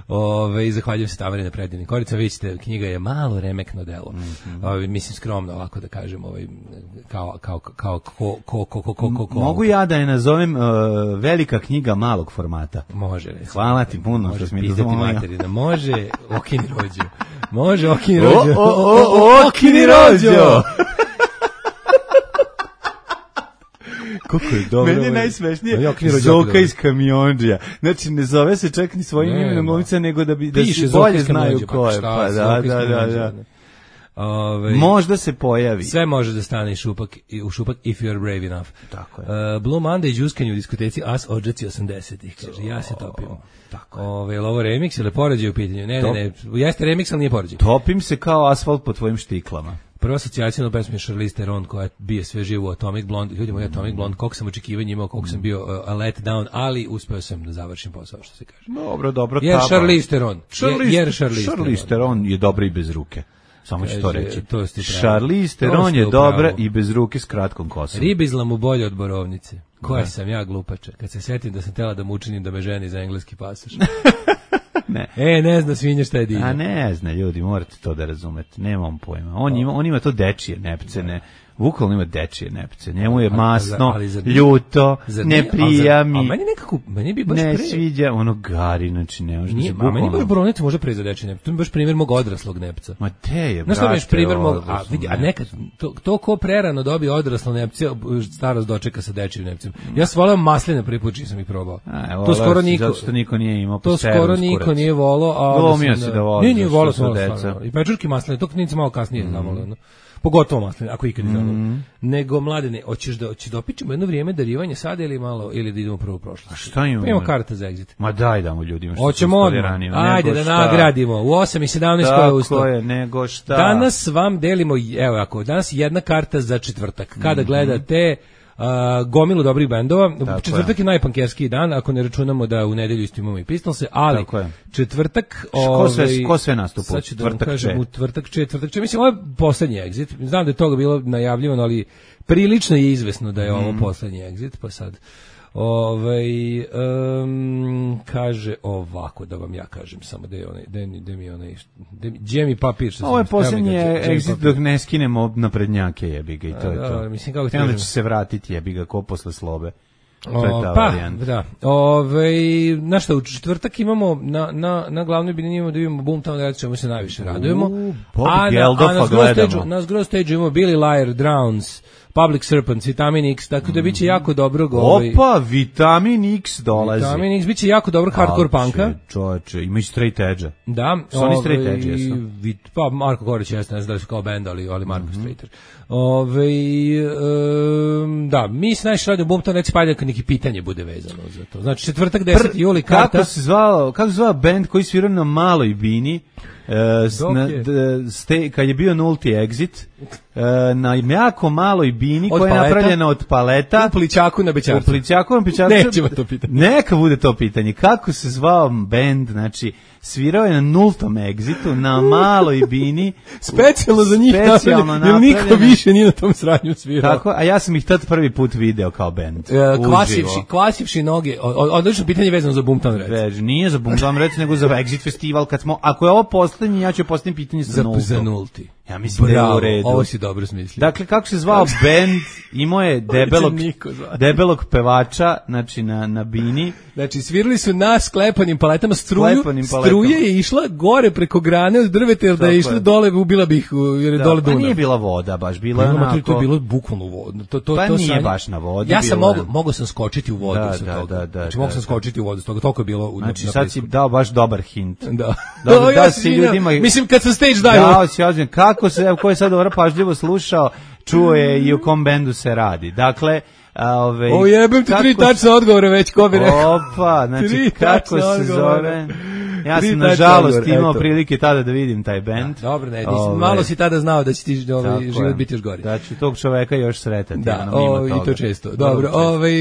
Speaker 5: Ove, zahvaljujem se Tamari na predivnim koricama. Vidite, knjiga je malo remekno delo. Mm-hmm. Ove, mislim skromno ovako da kažem, ovaj kao kao kao ko ko ko ko ko ko.
Speaker 6: Mogu ja da je nazovem uh, velika knjiga malog formata.
Speaker 5: Može, recimo.
Speaker 6: Hvala ti puno što mi
Speaker 5: dozvolio. Može, okini rođo. Može, okini rođo.
Speaker 6: O, o, o, okini rođo.
Speaker 5: Kako je dobro.
Speaker 6: Meni je najsmešnije Zoka iz Kamiondžija. Znači, ne zove se čak ni svojim imenom glumica, nego da bi da se bolje znaju ko je. Pa da, da, da, da. Ove, možda se pojavi.
Speaker 5: Sve može da stane i šupak, i u šupak if you are brave enough.
Speaker 6: Tako je.
Speaker 5: Uh, Blue Monday džuskanje u diskoteci As odžaci osamdesetih. Kaže, ja se topim.
Speaker 6: Tako je.
Speaker 5: Ove, ovo remix ili poređaj u pitanju? Ne, Top. ne, ne. Jeste remix, ali nije poređaj.
Speaker 6: Topim se kao asfalt po tvojim štiklama.
Speaker 5: Prva asocijacija na pesmu je Charlize Theron koja bije sve živo u Atomic Blonde. Ljudi moji, Atomic Blonde, koliko sam očekivanja imao, koliko sam bio uh, let down, ali uspeo sam da završim posao, što se kaže.
Speaker 6: Dobro, dobro.
Speaker 5: Jer Charlize Theron.
Speaker 6: Charlize,
Speaker 5: jer Charlize,
Speaker 6: Charlize Theron je dobra i bez ruke. Samo ću to reći.
Speaker 5: To
Speaker 6: Charlize Theron je dobra i bez ruke s kratkom kosom.
Speaker 5: Riba izlamu bolje od borovnice. Koja ne. Sam ja glupača. Kad se setim da sam tela da mu učinim da me ženi za engleski pasoš.
Speaker 6: Ne.
Speaker 5: E, ne zna svinja šta je divno.
Speaker 6: A ne zna, ljudi, morate to da razumete. Nemam pojma. On ima, on ima to dečije nepce, ne. Bukvalno ima dečije nepce. Njemu je masno, ali, ali ljuto, ne prija mi.
Speaker 5: A meni nekako, meni bi baš
Speaker 6: ne
Speaker 5: pre...
Speaker 6: sviđa, ono gari, znači ne može.
Speaker 5: Nije, a meni baš borovnica može pre za dečije nepce. To mi baš primjer mog odraslog nepca.
Speaker 6: Ma te je,
Speaker 5: brate. Znaš što primjer mog, a vidi, a nekad, to, to ko prerano dobije odraslo nepce, starost dočeka sa dečijim nepcem. Ja sam volao masline prvi put čim sam ih probao.
Speaker 6: A, to skoro niko, zato što niko nije imao.
Speaker 5: To skoro niko nije volao, a
Speaker 6: glomio se da voli.
Speaker 5: Nije, nije volao sam deca. I pečurke masline, to nisam malo kasnije znamo. pogotovo masline, ako ikad mm. nego mladene, hoćeš da hoćeš da opičemo jedno vrijeme darivanje sada ili malo ili da idemo prvo u prošlost.
Speaker 6: A šta imamo?
Speaker 5: Pa imamo karta za exit.
Speaker 6: Ma daj damo ljudima što
Speaker 5: hoćemo odmah. Ajde da šta? Nagradimo. U osam i sedamnaest koja je ustao.
Speaker 6: Tako je, nego šta?
Speaker 5: Danas vam delimo, evo ako, danas jedna karta za četvrtak. Kada mm-hmm. gledate Uh, gomilu dobrih bendova. Tako četvrtak je, je najpankerskiji dan, ako ne računamo da u nedelju isto imamo i Pistolse, ali četvrtak...
Speaker 6: Ko sve, ovaj, ko sve nastupa?
Speaker 5: Sad ću da vam kažem, u tvrtak, četvrtak, če, mislim, ovo je poslednji exit. Znam da je toga bilo najavljivano, ali prilično je izvesno da je ovo mm. poslednji exit, pa sad... Ovaj um, kaže ovako da vam ja kažem samo da je onaj da, da mi onaj da mi džemi papir što
Speaker 6: ovo je posljednji exit dok ne skinemo naprednjake jebi ga i to je to.
Speaker 5: A, mislim kako ti
Speaker 6: onda će se vratiti jebi ga ko posle slobe.
Speaker 5: O, pa, da. Ovaj na šta u četvrtak imamo na na na glavnoj bini imamo da vidimo Boomtown Rats, čemu se najviše radujemo.
Speaker 6: Uh, a,
Speaker 5: na, a na grow stage, na grow stage imamo Billy Liar, Drowns, Public Serpents, Vitamin X, tako da biće jako dobro ovaj.
Speaker 6: Opa, Vitamin X dolazi.
Speaker 5: Vitamin X biće jako dobro hardcore punka.
Speaker 6: Čoveče, ima i Straight Edge.
Speaker 5: Da,
Speaker 6: su oni Straight Edge jesu.
Speaker 5: Pa Marko Gorić jeste, ne znam da li su kao bend, ali ali Marko mm-hmm. Straighter. Ovaj um, da, mi se najviše radimo Boomtown Rats, pa ajde neki pitanje bude vezano za to. Znači četvrtak deseti juli karta.
Speaker 6: Kako se zvao, kako se zvao bend koji svirao na maloj bini? Uh, na, d, ste, kad je bio nulti exit uh, na jako maloj bini od koja paleta, je napravljena od paleta
Speaker 5: u Plićaku na Bećarcu.
Speaker 6: U Plićaku na Bećarcu.
Speaker 5: Nećemo to pitanje.
Speaker 6: Neka bude to pitanje. Kako se zvao bend, znači svirao je na nultom exitu, na maloj bini.
Speaker 5: Specijalno za njih napravljeno, jer niko više nije na tom sranju svirao.
Speaker 6: Tako, a ja sam ih tad prvi put video kao bend.
Speaker 5: Uh, kvasivši, kvasivši noge. Odlično pitanje vezano za Boomtown Rats.
Speaker 6: Već, nije za Boomtown Rats, nego za Exit festival. Kad smo, ako je ovo poslednji, ja ću postaviti pitanje za,
Speaker 5: za
Speaker 6: nulto.
Speaker 5: Za nulti.
Speaker 6: Ja mislim Bravo, da je u redu.
Speaker 5: Ovo si dobro smislio.
Speaker 6: Dakle, kako se zvao bend, imao je debelog, debelog pevača, znači na, na bini.
Speaker 5: Znači, svirali su na sklepanim paletama struju, struje je išla gore preko grane od drveta, jer da je išla dole, ubila bih, jer je
Speaker 6: da,
Speaker 5: dole Dunav.
Speaker 6: Pa nije bila voda, baš bila je onako.
Speaker 5: To je bilo bukvalno voda. To, to,
Speaker 6: pa
Speaker 5: to
Speaker 6: nije
Speaker 5: sanje,
Speaker 6: baš na vodi.
Speaker 5: Ja sam mogu, mogu sam skočiti u vodu
Speaker 6: da,
Speaker 5: sa
Speaker 6: da,
Speaker 5: toga.
Speaker 6: Da, da,
Speaker 5: znači, mogu sam skočiti u vodu sa toga, toliko je bilo. U,
Speaker 6: znači, sad si dao baš dobar hint.
Speaker 5: Da.
Speaker 6: Dobar, da si ljudima...
Speaker 5: Mislim, kad sam stage dive.
Speaker 6: Dao si ozbiljno. Kako se, ko je sad dobro pažljivo slušao, čuo je i u kom bendu se radi. Dakle, Ove,
Speaker 5: o jebem ti tri tačne odgovore već, ko bi rekao.
Speaker 6: Opa, znači kako se zove. Ja sam nažalost imao prilike tada da vidim taj bend.
Speaker 5: Da, dobro, ne, nisam, malo si tada znao da će ti ovaj život biti još gori.
Speaker 6: Da ću tog čoveka još sretati.
Speaker 5: Da, o, i to često. Dobro, ovaj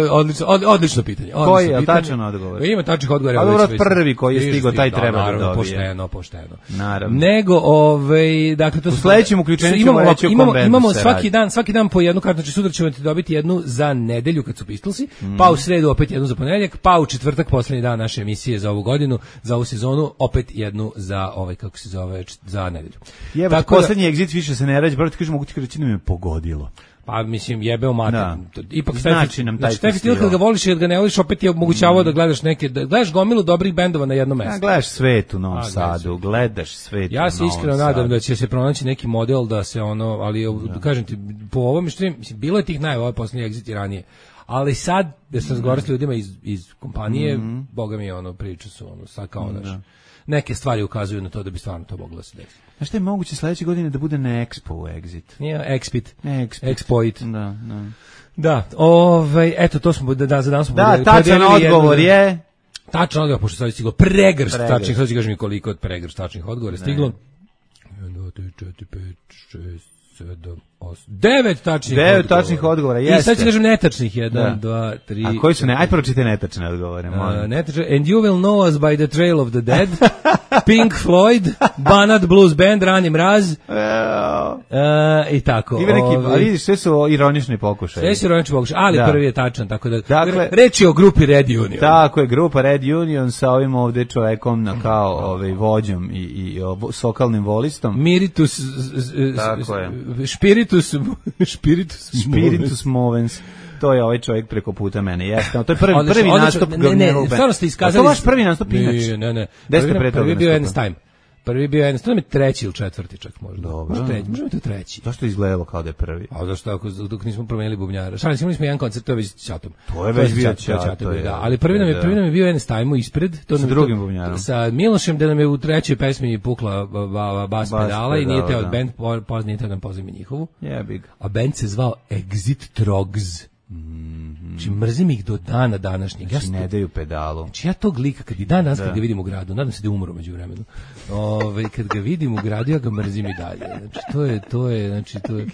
Speaker 5: odlično, odlično pitanje.
Speaker 6: Koji je tačan odgovor?
Speaker 5: Ima tačnih odgovora.
Speaker 6: A dobro, prvi koji je stigao, taj treba da dobije.
Speaker 5: Pošteno, pošteno.
Speaker 6: Naravno.
Speaker 5: Nego, ovaj, dakle to
Speaker 6: u sledećem uključenju ćemo reći o kom bendu.
Speaker 5: Imamo svaki dan, svaki dan po jednu kartu, znači sutra ćemo dobiti jednu za nedelju kad su Pistolsi, mm. pa u sredu opet jednu za ponedeljak, pa u četvrtak poslednji dan naše emisije za ovu godinu, za ovu sezonu, opet jednu za ovaj kako se zove za nedelju.
Speaker 6: Jebe, tako poslednji da, exit više se ne rađe, brate, ti kažeš mogu ti reći da me pogodilo.
Speaker 5: Pa mislim jebeo mater. Da. Ipak
Speaker 6: znači nam taj
Speaker 5: znači, festival kad ga voliš i kad ga ne voliš opet je omogućavao mm. da gledaš neke da gledaš gomilu dobrih bendova na jednom mestu.
Speaker 6: Ja, gledaš svet u Novom A, Sadu, gledaš svet.
Speaker 5: Ja se iskreno nadam da će se pronaći neki model da se ono, ali da. kažem ti po ovome što mislim bilo je tih najava poslednji exit i ranije. Ali sad, da sam razgovarao s ljudima iz, iz kompanije, mm-hmm. boga mi je ono, priča su ono, sad kao naš, da. neke stvari ukazuju na to da bi stvarno to moglo da se desiti.
Speaker 6: Znaš šta je moguće sledeće godine da bude na Expo Exit?
Speaker 5: Nije, Expit.
Speaker 6: Expit.
Speaker 5: Exploit.
Speaker 6: Da, da.
Speaker 5: Da, ovaj, eto, to smo, da, za danas smo
Speaker 6: da, tačan odgovor jedno, je...
Speaker 5: Tačan odgovor, pošto sad je stiglo pregršt tačnih, sad ću kažem mi koliko od pregršt tačnih odgovora stiglo. jedan, dva, tri, četiri, pet, šest, sedam, osam, devet tačnih
Speaker 6: devet
Speaker 5: odgovora.
Speaker 6: tačnih odgovora, jeste.
Speaker 5: I sad ću kažem netačnih, jedan, dva, tri...
Speaker 6: A koji su ne? Aj pročite netačne odgovore, molim.
Speaker 5: Uh, netačne, and you will know us by the trail of the dead, Pink Floyd, Banat Blues Band, Rani Mraz, uh, i tako.
Speaker 6: Ima neki, ali vidiš, sve su ironični pokušaj.
Speaker 5: Sve su ironični pokušaj, ali da. prvi je tačan, tako da,
Speaker 6: dakle,
Speaker 5: reč je o grupi Red Union.
Speaker 6: Tako je, grupa Red Union sa ovim ovde čovekom na kao ovaj, vođom i, i sokalnim volistom.
Speaker 5: Miritus,
Speaker 6: tako je.
Speaker 5: Spiritus, Spiritus,
Speaker 6: Spiritus Movens. To je ovaj čovjek preko puta mene. Jeste, to je prvi
Speaker 5: odlično,
Speaker 6: prvi
Speaker 5: odlično,
Speaker 6: nastup.
Speaker 5: Ne, ne, stvarno ste iskazali.
Speaker 6: To vaš prvi nastup inače.
Speaker 5: Ne, ne, ne.
Speaker 6: Gde ste pre toga
Speaker 5: prvi bio Ernst Time. Prvi je bio jednostavno, to je treći ili četvrti čak možda.
Speaker 6: Dobro.
Speaker 5: Možda treći, možda to treći.
Speaker 6: Zašto je izgledalo kao da je prvi?
Speaker 5: A zašto ako dok nismo promenili bubnjara. Šalim, imali smo jedan koncert, to je već Ćatom.
Speaker 6: To je već bio
Speaker 5: Ćatom,
Speaker 6: Ćato,
Speaker 5: da. Ali prvi nam je prvi nam je bio Ernest Ajmo ispred, to
Speaker 6: sa drugim bubnjarom.
Speaker 5: Sa Milošem, da nam je u trećoj pesmi pukla ba, ba, bas pedala i nije teo od bend, poznije teo da nam pozimi njihovu.
Speaker 6: Jebig.
Speaker 5: A bend se zvao Exit Trogs. Mm-hmm. Znači mrzim ih do dana današnjeg.
Speaker 6: Znači
Speaker 5: ja
Speaker 6: ne daju pedalu.
Speaker 5: Znači ja tog lika kad i dan danas kad ga vidim u gradu, nadam se da je umro među vremenu. Ove, kad ga vidim u gradu ja ga mrzim i dalje. Znači to je to je znači to je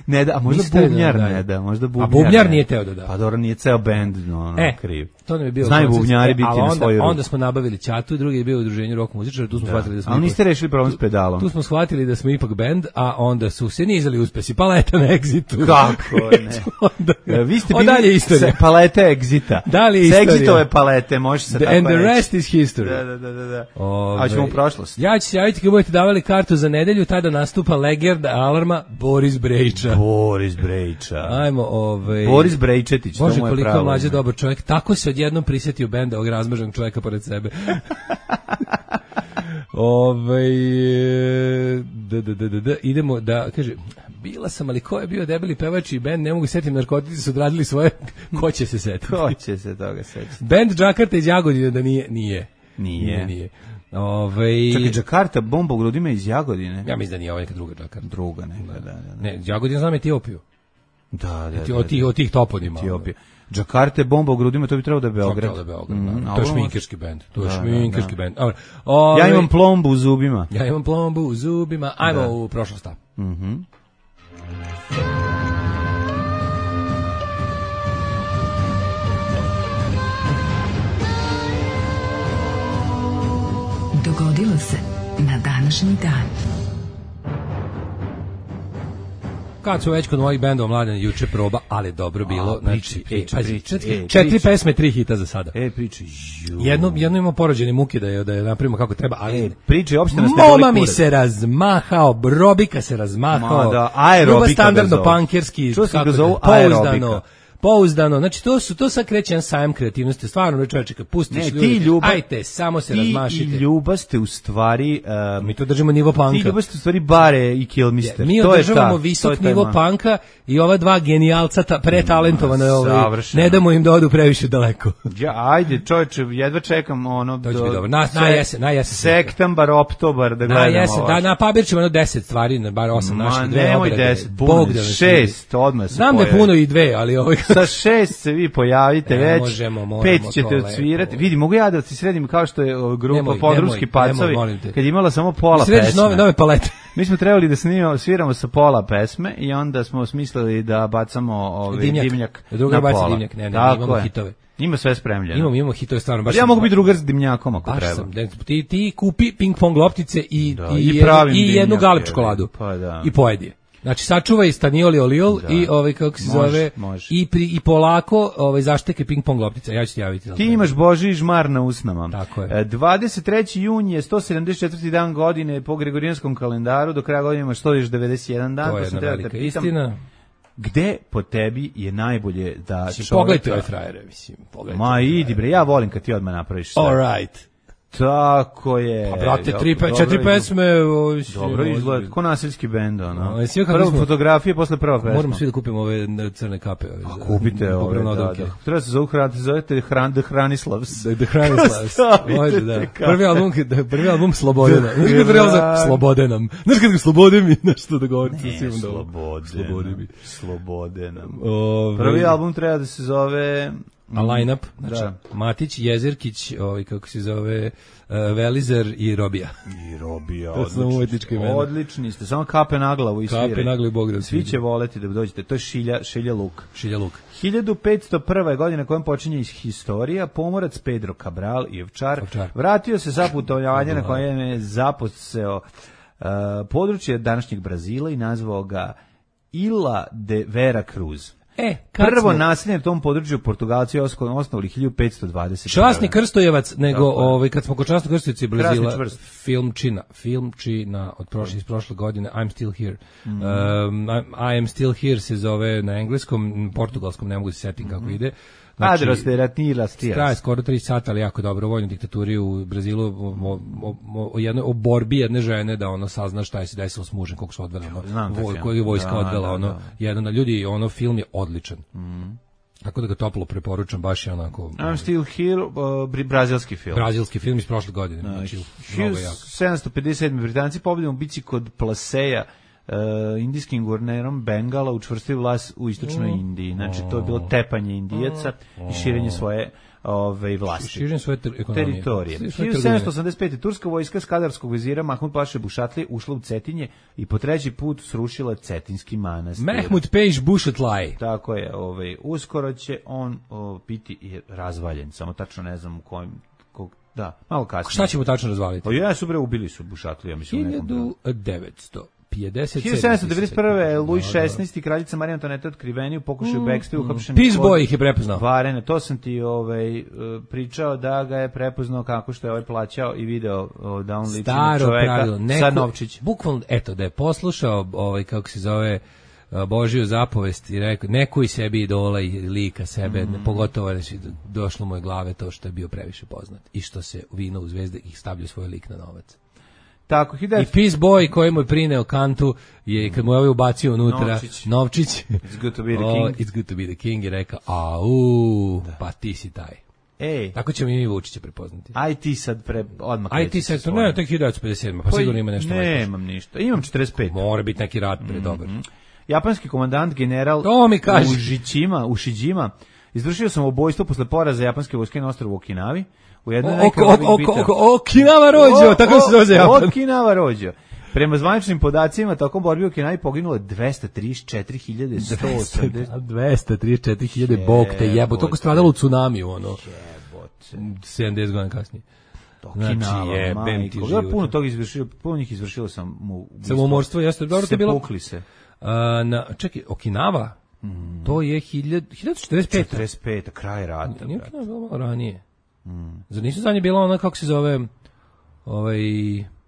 Speaker 6: ne da, a možda bubnjar ne da, možda bubnjar.
Speaker 5: A bubnjar nije teo da da.
Speaker 6: Pa dobro, nije ceo bend no, no
Speaker 5: e,
Speaker 6: kriv.
Speaker 5: To nam je bio
Speaker 6: znaju bubnjari biti
Speaker 5: onda,
Speaker 6: na svoju ruku.
Speaker 5: Onda smo nabavili Ćatu, drugi je bio u udruženju rock muzičara, tu smo da. shvatili da smo.
Speaker 6: Ali niste rešili problem s pedalom.
Speaker 5: Tu smo shvatili da smo ipak bend, a onda su se nizali uspesi paleta na Exitu.
Speaker 6: Kako ne? onda, vi ste bili
Speaker 5: se
Speaker 6: palete Exita.
Speaker 5: Da li istorija?
Speaker 6: Exitove palete, može se tako
Speaker 5: and the
Speaker 6: reći.
Speaker 5: rest is history.
Speaker 6: Da, da, da, da. da.
Speaker 5: Ove,
Speaker 6: a ćemo u prošlost.
Speaker 5: Ja ću se javiti kad budete davali kartu za nedelju, tada nastupa legenda alarma Boris Brejča.
Speaker 6: Boris Brejča.
Speaker 5: Ajmo, ovaj
Speaker 6: Boris Brejčetić, to mu je pravo.
Speaker 5: Bože, koliko mlađe dobar čovjek. Tako se odjednom prisetio benda ovog razmaženog čovjeka pored sebe. Ovaj da da da da idemo da kaže bila sam, ali ko je bio debeli pevač i bend, ne mogu setim, narkotici su odradili svoje, ko će se setiti?
Speaker 6: Ko će se toga setiti?
Speaker 5: Bend Džakarta iz Jagodine da nije, nije.
Speaker 6: Nije.
Speaker 5: Nije. Ove...
Speaker 6: Čekaj, Džakarta, bomba u grudima iz Jagodine?
Speaker 5: Ja mislim da nije ovo neka druga Džakarta.
Speaker 6: Druga, ne, da, da, da.
Speaker 5: Ne, Jagodina znam Etiopiju.
Speaker 6: Da, da, da.
Speaker 5: Od tih, od tih toponima.
Speaker 6: Etiopija. Džakarta, bomba u grudima, to bi trebalo da je Beograd.
Speaker 5: To bi trebalo da je Beograd, mm, to je šminkerski bend. To je da, šminkerski
Speaker 6: da,
Speaker 5: bend. Ove...
Speaker 6: Ja imam plombu u zubima.
Speaker 5: Ja imam plombu u zubima. Ajmo da. u prošlost.
Speaker 6: Mhm. Mm
Speaker 9: Dogodilo se na današnji dan.
Speaker 5: Kad su već kod mojih bendova Mladen juče proba, ali dobro bilo.
Speaker 6: A, priči,
Speaker 5: znači,
Speaker 6: priči,
Speaker 5: e, pazi,
Speaker 6: priči,
Speaker 5: četiri,
Speaker 6: e,
Speaker 5: četiri
Speaker 6: priči.
Speaker 5: pesme, tri hita za sada.
Speaker 6: E, priči.
Speaker 5: Jedno, jedno ima porođene muke da je, da je napravimo kako treba, ali...
Speaker 6: E, priči, opšte nas ne
Speaker 5: Moma
Speaker 6: boli
Speaker 5: mi
Speaker 6: kurac.
Speaker 5: se razmahao, Robika se razmahao.
Speaker 6: Ma da, aerobika
Speaker 5: Ljubav standardno
Speaker 6: ga zovu.
Speaker 5: punkerski.
Speaker 6: Čuo sam
Speaker 5: kako
Speaker 6: ga
Speaker 5: da-
Speaker 6: zovu
Speaker 5: pouzdano.
Speaker 6: aerobika.
Speaker 5: Pouzdano, znači to su to sad kreće jedan sajam kreativnosti, stvarno ne čovječe, kad pustiš
Speaker 6: Ne,
Speaker 5: ljudi,
Speaker 6: ti ljubav,
Speaker 5: ajte, samo se
Speaker 6: ti
Speaker 5: razmašite.
Speaker 6: i ljubav ste u stvari... Um,
Speaker 5: Mi to držimo nivo panka.
Speaker 6: ti ljubav ste u stvari bare i Kilmister.
Speaker 5: Mi
Speaker 6: to je
Speaker 5: održavamo
Speaker 6: ta,
Speaker 5: visok
Speaker 6: to je
Speaker 5: nivo
Speaker 6: tema.
Speaker 5: panka i ova dva genijalca ta, pretalentovana je ovaj,
Speaker 6: Savršeno.
Speaker 5: ne damo im da odu previše daleko.
Speaker 6: Ja, ajde, čovječe, jedva čekam ono...
Speaker 5: To će
Speaker 6: do-
Speaker 5: biti dobro. Na,
Speaker 6: se-
Speaker 5: na jesen, na jesen.
Speaker 6: Sektembar, oktobar, da
Speaker 5: Na
Speaker 6: gledamo.
Speaker 5: jesen, da, na papir ćemo jedno deset stvari, na bar osam
Speaker 6: Ma,
Speaker 5: naših, dve
Speaker 6: nemoj
Speaker 5: obrade.
Speaker 6: deset,
Speaker 5: Bog
Speaker 6: puno,
Speaker 5: da nas
Speaker 6: šest, odmah se
Speaker 5: Znam da je
Speaker 6: pojavi.
Speaker 5: puno i dve, ali ovaj...
Speaker 6: Sa šest se vi pojavite
Speaker 5: Ne,
Speaker 6: već,
Speaker 5: možemo, moramo
Speaker 6: pet
Speaker 5: to
Speaker 6: ćete
Speaker 5: lepo.
Speaker 6: odsvirati. Vidi, mogu ja da ti sredim kao što je o, grupa
Speaker 5: Nemoj,
Speaker 6: Podrumski
Speaker 5: nemoj,
Speaker 6: pacovi,
Speaker 5: nemoj, molim te.
Speaker 6: kad je imala samo pola
Speaker 5: Središ
Speaker 6: pesme.
Speaker 5: nove, nove palete.
Speaker 6: Mi smo trebali da snimamo, sviramo sa pola pesme i onda smo smislili da bacamo ovaj
Speaker 5: Dimnjak.
Speaker 6: dimnjak,
Speaker 5: Druga
Speaker 6: na
Speaker 5: baci
Speaker 6: pola.
Speaker 5: dimnjak, ne, ne,
Speaker 6: Tako
Speaker 5: imamo
Speaker 6: je.
Speaker 5: hitove.
Speaker 6: Ima sve spremljeno.
Speaker 5: Imamo, imamo hitove, stvarno. Baš
Speaker 6: ja
Speaker 5: sam-
Speaker 6: mogu biti drugar s dimnjakom ako
Speaker 5: Baš
Speaker 6: treba.
Speaker 5: sam, ne, ti, ti kupi ping pong loptice i,
Speaker 6: Da,
Speaker 5: i,
Speaker 6: i
Speaker 5: jednu-
Speaker 6: pravim
Speaker 5: i jednu
Speaker 6: dimnjak,
Speaker 5: galeb
Speaker 6: je,
Speaker 5: čokoladu.
Speaker 6: pa da.
Speaker 5: I pojedi je. Znači sačuvaj stanioli oliol
Speaker 6: Da.
Speaker 5: i ovaj kako se
Speaker 6: Može,
Speaker 5: zove
Speaker 6: može.
Speaker 5: i pri, i polako ovaj zašteke ping pong loptice. Ja ću ti javiti. za
Speaker 6: Ti
Speaker 5: to.
Speaker 6: imaš Božji žmar na usnama.
Speaker 5: Tako je.
Speaker 6: E, dvadeset treći jun je sto sedamdeset četvrti dan godine po gregorijanskom kalendaru, do kraja godine imaš sto devedeset jedan dan.
Speaker 5: To
Speaker 6: pa
Speaker 5: je
Speaker 6: sam
Speaker 5: jedna
Speaker 6: trebao da
Speaker 5: velika
Speaker 6: te pitam,
Speaker 5: istina.
Speaker 6: Gde po tebi je najbolje da
Speaker 5: Mislim,
Speaker 6: čoveka...
Speaker 5: pogledajte ove frajere, mislim, pogledajte.
Speaker 6: Ma idi bre, ja volim kad ti odmah napraviš sve.
Speaker 5: All right.
Speaker 6: Tako je.
Speaker 5: Pa brate, tri, pe,
Speaker 6: Dobro
Speaker 5: četiri
Speaker 6: izgleda.
Speaker 5: pesme. Ovo,
Speaker 6: Dobro izgleda, ko nasilski bend, ono.
Speaker 5: No, svi kako
Speaker 6: Prvo
Speaker 5: smo-
Speaker 6: fotografije, posle prva pesma.
Speaker 5: Moramo svi da kupimo ove crne kape. Ove,
Speaker 6: A
Speaker 5: za-
Speaker 6: kupite ove,
Speaker 5: upravo
Speaker 6: da,
Speaker 5: naduvke.
Speaker 6: da. Treba se zove hran, zovete hran, The Hranislavs.
Speaker 5: The, the Hranislavs.
Speaker 6: Stavite
Speaker 5: Može, da.
Speaker 6: te kape.
Speaker 5: Prvi album, prvi album Slobodena.
Speaker 6: The
Speaker 5: Znaš kad prvi album
Speaker 6: Hran-
Speaker 5: Slobode nam. Znaš kad ga Slobode mi nešto da govori.
Speaker 6: Ne, slobode,
Speaker 5: Slobode mi.
Speaker 6: slobode nam.
Speaker 5: Ove,
Speaker 6: Prvi album treba da se zove...
Speaker 5: A line-up, znači
Speaker 6: Da.
Speaker 5: Matić, Jezerkić, ovaj, kako se zove, uh, Velizar i Robija.
Speaker 6: I Robija,
Speaker 5: To su nam umetnička imena.
Speaker 6: odlični ste, samo kape na glavu i
Speaker 5: Kape
Speaker 6: sviraj.
Speaker 5: na glavu i Bog da
Speaker 6: Svi
Speaker 5: svidi.
Speaker 6: će voleti da dođete, to je Šilja, Šilja Luk.
Speaker 5: Šilja Luk.
Speaker 6: hiljadu petsto prva. godina kojom počinje iz historija, pomorac Pedro Cabral i Ovčar,
Speaker 5: Ovčar.
Speaker 6: vratio se sa putovanja na kojem je zaposeo uh, područje današnjeg Brazila i nazvao ga Ilha de Vera Cruz.
Speaker 5: E, kad
Speaker 6: Prvo
Speaker 5: smo-
Speaker 6: naselje na tom području Portugalci osnovali hiljadu petsto dvadeset.
Speaker 5: Časni Krstojevac, nego
Speaker 6: Tako je.
Speaker 5: ovaj kad smo kod Časnog Krstojevaca i Brazila,
Speaker 6: Krasni čvrst.
Speaker 5: filmčina, filmčina od prošle iz prošle godine, I'm Still Here.
Speaker 6: Mhm.
Speaker 5: Um, I, I am Still Here se zove na engleskom, portugalskom ne mogu se setim kako
Speaker 6: Mhm.
Speaker 5: ide. Znači,
Speaker 6: traje
Speaker 5: skoro tri sata, ali jako dobro. Vojnoj diktaturi u Brazilu o, o, o, jednoj, o borbi jedne žene da ono sazna šta je se desilo s mužem, koliko su odveli, ono, voj, koju je vojska
Speaker 6: da,
Speaker 5: odvela,
Speaker 6: da,
Speaker 5: ono,
Speaker 6: da.
Speaker 5: jedan na ljudi, ono, film je odličan.
Speaker 6: Mm.
Speaker 5: Tako da ga toplo preporučam, baš je onako...
Speaker 6: I'm Still Here, uh, brazilski film.
Speaker 5: Brazilski film iz prošle godine.
Speaker 6: No,
Speaker 5: znači,
Speaker 6: hiljadu sedamsto pedeset sedme Britanci pobjedom bici kod Plaseja, uh, indijskim guvernerom Bengala učvrstili vlast u istočnoj
Speaker 5: Mm.
Speaker 6: Indiji. Znači, to je bilo tepanje Indijaca mm. i širenje svoje ove vlasti.
Speaker 5: Širenje svoje ter
Speaker 6: teritorije. hiljadu sedamsto osamdeset pete. turska vojska skadarskog vezira Mahmud Paše Bušatli ušla u Cetinje i po treći put srušila Cetinski manastir.
Speaker 5: Mahmud Pejš Bušatlaj.
Speaker 6: Tako je, ovaj, uskoro će on o, biti i razvaljen, samo tačno ne znam u kojem, kog, da, malo kasnije.
Speaker 5: Šta ćemo tačno razvaliti?
Speaker 6: Pa ja su bre ubili su Bušatli, ja mislim u nekom
Speaker 5: hiljadu devetsto pedeset sedme.
Speaker 6: hiljadu sedamsto devedeset prve. Luj šesnaesti. kraljica Marija Antoneta otkriveni u pokušaju
Speaker 5: mm,
Speaker 6: bekstva
Speaker 5: mm.
Speaker 6: uhapšen.
Speaker 5: Peace Boy ih je prepoznao.
Speaker 6: Varene, to sam ti ovaj, pričao da ga je prepoznao kako što je ovaj plaćao i video da on liči na čoveka sa novčić.
Speaker 5: Bukvalno, eto, da je poslušao ovaj, kako se zove, Božiju zapovest i rekao, neko i sebi idola i lika sebe, mm. pogotovo reći, došlo mu je glave to što je bio previše poznat i što se vino u zvezde ih stavljaju svoj lik na novac.
Speaker 6: Tako,
Speaker 5: I Peace Boy koji mu je prineo kantu je kad mu je ovaj ubacio unutra
Speaker 6: Novčić,
Speaker 5: Novčić
Speaker 6: It's good to be the king,
Speaker 5: oh, it's good to be the king i rekao, au, da. Pa ti si taj.
Speaker 6: Ej.
Speaker 5: Tako ćemo i mi Vučića prepoznati.
Speaker 6: Aj ti sad pre, odmah
Speaker 5: Aj ti sad, ne, tek hiljadu devetsto pedeset sedme. Pa sigurno ima nešto.
Speaker 6: Nemam ništa, imam četrdeset pet.
Speaker 5: Mora biti neki rat pre dobar.
Speaker 6: Mm-hmm. Japanski komandant general Ušićima, Ušiđima izvršio sam ubojstvo posle poraza japanske vojske na ostrvu Okinavi. U jednoj
Speaker 5: Okinawa Rođo, tako se zove Japan.
Speaker 6: Okinawa Rođo. Prema zvaničnim podacima, tokom borbi u Okinavi poginulo dvesta trideset četiri hiljade sto osamdeset.
Speaker 5: dvesta trideset četiri hiljade, bog te jebo. Toliko stradalo u tsunamiju, ono. sedamdeset godina kasnije.
Speaker 6: Znači, jebem ti život. Puno toga izvršilo, puno njih izvršilo sam mu...
Speaker 5: Samomorstvo, jeste. Dobro, to je bilo...
Speaker 6: Sepukli se.
Speaker 5: Na, čekaj, Okinawa, mm. to je hiljadu četrdeset pete.
Speaker 6: četrdeset pete, kraj rata.
Speaker 5: Nije Okinawa bilo malo ranije. Mm. Zar nisu za nje bila ona, kako se zove, ovaj...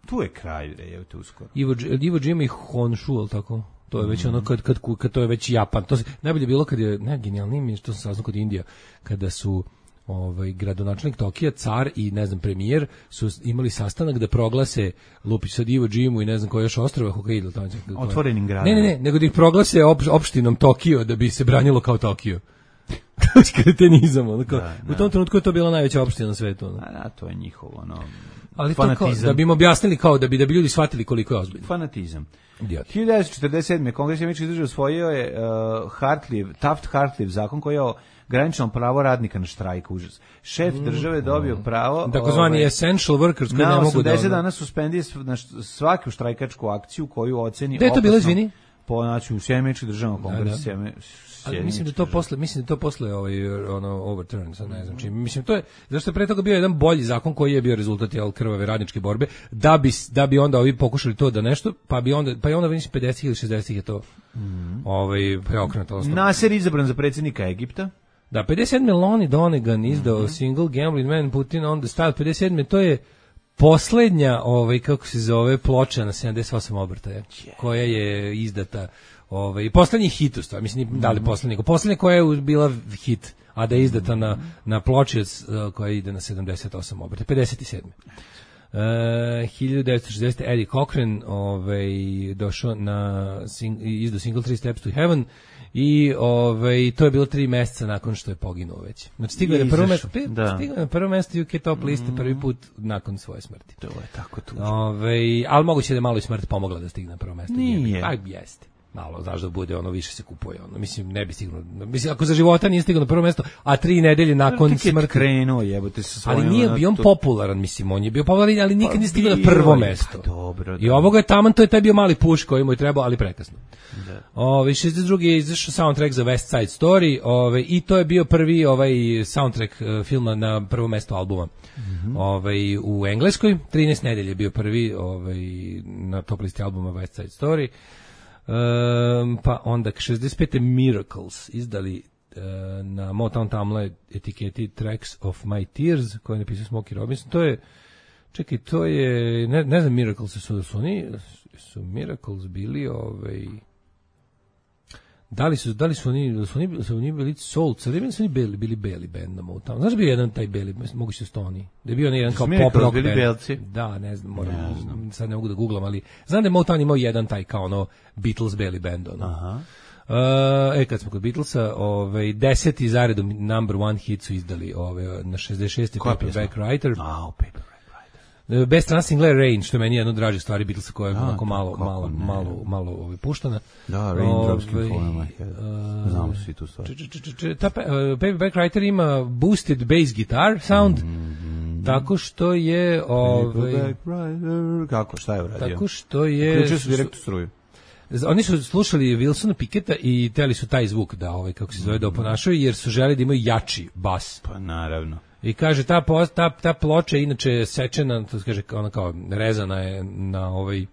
Speaker 6: Tu je kraj, je to uskoro.
Speaker 5: Iwo, Iwo Jima i Honshu, ali tako? To je već mm. ono, kad, kad, kad to je već Japan. To se, najbolje bilo kad je, ne, genijalnije mi je što sam saznao kod Indija, kada su ovaj gradonačelnik Tokija, car i ne znam premijer su imali sastanak da proglase Lupić sad Iwo Jimu i ne znam koje još ostrva Hokkaido tamo.
Speaker 6: Otvorenim gradom.
Speaker 5: Ne, ne, ne, nego da ih proglase op, opštinom Tokio da bi se branilo kao Tokio. Kretenizam, ono kao, da, da. U tom trenutku je to bila najveća opština na svetu. Ono.
Speaker 6: A, a to je njihovo, ono,
Speaker 5: ali fanatizam. To kao, da bi im objasnili kao, da bi, da bi ljudi shvatili koliko je ozbiljno.
Speaker 6: Fanatizam. hiljadu devetsto četrdeset sedme. Kongres američkih država usvojio je uh, Hartley, Taft-Hartley zakon koji je o graničnom pravo radnika na štrajk, užas. Šef države dobio pravo...
Speaker 5: Takozvani ovaj, essential workers koji ne mogu da...
Speaker 6: Na osamdeset dana suspendije na svaku štrajkačku akciju koju oceni...
Speaker 5: Gde je to bilo, izvini?
Speaker 6: Po, znači, u Sjemeničkih državama kongresa.
Speaker 5: Da, da. Ali mislim da to posle, mislim da to posle ovaj ono overturn, sad ne znam čim. Mislim to je zašto je pre toga bio jedan bolji zakon koji je bio rezultat jel krvave radničke borbe, da bi da bi onda ovi pokušali to da nešto, pa bi onda pa i onda mislim pedeset ili šezdeset je to. Mm. Ovaj preokrenuto.
Speaker 6: Nasser izabran za predsjednika Egipta.
Speaker 5: Da, pedeset sedme Lonnie Donegan izdao mm-hmm. Single Gambling Man Putin on the Style. pedeset sedme to je poslednja ovaj kako se zove ploča na sedamdeset osam obrtaja yeah. koja je izdata. Ovaj poslednji hit u stvari, mislim da li poslednji, poslednja koja je bila hit, a da je izdata na na ploči koja ide na sedamdeset osam obrtaja, pedeset sedme. Uh, hiljadu devetsto šezdesete. Eddie Cochran ovaj došao na sing, izdao single Three Steps to Heaven i ovaj to je bilo tri meseca nakon što je poginuo već. Znači stigao je na prvo mesto, stigao na prvo mesto U K top liste mm. prvi put nakon svoje smrti.
Speaker 6: To je tako tužno.
Speaker 5: Ovaj al moguće da je malo i smrt pomogla da stigne na prvo mesto.
Speaker 6: Nije.
Speaker 5: Pa jeste. Malo, znaš da bude ono više se kupuje, ono mislim ne bi stiglo. Mislim ako za života nije stigao na prvo mesto, a tri nedelje nakon smrti
Speaker 6: krenuo, jebote sa svojim.
Speaker 5: Ali nije bio on popularan, mislim, on je bio popularan, ali nikad pa nije stigao na prvo mesto.
Speaker 6: Pa dobro.
Speaker 5: I ovoga je taman, to je taj bio mali puš koji mu je trebao, ali prekasno. Da. Ove šezdeset druge je izašao soundtrack za West Side Story, ove i to je bio prvi ovaj soundtrack uh, filma na prvo mesto albuma. Mm-hmm. Ovaj u Engleskoj trinaest nedelje je bio prvi ovaj na top listi albuma West Side Story. Um, pa onda šezdeset pete Miracles izdali uh, na Motown Tamla etiketi Tracks of My Tears koju je napisao Smokey Robinson. To je, čekaj, to je ne, ne znam Miracles su, su oni su Miracles bili ovaj Da li su da li su oni da su oni da su oni bili soul, da li su oni bili bili beli bend na Motownu. Znaš da bio jedan taj beli, moguće su oni. Da je bio onaj jedan kao pop rock
Speaker 6: bili
Speaker 5: band.
Speaker 6: belci.
Speaker 5: Da, ne znam, moram, ne znam. Sad ne mogu da guglam, ali znam da je Motown imao jedan taj kao ono Beatles beli bend ono.
Speaker 6: Aha.
Speaker 5: Uh, e, kad smo kod Beatlesa, ovaj, deseti zaredom number one hit su izdali ovaj, na šezdeset šesti Paperback Writer.
Speaker 6: A, oh, Paperback
Speaker 5: Writer. Best Nothing Left Rain, što je meni jedno od dražih stvari Beatlesa koja je onako malo, malo, ne. malo, malo ovaj, puštana.
Speaker 6: Da, Raindrops Can Fall on My Head. Znamo svi tu stvari.
Speaker 5: Ta uh, Paperback Writer ima boosted bass guitar sound, mm-hmm. tako što je... Ovaj,
Speaker 6: kako, šta je uradio?
Speaker 5: Tako što je...
Speaker 6: Uključio su direktnu struju.
Speaker 5: Oni su slušali Wilsona Picketta i teli su taj zvuk da ovaj kako se zove da oponašaju jer su želeli da imaju jači bas.
Speaker 6: Pa naravno.
Speaker 5: I kaže ta ta ta ploča inače sečena, to se kaže ona kao rezana je na ovaj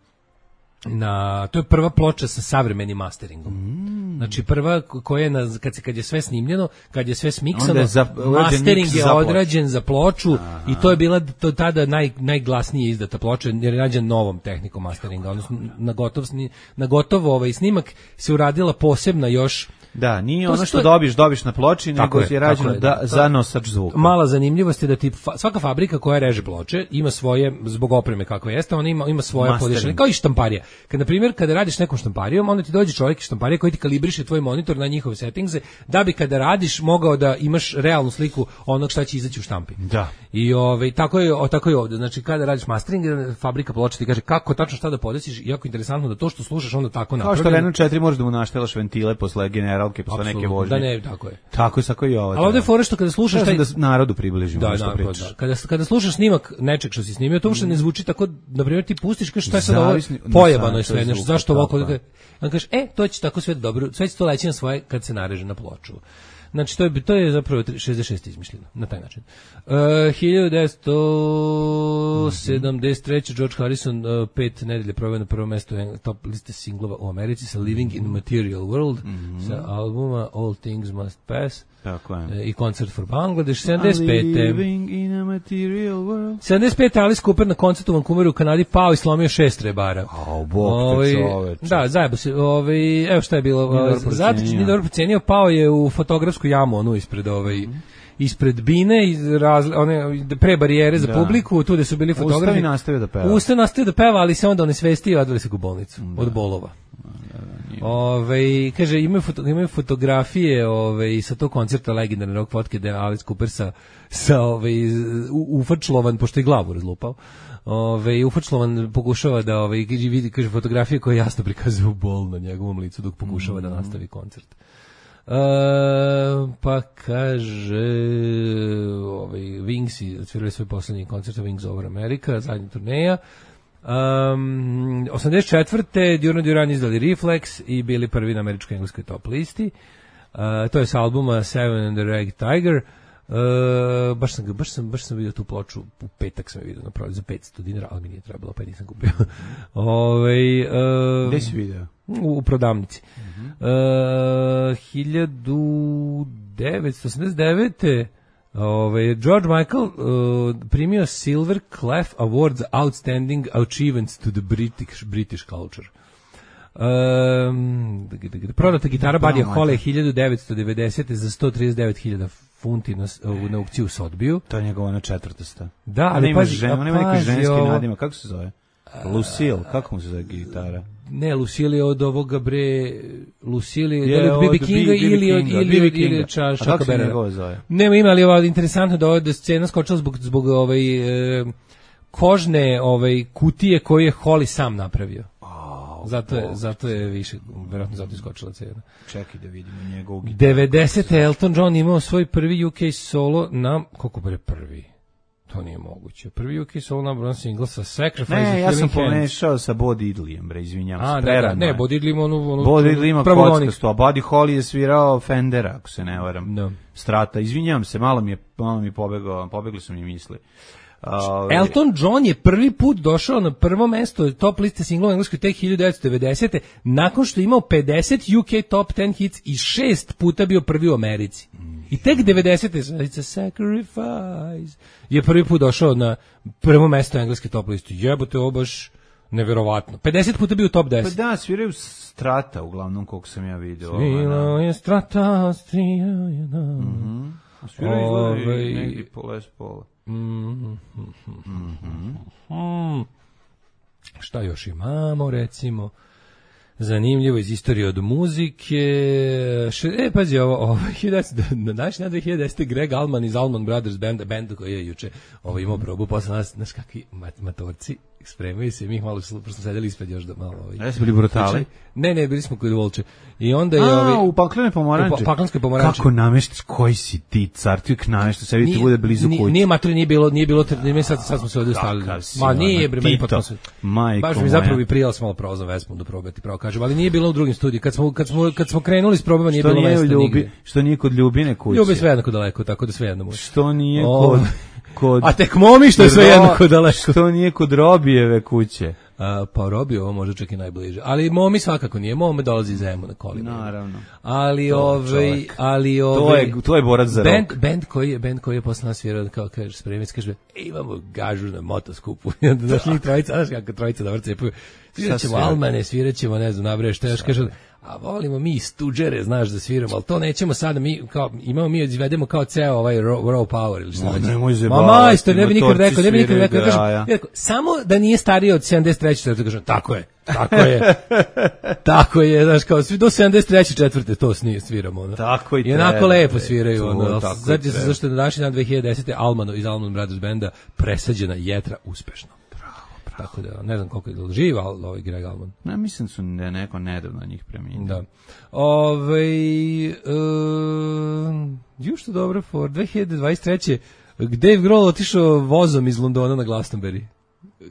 Speaker 5: na to je prva ploča sa savremenim masteringom. Mm. Znači prva koja je na, kad se kad je sve snimljeno, kad je sve smiksano,
Speaker 6: za,
Speaker 5: mastering je odrađen za ploču. Aha. I to je bila to tada naj najglasnije izdata ploča jer je rađen novom tehnikom masteringa, odnosno na gotov na gotovo ovaj snimak se uradila posebna još.
Speaker 6: Da, nije to ono što to... dobiš, dobiš na ploči, nego je rađeno da, da, za nosač zvuka.
Speaker 5: Mala zanimljivost je da ti fa, svaka fabrika koja reže ploče ima svoje, zbog opreme kakva jeste, ona ima, ima svoje podešanje, kao i štamparija. Kad, na primjer, kada radiš nekom štamparijom, onda ti dođe čovjek iz štamparije koji ti kalibriše tvoj monitor na njihove settingse, da bi kada radiš mogao da imaš realnu sliku onog šta će izaći u štampi.
Speaker 6: Da.
Speaker 5: I ovaj, tako je, o, tako je ovdje. Znači, kada radiš mastering, fabrika ploče ti kaže kako tačno šta da podesiš, jako interesantno da to što slušaš onda tako napravi.
Speaker 6: Kao što Renault četiri možeš da mu naštelaš ventile posle generalke, posle neke vožnje.
Speaker 5: Da ne, tako je.
Speaker 6: Tako je, tako i ovo.
Speaker 5: Ali ovdje je fora što kada slušaš taj...
Speaker 6: da narodu približimo
Speaker 5: da,
Speaker 6: što pričaš. Da.
Speaker 5: Kada, kada slušaš snimak nečeg što si snimio, to uopšte ne zvuči tako, na primjer ti pustiš kažeš šta je sad ovo pojebano je sve, nešto, zašto ovo kod... On kaže, e, to će tako sve dobro, sve će to leći na svoje kad se nareže na ploču. Znači, to je, to je zapravo šezdeset šest izmišljeno, na taj način. Uh, hiljadu devetsto sedamdeset treće George Harrison uh, pet nedelje proveo na prvo mesto top liste singlova u Americi sa Living in a Material World, mm-hmm. sa albuma All Things Must Pass.
Speaker 6: Tako je.
Speaker 5: Uh, i koncert for Bangladesh, sedamdeset pete
Speaker 6: Living in a Material World.
Speaker 5: sedamdeset pete Alice Cooper na koncertu u Vancouveru u Kanadi pao i slomio šest rebara.
Speaker 6: Au, bog te čoveče.
Speaker 5: Da, zajebo se. Ovaj, evo šta je bilo. Zato nije dobro procenio, pao je u fotografsku jamu, onu ispred ovaj... Mm-hmm. ispred bine, iz razli, one pre barijere za da. publiku, tu gde su bili fotografi.
Speaker 6: Ustavi nastavio da peva.
Speaker 5: Ustavi nastavio da peva, ali se onda onesvestio i odveli se u bolnicu da. od bolova. Da, da, ove, kaže, imaju, foto, imaju fotografije ove, sa tog koncerta legendarne rock fotke da je Alice Cooper sa, sa ove, ufačlovan, pošto je glavu razlupao. Ove, ufačlovan pokušava da ove, vidi, kaže, fotografije koje jasno prikazuju bol na njegovom licu dok pokušava mm. da nastavi koncert. Uh, pa kaže ovaj, Wingsi odsvirali svoj poslednji koncert Wings Over America, zadnja turneja. Um, osamdeset četvrte Duran Duran izdali Reflex i bili prvi na američkoj engleskoj top listi. Uh, to je s albuma Seven and the Rag Tiger. Uh, baš sam baš sam baš sam vidio tu ploču u petak sam je vidio na prodaju za petsto dinara, ali mi nije trebalo, pa nisam kupio. Ovaj uh,
Speaker 6: gde si video?
Speaker 5: U, u prodavnici. Uh-huh. Uh, hiljadu devetsto osamdeset devete ovaj George Michael uh, primio Silver Clef Award za Outstanding Achievements to the British British Culture. Um, prodata gitara Buddy Holly hiljadu devetsto devedesete za sto trideset devet hiljada funti na, na aukciju s odbiju.
Speaker 6: To je njegova na četvrtosta.
Speaker 5: Da, ali pazi,
Speaker 6: žen, on ima neki ženski nadimak, kako se zove? Lucille, kako mu se zove gitara?
Speaker 5: Ne, Lucille je od ovoga bre, Lucille je od B B Kinga ili od ili od ili Chucka Berrera. Nema ima, ali je interesantno da ova scena skočila zbog zbog ovaj e, kožne ovaj kutije koju je Holly sam napravio. Zato je, zato je više, verovatno zato iskočila cena.
Speaker 6: Čekaj da vidimo njegovu gitaru.
Speaker 5: devedesete Elton John imao svoj prvi U K solo na, koliko bre prvi? To nije moguće. Prvi U K solo na bron single sa Sacrifice.
Speaker 6: Ne, ja sam pomešao sa Bo Diddleyem, bre, izvinjam se.
Speaker 5: Ne, ne, Bo Diddley ima onu... onu
Speaker 6: Bo Diddley ima kockasto, a Buddy Holly je svirao Fendera, ako se ne varam. No. Strata, izvinjam se, malo mi je, malo mi je pobegao, pobegli su mi misli. Uh,
Speaker 5: Elton John je prvi put došao na prvo mesto top liste singlova engleskoj tek hiljadu devetsto devedesete nakon što je imao pedeset U K top deset hits i šest puta bio prvi u Americi. I tek devedesete It's a Sacrifice je prvi put došao na prvo mesto engleske top liste. Jebote, ovo baš Neverovatno. pedeset puta bio u top
Speaker 6: Pa
Speaker 5: deset.
Speaker 6: da, sviraju Strata, uglavnom, koliko sam ja vidio.
Speaker 5: Svirao je Strata, svirao je da.
Speaker 6: Mhm. A sviraju izgleda
Speaker 5: Ovaj-
Speaker 6: i negdje po Les Paula.
Speaker 5: Mhm. Mm. Šta još imamo, recimo? Zanimljivo iz istorije od muzike. Še, e, pazi, ovo, ovo hiljadu devetsto na današnji dan dve hiljade desete. Greg Allman iz Allman Brothers Band, band koji je juče ovo imao probu, posle nas, znaš kakvi mat, matorci, spremaju se, mi ih malo smo sedeli ispred još da malo... Ovaj,
Speaker 6: Jesi bili brutali?
Speaker 5: Ne, ne, bili smo kod Volče. I onda je...
Speaker 6: A,
Speaker 5: ovaj,
Speaker 6: u paklene pomoranče.
Speaker 5: U pa- paklenskoj pomoranči.
Speaker 6: Kako nameštaš, koji si ti, car, ti uvijek nameštaš, sebi ti bude blizu
Speaker 5: nije,
Speaker 6: kuće.
Speaker 5: Nije matori, nije bilo, nije bilo, nije sad, sad smo se ovdje stavili.
Speaker 6: Kakav si,
Speaker 5: Ma nije,
Speaker 6: ono,
Speaker 5: bre, meni
Speaker 6: Tito.
Speaker 5: potpuno se...
Speaker 6: Majko
Speaker 5: Baš mi
Speaker 6: moja.
Speaker 5: zapravo bi prijela s malo prozom Vesmom da probati, pravo kažem, ali nije bilo u drugim studiju. Kad smo, kad smo, kad smo krenuli s probama, nije
Speaker 6: Što
Speaker 5: bilo
Speaker 6: nije
Speaker 5: mesta
Speaker 6: ljubi,
Speaker 5: nigde.
Speaker 6: što nije kod Ljubine kuće.
Speaker 5: Ljubi sve jednako daleko, tako da sve jedno može.
Speaker 6: Što nije
Speaker 5: O,
Speaker 6: kod... kod
Speaker 5: A tek momi što je sve
Speaker 6: Ro-
Speaker 5: jednako daleko.
Speaker 6: Što nije kod Robijeve kuće.
Speaker 5: A, pa Robi ovo može čak i najbliže. Ali momi svakako nije, momi dolazi iz Zemuna kolima.
Speaker 6: Naravno.
Speaker 5: Ali
Speaker 6: To je
Speaker 5: ovaj,
Speaker 6: čovjek.
Speaker 5: ali
Speaker 6: To
Speaker 5: ovaj
Speaker 6: je, to je borac za
Speaker 5: band,
Speaker 6: rok.
Speaker 5: band koji je band koji je posle nas svirao kao kaže spremic kaže e, imamo gažu na motoskupu. I onda došli trojica, znaš kako trojica dobro cepaju. Sviraćemo
Speaker 6: svira?
Speaker 5: Almane, sviraćemo, ne znam, nabreš šta još kaže. A volimo mi stuđere, znaš da sviramo, ali to nećemo sada, mi kao, imamo mi, izvedemo kao ceo ovaj raw, raw power ili šta
Speaker 6: Ma,
Speaker 5: već.
Speaker 6: nemoj
Speaker 5: Ma
Speaker 6: zajebavati,
Speaker 5: majstor, ne bi nikad
Speaker 6: motorci
Speaker 5: rekao, ne bi nikad
Speaker 6: sviraju
Speaker 5: rekao,
Speaker 6: do
Speaker 5: kažem,
Speaker 6: jaja.
Speaker 5: ja rekao, samo da nije stariji od sedamdeset treće četvrte kažem, tako je, tako je, tako je, znaš, kao, svi do sedamdeset treće četvrte to snije, sviramo, ono.
Speaker 6: Tako i
Speaker 5: I onako
Speaker 6: treba,
Speaker 5: lepo
Speaker 6: bre.
Speaker 5: sviraju,
Speaker 6: To,
Speaker 5: ono,
Speaker 6: tako i
Speaker 5: znači se
Speaker 6: treba.
Speaker 5: zašto je na današnji dan dve hiljade desete. Almano iz Allman Brothers Banda presađena jetra uspešno. Tako da, ne znam koliko je živ, ali ovaj Greg Allman.
Speaker 6: Ne, mislim su da je neko nedavno njih preminuo.
Speaker 5: Da. Ove, uh, ju što dobro, for dve hiljade dvadeset treće. Dave Grohl otišao vozom iz Londona na Glastonbury.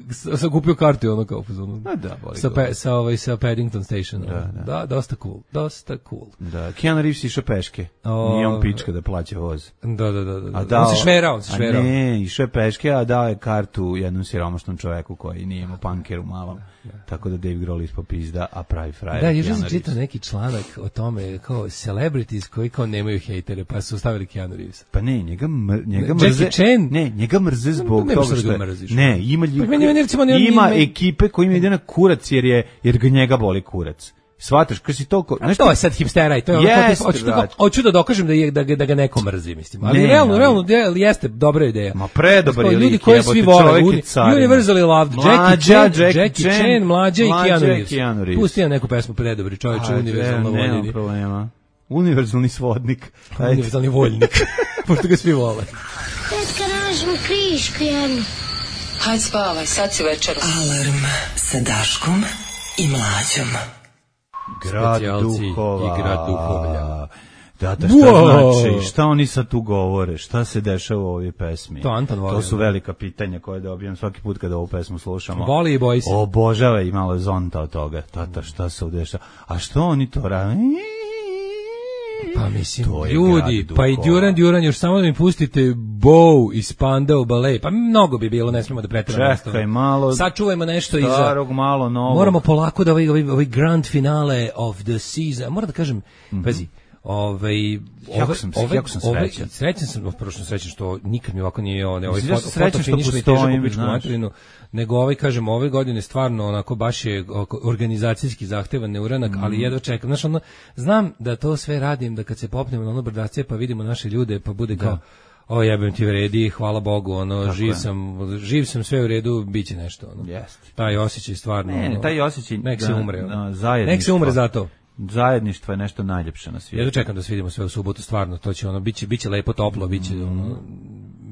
Speaker 5: S- Sam kupio kartu ono kao fazonu.
Speaker 6: A da, boli
Speaker 5: sa,
Speaker 6: ga.
Speaker 5: pe, sa, ovaj, sa Paddington Station.
Speaker 6: Da, da.
Speaker 5: da, dosta cool, dosta cool.
Speaker 6: Da, Keanu Reeves išao peške.
Speaker 5: O,
Speaker 6: Nije on pička da plaća voz.
Speaker 5: Da, da, da. da.
Speaker 6: A dao,
Speaker 5: on se šverao, on se
Speaker 6: a
Speaker 5: šverao.
Speaker 6: ne, išao je peške, a dao je kartu jednom siromašnom čoveku koji nije imao pankeru malom. Tako da Dave Grohl ispao pizda, a pravi frajer.
Speaker 5: Da, juče
Speaker 6: Keanu
Speaker 5: sam čitao
Speaker 6: Reeves.
Speaker 5: neki članak o tome kao celebrities koji kao nemaju hejtere, pa su stavili Keanu Reeves.
Speaker 6: Pa ne, njega, mr, njega
Speaker 5: Jackie
Speaker 6: mrze.
Speaker 5: Chan?
Speaker 6: Ne, njega mrze zbog
Speaker 5: nema
Speaker 6: toga
Speaker 5: šta da
Speaker 6: što
Speaker 5: ga
Speaker 6: je.
Speaker 5: mrziš.
Speaker 6: Ne, ima
Speaker 5: Pa
Speaker 6: ljudi.
Speaker 5: meni- meni recimo ne-
Speaker 6: ima
Speaker 5: ne-
Speaker 6: ekipe kojima ide na kurac jer je jer ga njega boli kurac. Svataš, kad si toliko,
Speaker 5: A to je sad hipstera i to je ono,
Speaker 6: Jeste,
Speaker 5: hoću, da,
Speaker 6: brate.
Speaker 5: hoću da dokažem da, je, da, ga, da ga neko mrzi, mislim. Ali
Speaker 6: Ne,
Speaker 5: realno,
Speaker 6: ali-
Speaker 5: realno je- jeste dobra ideja.
Speaker 6: Ma predobar je
Speaker 5: Kao ljudi
Speaker 6: lik,
Speaker 5: koji
Speaker 6: jebote,
Speaker 5: svi vole,
Speaker 6: čovjek je
Speaker 5: uni-
Speaker 6: carina.
Speaker 5: Universally loved, Jackie
Speaker 6: Mlađa,
Speaker 5: Chan,
Speaker 6: Jackie
Speaker 5: Jackie
Speaker 6: Chan,
Speaker 5: Chan, mlađa i
Speaker 6: mlađa
Speaker 5: Keanu
Speaker 6: i
Speaker 5: Reeves.
Speaker 6: Keanu Reeves.
Speaker 5: Pusti nam neku pesmu predobri, čovječe,
Speaker 6: Ajde,
Speaker 5: univerzalno
Speaker 6: nema
Speaker 5: voljeni.
Speaker 6: problema. Univerzalni svodnik. Ajde.
Speaker 5: Univerzalni voljnik, pošto ga svi vole.
Speaker 10: Tetka, nađemo krišku jednu.
Speaker 4: Hajde spavaj, sad si večeras.
Speaker 9: Alarm sa Daškom i Mlađom.
Speaker 6: Grad
Speaker 5: Specijalci
Speaker 6: duhova.
Speaker 5: i grad duhovlja.
Speaker 6: Da, da, šta
Speaker 5: Wow.
Speaker 6: znači, šta oni sad tu govore, šta se dešava u ovoj pesmi?
Speaker 5: To Anton voli,
Speaker 6: To su
Speaker 5: da.
Speaker 6: velika pitanja koje dobijam svaki put kada ovu pesmu slušamo.
Speaker 5: Voli i boji se.
Speaker 6: Obožava i malo zonta od toga. Tata, šta se udešava? A što oni to rade?
Speaker 5: Pa mislim,
Speaker 6: To je
Speaker 5: ljudi,
Speaker 6: grad
Speaker 5: pa i
Speaker 6: duhova.
Speaker 5: Duran Duran, još samo da mi pustite Bow iz Spandau Ballet, pa mnogo bi bilo, ne smijemo da preteramo.
Speaker 6: Čekaj malo.
Speaker 5: Sačuvajmo nešto iza.
Speaker 6: Starog, malo novog.
Speaker 5: Moramo polako da ovaj, ovaj, ovaj grand finale of the season, moram da kažem, pazi, ovaj,
Speaker 6: Jako
Speaker 5: ovaj,
Speaker 6: sam-
Speaker 5: ovaj,
Speaker 6: jako sam
Speaker 5: ovaj-
Speaker 6: srećan.
Speaker 5: Srećan sam, prvo što sam srećan što nikad mi ovako nije on, ovaj
Speaker 6: Mislim, ja
Speaker 5: foto,
Speaker 6: sam srećan što
Speaker 5: fotofiniš mi
Speaker 6: postojim,
Speaker 5: težak u pičku
Speaker 6: znaš.
Speaker 5: materinu, nego ovaj, kažem, ove godine stvarno onako baš je oko- organizacijski zahtevan neuranak,
Speaker 6: Mhm.
Speaker 5: ali jedva čekam. Znaš, ono, znam da to sve radim, da kad se popnemo na ono brdace pa vidimo naše ljude, pa bude kao, o jebem ti vredi, hvala Bogu, ono,
Speaker 6: Tako
Speaker 5: živ
Speaker 6: je.
Speaker 5: sam, živ sam, sve u redu, bit će nešto, ono.
Speaker 6: Jeste.
Speaker 5: Taj osjećaj stvarno,
Speaker 6: Ne, ne,
Speaker 5: ono,
Speaker 6: taj osjećaj
Speaker 5: nek se
Speaker 6: da-
Speaker 5: umre,
Speaker 6: da,
Speaker 5: ono.
Speaker 6: zajedništvo.
Speaker 5: Nek se umre zato.
Speaker 6: Zajedništvo je nešto najljepše na svijetu.
Speaker 5: Ja čekam da se vidimo sve u subotu, stvarno, to će ono, biće, biće lepo toplo, biće ono,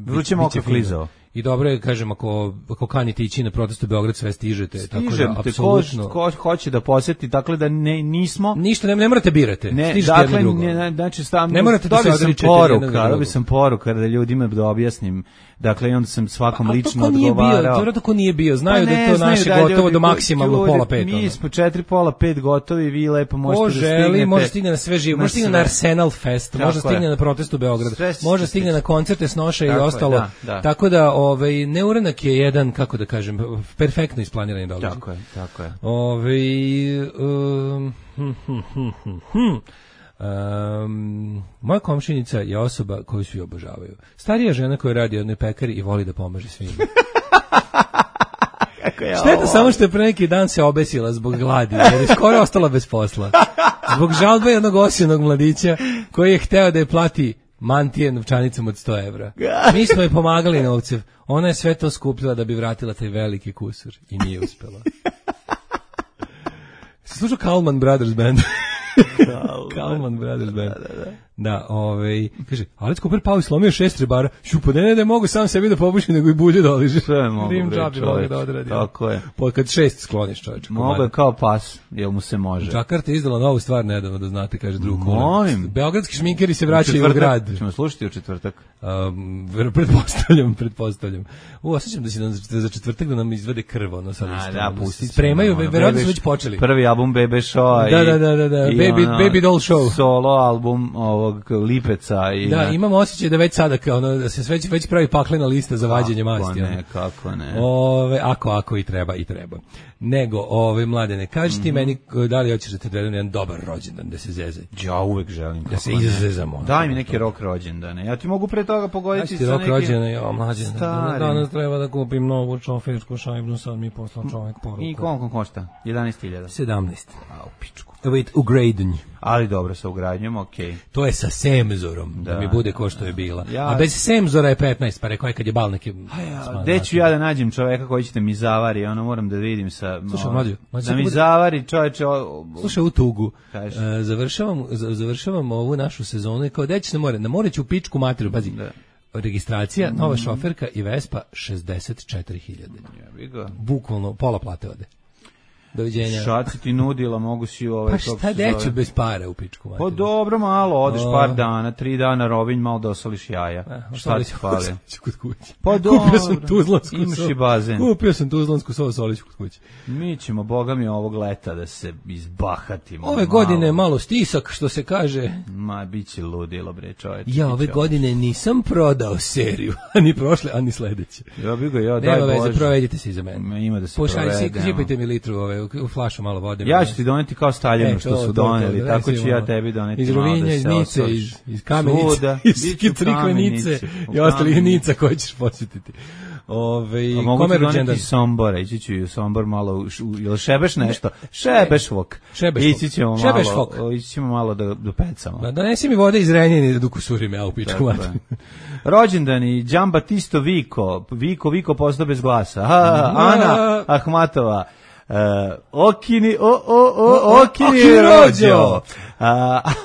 Speaker 6: Vruće
Speaker 5: biće
Speaker 6: mokro
Speaker 5: fino.
Speaker 6: klizao.
Speaker 5: I dobro je, kažem, ako, ako kanite ići na protest u Beograd, sve stižete, tako
Speaker 6: Stižem
Speaker 5: da,
Speaker 6: te, ko,
Speaker 5: apsolutno,
Speaker 6: ko hoće da posjeti, dakle da ne, nismo...
Speaker 5: ništa, ne, ne morate birate,
Speaker 6: Ne,
Speaker 5: stižete jedno
Speaker 6: dakle,
Speaker 5: drugo.
Speaker 6: ne, ne, znači stav,
Speaker 5: Ne morate da se
Speaker 6: dobio sam
Speaker 5: odričete jednog
Speaker 6: poruka,
Speaker 5: drugog.
Speaker 6: dobio sam poruka da ljudima da objasnim. Dakle, i onda sam svakom
Speaker 5: Ali
Speaker 6: lično
Speaker 5: to ko nije bio,
Speaker 6: odgovarao.
Speaker 5: to vjerojatno ko nije bio, znaju
Speaker 6: Pa
Speaker 5: da je
Speaker 6: ne,
Speaker 5: to
Speaker 6: znaju
Speaker 5: naše
Speaker 6: da
Speaker 5: gotovo
Speaker 6: ljudi
Speaker 5: do
Speaker 6: koji-
Speaker 5: maksimalno
Speaker 6: ljudi,
Speaker 5: pola pet.
Speaker 6: Mi
Speaker 5: ono.
Speaker 6: smo četiri pola pet gotovi, vi lepo možete
Speaker 5: Ko
Speaker 6: da
Speaker 5: želi,
Speaker 6: stignete.
Speaker 5: može stigne na sve živo, može stigne na
Speaker 6: sve.
Speaker 5: Arsenal Fest,
Speaker 6: Tako
Speaker 5: može stigne
Speaker 6: je.
Speaker 5: na protest u Beograd,
Speaker 6: Sve će
Speaker 5: može
Speaker 6: se
Speaker 5: stigne
Speaker 6: stići.
Speaker 5: na koncerte Snoša i
Speaker 6: Tako je,
Speaker 5: ostalo.
Speaker 6: da, da.
Speaker 5: Tako da, ovaj, neuranak je jedan, kako da kažem, perfektno isplanirani događaj.
Speaker 6: Tako je, tako je.
Speaker 5: Ovaj, um, hm, hm, hm, hm, hm. Um, moja komšinica je osoba koju svi obožavaju. Starija žena koja radi u jednoj pekari i voli da pomaže svima. Šteta samo što je pre neki dan se obesila zbog gladi, jer je skoro ostala bez posla. Zbog žalbe jednog osijenog mladića koji je hteo da je plati mantije novčanicom od sto evra. Mi smo je pomagali novcev. Ona je sve to skupila da bi vratila taj veliki kusur i nije uspela. Slušao Kalman Brothers Band. Kalman Brothers Band. Da, da, da. Da, ovaj, kaže, Alex Cooper pao i slomio šest rebara. Šupo, ne, ne, ne mogu sam sebi da popušim, nego i bulje doliže.
Speaker 6: Sve je mogu, bre, čovječ.
Speaker 5: Da odradi.
Speaker 6: Tako je.
Speaker 5: Po, kad šest skloniš, čovječ.
Speaker 6: Mogu je kao pas, jel mu se može.
Speaker 5: Jakarta je izdala novu stvar nedavno, da znate, kaže drug.
Speaker 6: Molim.
Speaker 5: Beogradski šminkeri se vraćaju u, u grad.
Speaker 6: Ćemo slušati u četvrtak.
Speaker 5: Um, pretpostavljam, pretpostavljam. U, osjećam da si za četvrtak da nam izvede krv, ono sad. A, da, pustit. Spremaju, verovatno su već počeli.
Speaker 6: Prvi album Bebe Show.
Speaker 5: Da, da, da, da, da. Baby, ono, Baby Doll Show.
Speaker 6: Solo album ovog Lipeca. I
Speaker 5: da,
Speaker 6: ne.
Speaker 5: Imam osjećaj da već sada kao ono, da se već, već pravi paklena lista za vađenje masti.
Speaker 6: Kako ne, kako ne.
Speaker 5: Ove, ako, ako i treba, i treba. Nego, ove, Mladene, kaži ti mm-hmm. meni da li hoćeš da te odvedem jedan dobar rođendan, da se zezaj?
Speaker 6: Ja uvek želim.
Speaker 5: Da se izazezamo.
Speaker 6: Daj mi neki rok rođendane. Ja ti mogu pre toga pogoditi sa nekim...
Speaker 5: Rok rođendane, ja, mlađe. Danas treba da kupim novu šofersku šajbnu, sad mi poslao čovjek poruku.
Speaker 6: I koliko košta? jedanaest hiljada.
Speaker 5: sedamnaest.
Speaker 6: A, u pičku.
Speaker 5: Evo u ugradnju.
Speaker 6: Ali dobro, sa ugradnjom, okej. Okay.
Speaker 5: To je sa semzorom, da, da mi bude ko što je bila. Ja, a bez semzora je petnaest, pa rekao je kad je bal neki...
Speaker 6: Ja, gde ću ja da nađem čoveka koji će da mi zavari, ono moram da vidim sa...
Speaker 5: Slušaj, mlađo,
Speaker 6: da mi bude... zavari čoveče... O...
Speaker 5: Slušaj, u tugu, uh, završavam, završavam ovu našu sezonu i kao gde ćeš na more? Na more ću u pičku materiju, pazi. Da. Registracija, nova mm. šoferka i Vespa šezdeset četiri hiljade.
Speaker 6: Ja,
Speaker 5: bukvalno, pola plate ode. Doviđenja.
Speaker 6: Šaci ti nudila, mogu si ovaj...
Speaker 5: Pa šta deću bez para u pičku materiju?
Speaker 6: Pa dobro, malo, odeš o... par dana, tri dana Rovinj, malo da osoliš jaja.
Speaker 5: A,
Speaker 6: šta ti fali?
Speaker 5: Kod kuće.
Speaker 6: Pa dobro,
Speaker 5: kupio sam tuzlansku
Speaker 6: imaš i bazen.
Speaker 5: Kupio sam tuzlansku sovu solić kod kuće.
Speaker 6: Mi ćemo, boga mi, ovog leta da se izbahatimo.
Speaker 5: Ove
Speaker 6: malo.
Speaker 5: godine malo stisak, što se kaže.
Speaker 6: Ma, bit će ludilo, bre, čovječ.
Speaker 5: Ja ove godine nisam prodao seriju, ani prošle, ani sledeće.
Speaker 6: Ja bih ga, ja, daj
Speaker 5: Nema
Speaker 6: Bože.
Speaker 5: Nema veze, provedite se iza mene.
Speaker 6: Ima da se
Speaker 5: Pošalj,
Speaker 6: provedemo.
Speaker 5: Sipajte mi litru ove, u flašu malo vode.
Speaker 6: Ja ću ti doneti kao Staljinu e, što su doneli, to, tako ću ja tebi doneti.
Speaker 5: Iz Rovinja, iz Nice, iz, iz Kamenice, iz Kitrikvenice i ostalih Nica koje ćeš posjetiti. Ove,
Speaker 6: a mogu ti doneti iz Sombora, ići ću i u Sombor malo, ili šebeš nešto? Šebešvok. Ići ćemo malo, ići ćemo malo da, da pecamo.
Speaker 5: Da, donesi mi vode iz Renjine da dukusurim ja u pičku.
Speaker 6: Rođendani, Giambattista Vico, Vico, Vico postao bez glasa. Ha, Ana Ahmatova. Uh, okini, o, o, o, okini rođo. Uh,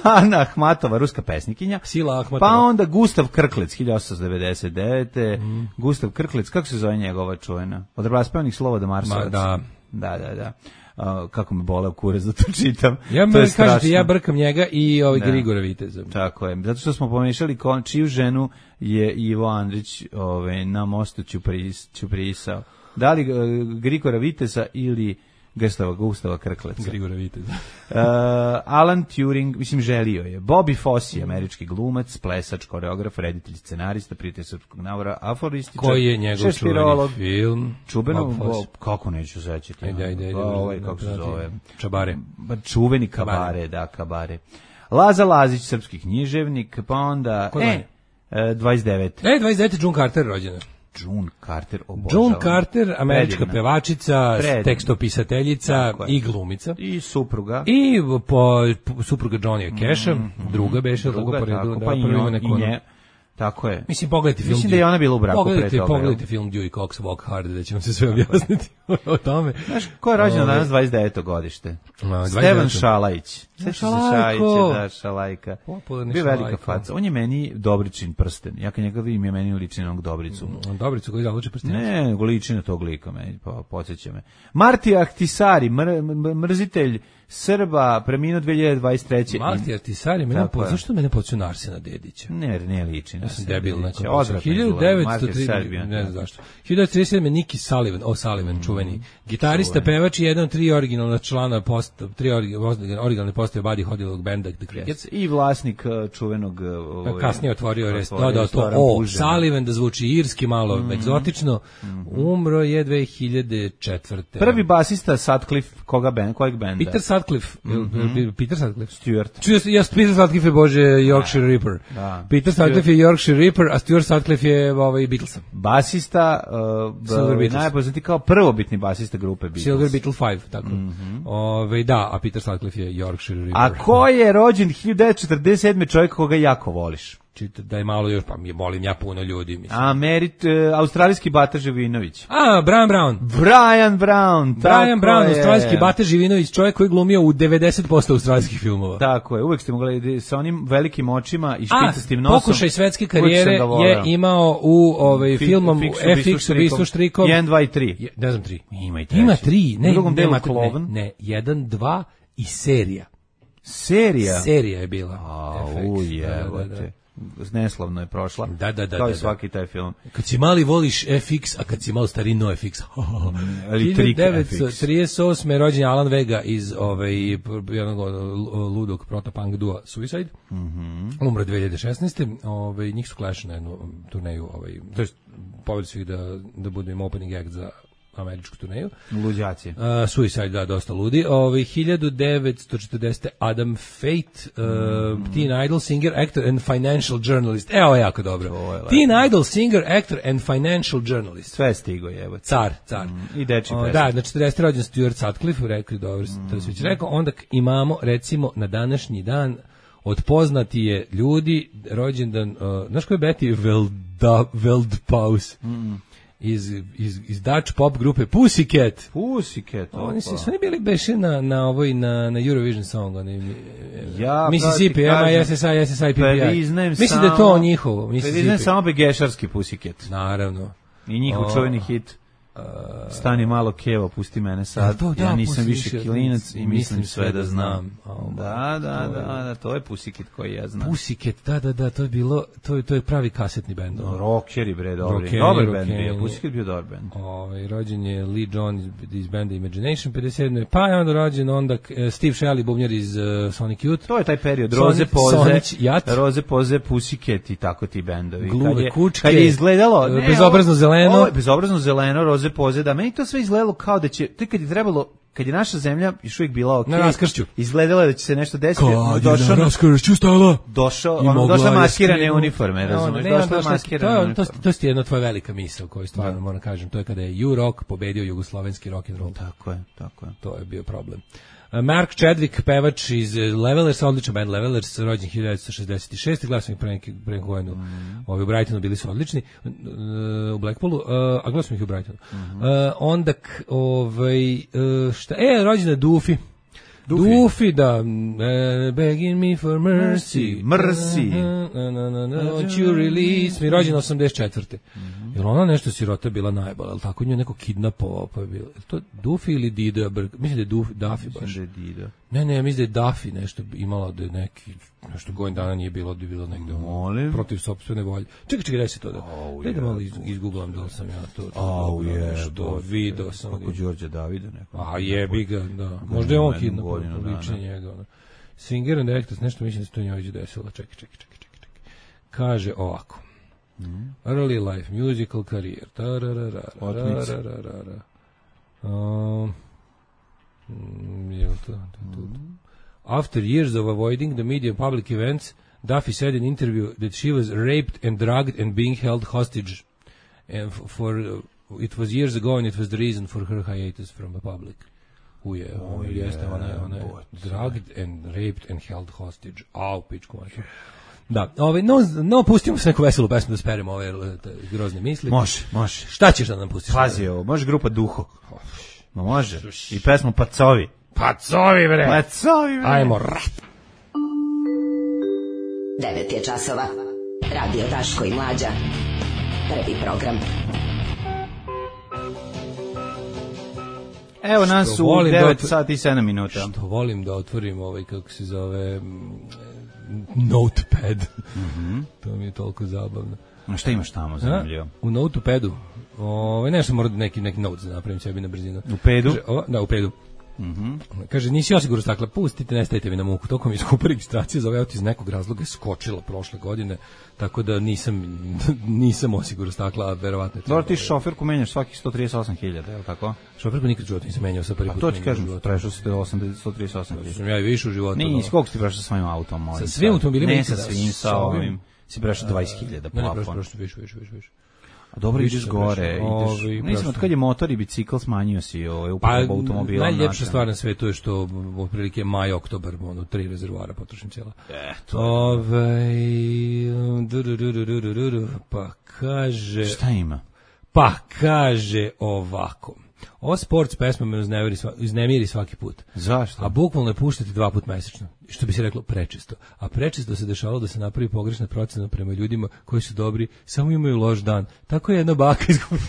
Speaker 6: Ana Ahmatova, ruska pesnikinja.
Speaker 5: Sila Ahmatova.
Speaker 6: Pa onda Gustav Krklec, hiljadu osamsto devedeset devete. Mm. Gustav Krklec, kako se zove njegova čuvena? Od raspevanih slova do Marsovac.
Speaker 5: Da.
Speaker 6: Da, da, da. Uh, kako me bole u kurac da to čitam.
Speaker 5: Ja me kažete, ja brkam njega i ovaj Grigora Viteza.
Speaker 6: Tako je. Zato što smo pomešali kon, čiju ženu je Ivo Andrić ovaj, na mostu Ćupris, Ćuprisao. Da li uh, Grigora Viteza ili Gustava, Gustava Krkleca.
Speaker 5: Grigora Viteza.
Speaker 6: uh, Alan Turing, mislim, želio je. Bobby Fosse, američki glumac, plesač, koreograf, reditelj, scenarista, prijatelj srpskog navora, aforističar.
Speaker 5: Koji je njegov čuveni film?
Speaker 6: Čubeno, kako neću sećati.
Speaker 5: Ajde, ajde, ajde.
Speaker 6: Ovaj, kako se zove?
Speaker 5: Čabare.
Speaker 6: Čuveni Kabare, kabare, da, Kabare. Laza Lazić, srpski književnik, pa onda...
Speaker 5: Ko
Speaker 6: e, e, dvadeset devet.
Speaker 5: E, dvadeset devet. June Carter rođena.
Speaker 6: June Carter, obožavam.
Speaker 5: June Carter, američka predivna pevačica, predivna tekstopisateljica i glumica.
Speaker 6: I supruga.
Speaker 5: I po, po supruga Johnny Casha, mm, druga beše, druga, tako po redu.
Speaker 6: Pa da, i, on, i nje, tako je.
Speaker 5: Mislim, pogledajte film.
Speaker 6: Mislim da je ona bila u braku
Speaker 5: pogledajte,
Speaker 6: pre toga.
Speaker 5: Pogledajte film Dewey Cox Walk Hard, da ćemo se sve objasniti o tome.
Speaker 6: Znaš, ko je rođena danas dvadeset deveto godište? No, Stevan Šalajić.
Speaker 5: Ja, Šalajko.
Speaker 6: Da, Šalajka. Bio velika faca. On je meni Dobričin prsten. Ja kad njega vidim, je meni liči na onog Dobricu.
Speaker 5: Mm, Dobricu koji zavuče prsten?
Speaker 6: Ne, nego liči na tog lika, meni, pa podsjeća me. Marti Ahtisari, mr, mrzitelj Srba, preminuo dve hiljade dvadeset treće.
Speaker 5: Marti Ahtisari, mene po, zašto mene podsjeća na Arsena Dedića?
Speaker 6: Ne, ne liči na
Speaker 5: ja sam debil, znači.
Speaker 6: hiljadu
Speaker 5: devetsto trideset, ne znam zašto. hiljadu devetsto trideset sedam. Niki Sullivan, o Sullivan, mm, čuveni. Gitarista, pevač i jedan od tri originalna člana, post, tri originalne postave Buddy Hollylog benda The Crickets.
Speaker 6: I vlasnik čuvenog... Ovaj,
Speaker 5: kasnije otvorio, rest, dodao to o Sullivan, da zvuči irski, malo mm, egzotično. Mm, umro je dve hiljade četvrte.
Speaker 6: Prvi basista Sutcliffe, koga band, kojeg benda?
Speaker 5: Peter Sutcliffe. Mm -hmm. Peter Sutcliffe.
Speaker 6: Stuart.
Speaker 5: Čuo, ja, Peter Sutcliffe je, bože, Yorkshire Ripper.
Speaker 6: Da.
Speaker 5: Peter Sutcliffe je Yorkshire Reaper, a Stuart Sutcliffe je ovaj, Beatlesa.
Speaker 6: Basista, uh, najpoznati kao prvobitni basista grupe Beatles.
Speaker 5: Silver Beatle pet, tako. Mm-hmm. Ove, da, a Peter Sutcliffe je Yorkshire Reaper.
Speaker 6: A ko je rođen hiljadu devetsto četrdeset sedme čovjek koga jako voliš?
Speaker 5: Čita da je malo još, pa mi volim ja puno ljudi, mislim.
Speaker 6: A Merit, uh, australijski Bata Živinović.
Speaker 5: A, Brian Brown.
Speaker 6: Brian Brown,
Speaker 5: Brian Brown, je. Australijski Bata Živinović, čovjek koji je glumio u devedeset posto australijskih filmova.
Speaker 6: Tako je, uvek ste mogli sa onim velikim očima i špicastim nosom.
Speaker 5: A, pokušaj svetske karijere je imao u ovaj, Fi, filmom F X ubistvo štrikom.
Speaker 6: jedan, dva i tri.
Speaker 5: Ne znam, tri.
Speaker 6: Ima i treći.
Speaker 5: Ima tri. Ne,
Speaker 6: u drugom delu
Speaker 5: ne, ne, jedan, dva i serija.
Speaker 6: Serija?
Speaker 5: Serija je bila.
Speaker 6: A, ujevate. Neslavno je prošla.
Speaker 5: Da, da, da.
Speaker 6: Kao
Speaker 5: i
Speaker 6: da, svaki taj film.
Speaker 5: Kad si mali voliš F X, a kad si malo stariji no F X.
Speaker 6: Ali
Speaker 5: hiljadu devetsto trideset osme rođen je Alan Vega iz ovaj, jednog ludog protopunk dua Suicide.
Speaker 6: Mm-hmm.
Speaker 5: Umro dve hiljade šesnaeste. Ovaj, njih su Clash na jednu turneju. Ovaj, to je povedali su ih da, da budu im opening act za američku turneju.
Speaker 6: Luđaci. Uh,
Speaker 5: Suicide, da, dosta ludi. Ove, hiljadu devetsto četrdesete Adam Fate, uh, mm. Teen Idol, singer, actor and financial journalist. Evo, ovo je jako dobro. Je Teen Idol, singer, actor and financial journalist.
Speaker 6: Sve stigo je, evo.
Speaker 5: Car, car.
Speaker 6: Mm. I deči
Speaker 5: o, da, na četrdesete rođen Stuart Sutcliffe, rekli, dobro, mm. to se već rekao. Onda imamo, recimo, na današnji dan od poznati je ljudi, rođendan, uh, znaš ko je Betty Velda, Veldpaus?
Speaker 6: Mm.
Speaker 5: Iz, iz, iz Dutch pop grupe Pussycat.
Speaker 6: Pussycat.
Speaker 5: Oni su oni bili beše na na ovoj na na Eurovision Song, oni
Speaker 6: ja,
Speaker 5: Mississippi, M I S S I, S S I, P P I. Mislim da je to njihovo, Mississippi.
Speaker 6: Priznajem samo begešarski Pussycat.
Speaker 5: Naravno.
Speaker 6: I njihov o, čuveni hit. Uh, Stani malo kevo, pusti mene sad. To, da, ja nisam više klinac i mislim sve da znam. Oh, da, da, da, da, to je Pussycat koji ja znam.
Speaker 5: Pussycat, da, da, da, to je bilo, to je, to je pravi kasetni bend.
Speaker 6: No, rockeri bre, dobri. Dobar bend bio, Pussycat bio dobar bend.
Speaker 5: Ovaj rođen je Lee John iz, iz benda Imagination pedeset sedme Pa je onda rođen onda Steve Shelley, bubnjar iz uh, Sonic Youth.
Speaker 6: To je taj period, Roze Poze, Roze Poze, Pussycat i tako ti bendovi.
Speaker 5: Gluve kučke.
Speaker 6: Kad je izgledalo,
Speaker 5: ne, bezobrazno zeleno.
Speaker 6: Ovo, bezobrazno zeleno, Poze, da, meni to sve izgledalo kao da će, to kad je trebalo, kad je naša zemlja još uvijek bila ok,
Speaker 5: na raskršću,
Speaker 6: izgledalo je da će se nešto desiti,
Speaker 5: kad došao, na raskršću stala,
Speaker 6: došao, ono, došla maskirane uniforme, razumiješ, došla maskirane uniforme.
Speaker 5: To, to, to je jedna tvoja velika misao koju stvarno moram kažem, to je kada je U-Rock pobedio jugoslovenski rock and roll.
Speaker 6: Tako je, tako je.
Speaker 5: To je bio problem. Mark Chadwick, pevač iz Levelers, odličan band Levelers, rođen hiljadu devetsto šezdeset šeste Gledao sam ih pre neki pre godinu. Mm. Ovi u Brightonu bili su odlični, u Blackpoolu, a gledao sam ih u Brightonu. Mm -hmm. uh, onda, ovaj, uh, šta, e, rođen je Duffy. Duffy, Duffy da, uh, begging me for mercy,
Speaker 6: mercy,
Speaker 5: won't you release me, rođen osamdeset četvrte Mm-hmm. Jel ona nešto sirota bila najbolja, ali tako nju neko kidnapovao, pa je bilo, je to Duffy ili Dido, mislim da je Duffy, Duffy baš.
Speaker 6: Mislim da je Dido.
Speaker 5: Ne, ne, mislim da je Duffy nešto imala da je neki, nešto godin dana nije bilo, da je bilo negde
Speaker 6: Molim.
Speaker 5: protiv sopstvene volje. Čekaj, čekaj, daj se to da,
Speaker 6: oh,
Speaker 5: daj da malo iz, izgooglam da li sam ja to, to
Speaker 6: oh,
Speaker 5: dobro,
Speaker 6: je,
Speaker 5: nešto video sam.
Speaker 6: Kako Đorđe Davida neko.
Speaker 5: A jebi ga, da. Možda je on kidnapovao, liče njega. Singer and actors, nešto mislim da se to njoj desilo. Čekaj, čekaj, čekaj, čekaj. Kaže ovako. Mm. Early life, musical career. Um, After years of avoiding the media and public events, Duffy said in an interview that she was raped and drugged and being held hostage. And for uh, it was years ago and it was the reason for her hiatus from the public. Uje, oh, ona jeste, ona je, ona je drugged and raped and held hostage. Au, pičku mačku. Da, ovaj, no, no, pustimo se neku veselu pesmu da speremo ove grozne misli.
Speaker 6: Može, može.
Speaker 5: Šta ćeš da nam pustiš?
Speaker 6: Pazi ovo, može grupa Duho. Ma može. I pesmu Pacovi.
Speaker 5: Pacovi, bre.
Speaker 6: Pacovi, bre.
Speaker 5: Ajmo, rap.
Speaker 9: Devet je časova. Radio Daško i Mlađa. Prvi program.
Speaker 6: Evo nas u devet sati i sedam minuta.
Speaker 5: Što volim da otvorim ovaj, kako se zove, Notepad.
Speaker 6: Mm-hmm.
Speaker 5: To mi je toliko zabavno.
Speaker 6: A šta imaš tamo zanimljivo?
Speaker 5: U Notepadu. Ovaj, nešto moram neki, neki notes da napravim sebi na brzinu.
Speaker 6: U pedu?
Speaker 5: Kaže, o, da, u pedu.
Speaker 6: Mm-hmm.
Speaker 5: Kaže, nisi osigurno stakla, pustite, ne stavite mi na muku. Tokom iz skupa registracije za ovaj iz nekog razloga je skočila prošle godine, tako da nisam nisam osigurno stakla, a verovatno je.
Speaker 6: Dobro, ti šoferku menjaš svakih sto trideset osam hiljada, je li tako?
Speaker 5: Šoferku nikad život nisam menjao sa prvi put.
Speaker 6: A to ti kažem, prešao si do sto trideset osam hiljada.
Speaker 5: Sam ja i više u životu.
Speaker 6: Nisi, koliko si prešao sa svojim autom?
Speaker 5: Sa svim automobilima?
Speaker 6: Ne, sa svim, sa ovim. Si prešao dvadeset hiljada
Speaker 5: Ne, ne,
Speaker 6: plafon.
Speaker 5: prešao, više, više, više, više.
Speaker 6: A dobro,
Speaker 5: Više
Speaker 6: ideš
Speaker 5: sam
Speaker 6: gore,
Speaker 5: prešao.
Speaker 6: ideš.
Speaker 5: Ovi,
Speaker 6: Mislim,
Speaker 5: prošlo.
Speaker 6: od kad je motor i bicikl smanjio si ovaj,
Speaker 5: Pa,
Speaker 6: upotreba automobila.
Speaker 5: najljepša stvar na svetu je što otprilike maj, oktobar, ono, tri rezervoara potrošim cijela.
Speaker 6: E, to
Speaker 5: Ove, du, du, du, du, du, du, du, pa kaže...
Speaker 6: Šta ima?
Speaker 5: Pa kaže ovako. Ova sport s pesmom me uznemiri, sva, uznemiri svaki put.
Speaker 6: Zašto?
Speaker 5: A bukvalno je puštati dva put mesečno. Što bi se reklo prečesto. A prečesto se dešavalo da se napravi pogrešna procena prema ljudima koji su dobri, samo imaju loš dan. Tako je jedna baka izgubila.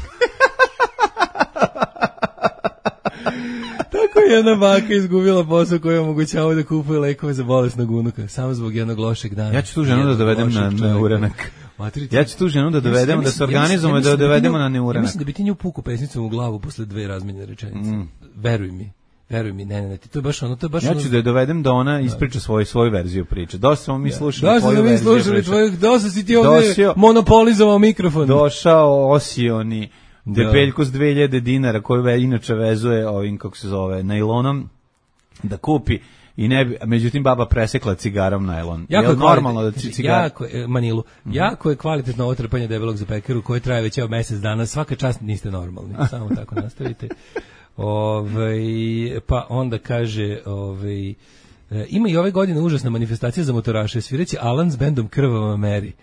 Speaker 5: Tako je jedna baka izgubila posao koji je omogućavao da kupuje lekove za bolesnog unuka. Samo zbog jednog lošeg dana.
Speaker 6: Ja ću tu ženu da dovedem na, na uranak.
Speaker 5: Matrici.
Speaker 6: Ja ću tu ženu da dovedemo,
Speaker 5: Ja
Speaker 6: da se
Speaker 5: mislim- ja
Speaker 6: organizujemo
Speaker 5: mislim-
Speaker 6: i da
Speaker 5: ja mislim
Speaker 6: dovedemo
Speaker 5: bi
Speaker 6: na
Speaker 5: nju-
Speaker 6: neuranak.
Speaker 5: Ja mislim da bi ti nju puku pesnicom u glavu posle dve razmenjene rečenice.
Speaker 6: Mm.
Speaker 5: Veruj mi. Veruj mi, ne, ne, ne, ti to je baš ono, to je baš
Speaker 6: Ja
Speaker 5: ono...
Speaker 6: ću da je dovedem da ona ispriča svoju svoju verziju priče. Dosta smo mi slušali
Speaker 5: Da,
Speaker 6: tvoju
Speaker 5: smo mi
Speaker 6: verziju
Speaker 5: slušali
Speaker 6: priče.
Speaker 5: tvoju, dosta si ti ovdje
Speaker 6: Dosio-
Speaker 5: monopolizovao mikrofon.
Speaker 6: Došao osioni
Speaker 5: Da.
Speaker 6: depeljku s dve hiljade dinara koju ve, inače vezuje ovim, kako se zove, najlonom da kupi i ne bi, međutim baba presekla cigarom najlon.
Speaker 5: Jako
Speaker 6: je
Speaker 5: je
Speaker 6: normalno da
Speaker 5: kvalitetno,
Speaker 6: ci cigar...
Speaker 5: jako je, Manilu, jako je kvalitetno ovo trpanje debelog za pekaru koje traje već evo mjesec dana, svaka čast niste normalni, samo tako nastavite. Ovaj, pa onda kaže, ovaj, e, ima i ove godine užasna manifestacija za motoraše, svireći Alan s bendom Krvava Meri.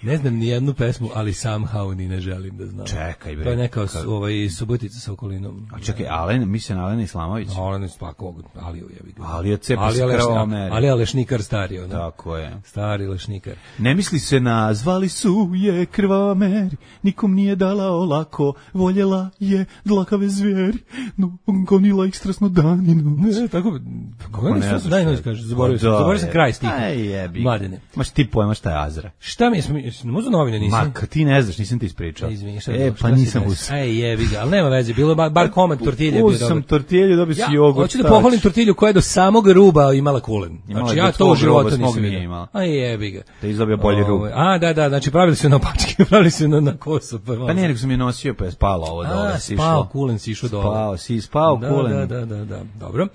Speaker 5: Ne znam ni jednu pesmu, ali somehow ni ne želim da znam.
Speaker 6: Čekaj, bre.
Speaker 5: To je neka
Speaker 6: Kad-
Speaker 5: ovaj, Subotica sa okolinom.
Speaker 6: A čekaj, Alen, mislim na Alena Islamović.
Speaker 5: Alen je svakog, Aliju jebi ga.
Speaker 6: Ali je cepa
Speaker 5: Ali
Speaker 6: s
Speaker 5: je lešni-
Speaker 6: Krvavom Meri.
Speaker 5: Ali je lešnikar stari, ono.
Speaker 6: Tako je.
Speaker 5: Stari lešnikar.
Speaker 6: Ne misli se na, zvali su je Krvava Meri, nikom nije dala olako, voljela je dlakave zvijeri, no gonila ih strasno dan i noć.
Speaker 5: Ne, tako,
Speaker 6: Kako ne znaš
Speaker 5: daj
Speaker 6: šta
Speaker 5: noć
Speaker 6: je?
Speaker 5: kaže, zaboravio sam,
Speaker 6: Pa da,
Speaker 5: zaboravio sam
Speaker 6: je.
Speaker 5: kraj stiha.
Speaker 6: Aj jebi.
Speaker 5: Mladene.
Speaker 6: Maš ti pojma šta je Azra?
Speaker 5: Šta mi je, možda novine nisam?
Speaker 6: Ma, kad ti ne znaš, nisam ti ispričao.
Speaker 5: Izvini, šta je
Speaker 6: E,
Speaker 5: bilo?
Speaker 6: pa
Speaker 5: Šta se
Speaker 6: nisam
Speaker 5: desilo?
Speaker 6: uz...
Speaker 5: Ej, jebi ga, ali nema veze, bilo je bar, bar komad tortilje bio
Speaker 6: Uz sam
Speaker 5: dobar.
Speaker 6: tortilju, dobio si
Speaker 5: Ja
Speaker 6: jogurt.
Speaker 5: hoću da
Speaker 6: tač.
Speaker 5: pohvalim tortilju koja je do samog ruba imala kulen.
Speaker 6: Imala
Speaker 5: Znači
Speaker 6: je
Speaker 5: ja
Speaker 6: do
Speaker 5: to u
Speaker 6: tvog
Speaker 5: životu
Speaker 6: ruba, smog
Speaker 5: nisam
Speaker 6: nije
Speaker 5: vidio.
Speaker 6: imala.
Speaker 5: A jebi ga.
Speaker 6: Da je izdobio bolji rub.
Speaker 5: Ovaj, A, da, da, znači pravili su na pačke, pravili su na, na kosu. Pa,
Speaker 6: Pa ne, nego sam je nosio, pa je spalo ovo dole.
Speaker 5: A,
Speaker 6: si
Speaker 5: spao
Speaker 6: išlo.
Speaker 5: kulen, si išao dole.
Speaker 6: Spao, si spao
Speaker 5: Da,
Speaker 6: kulen.
Speaker 5: Da, da, da, da, dobro.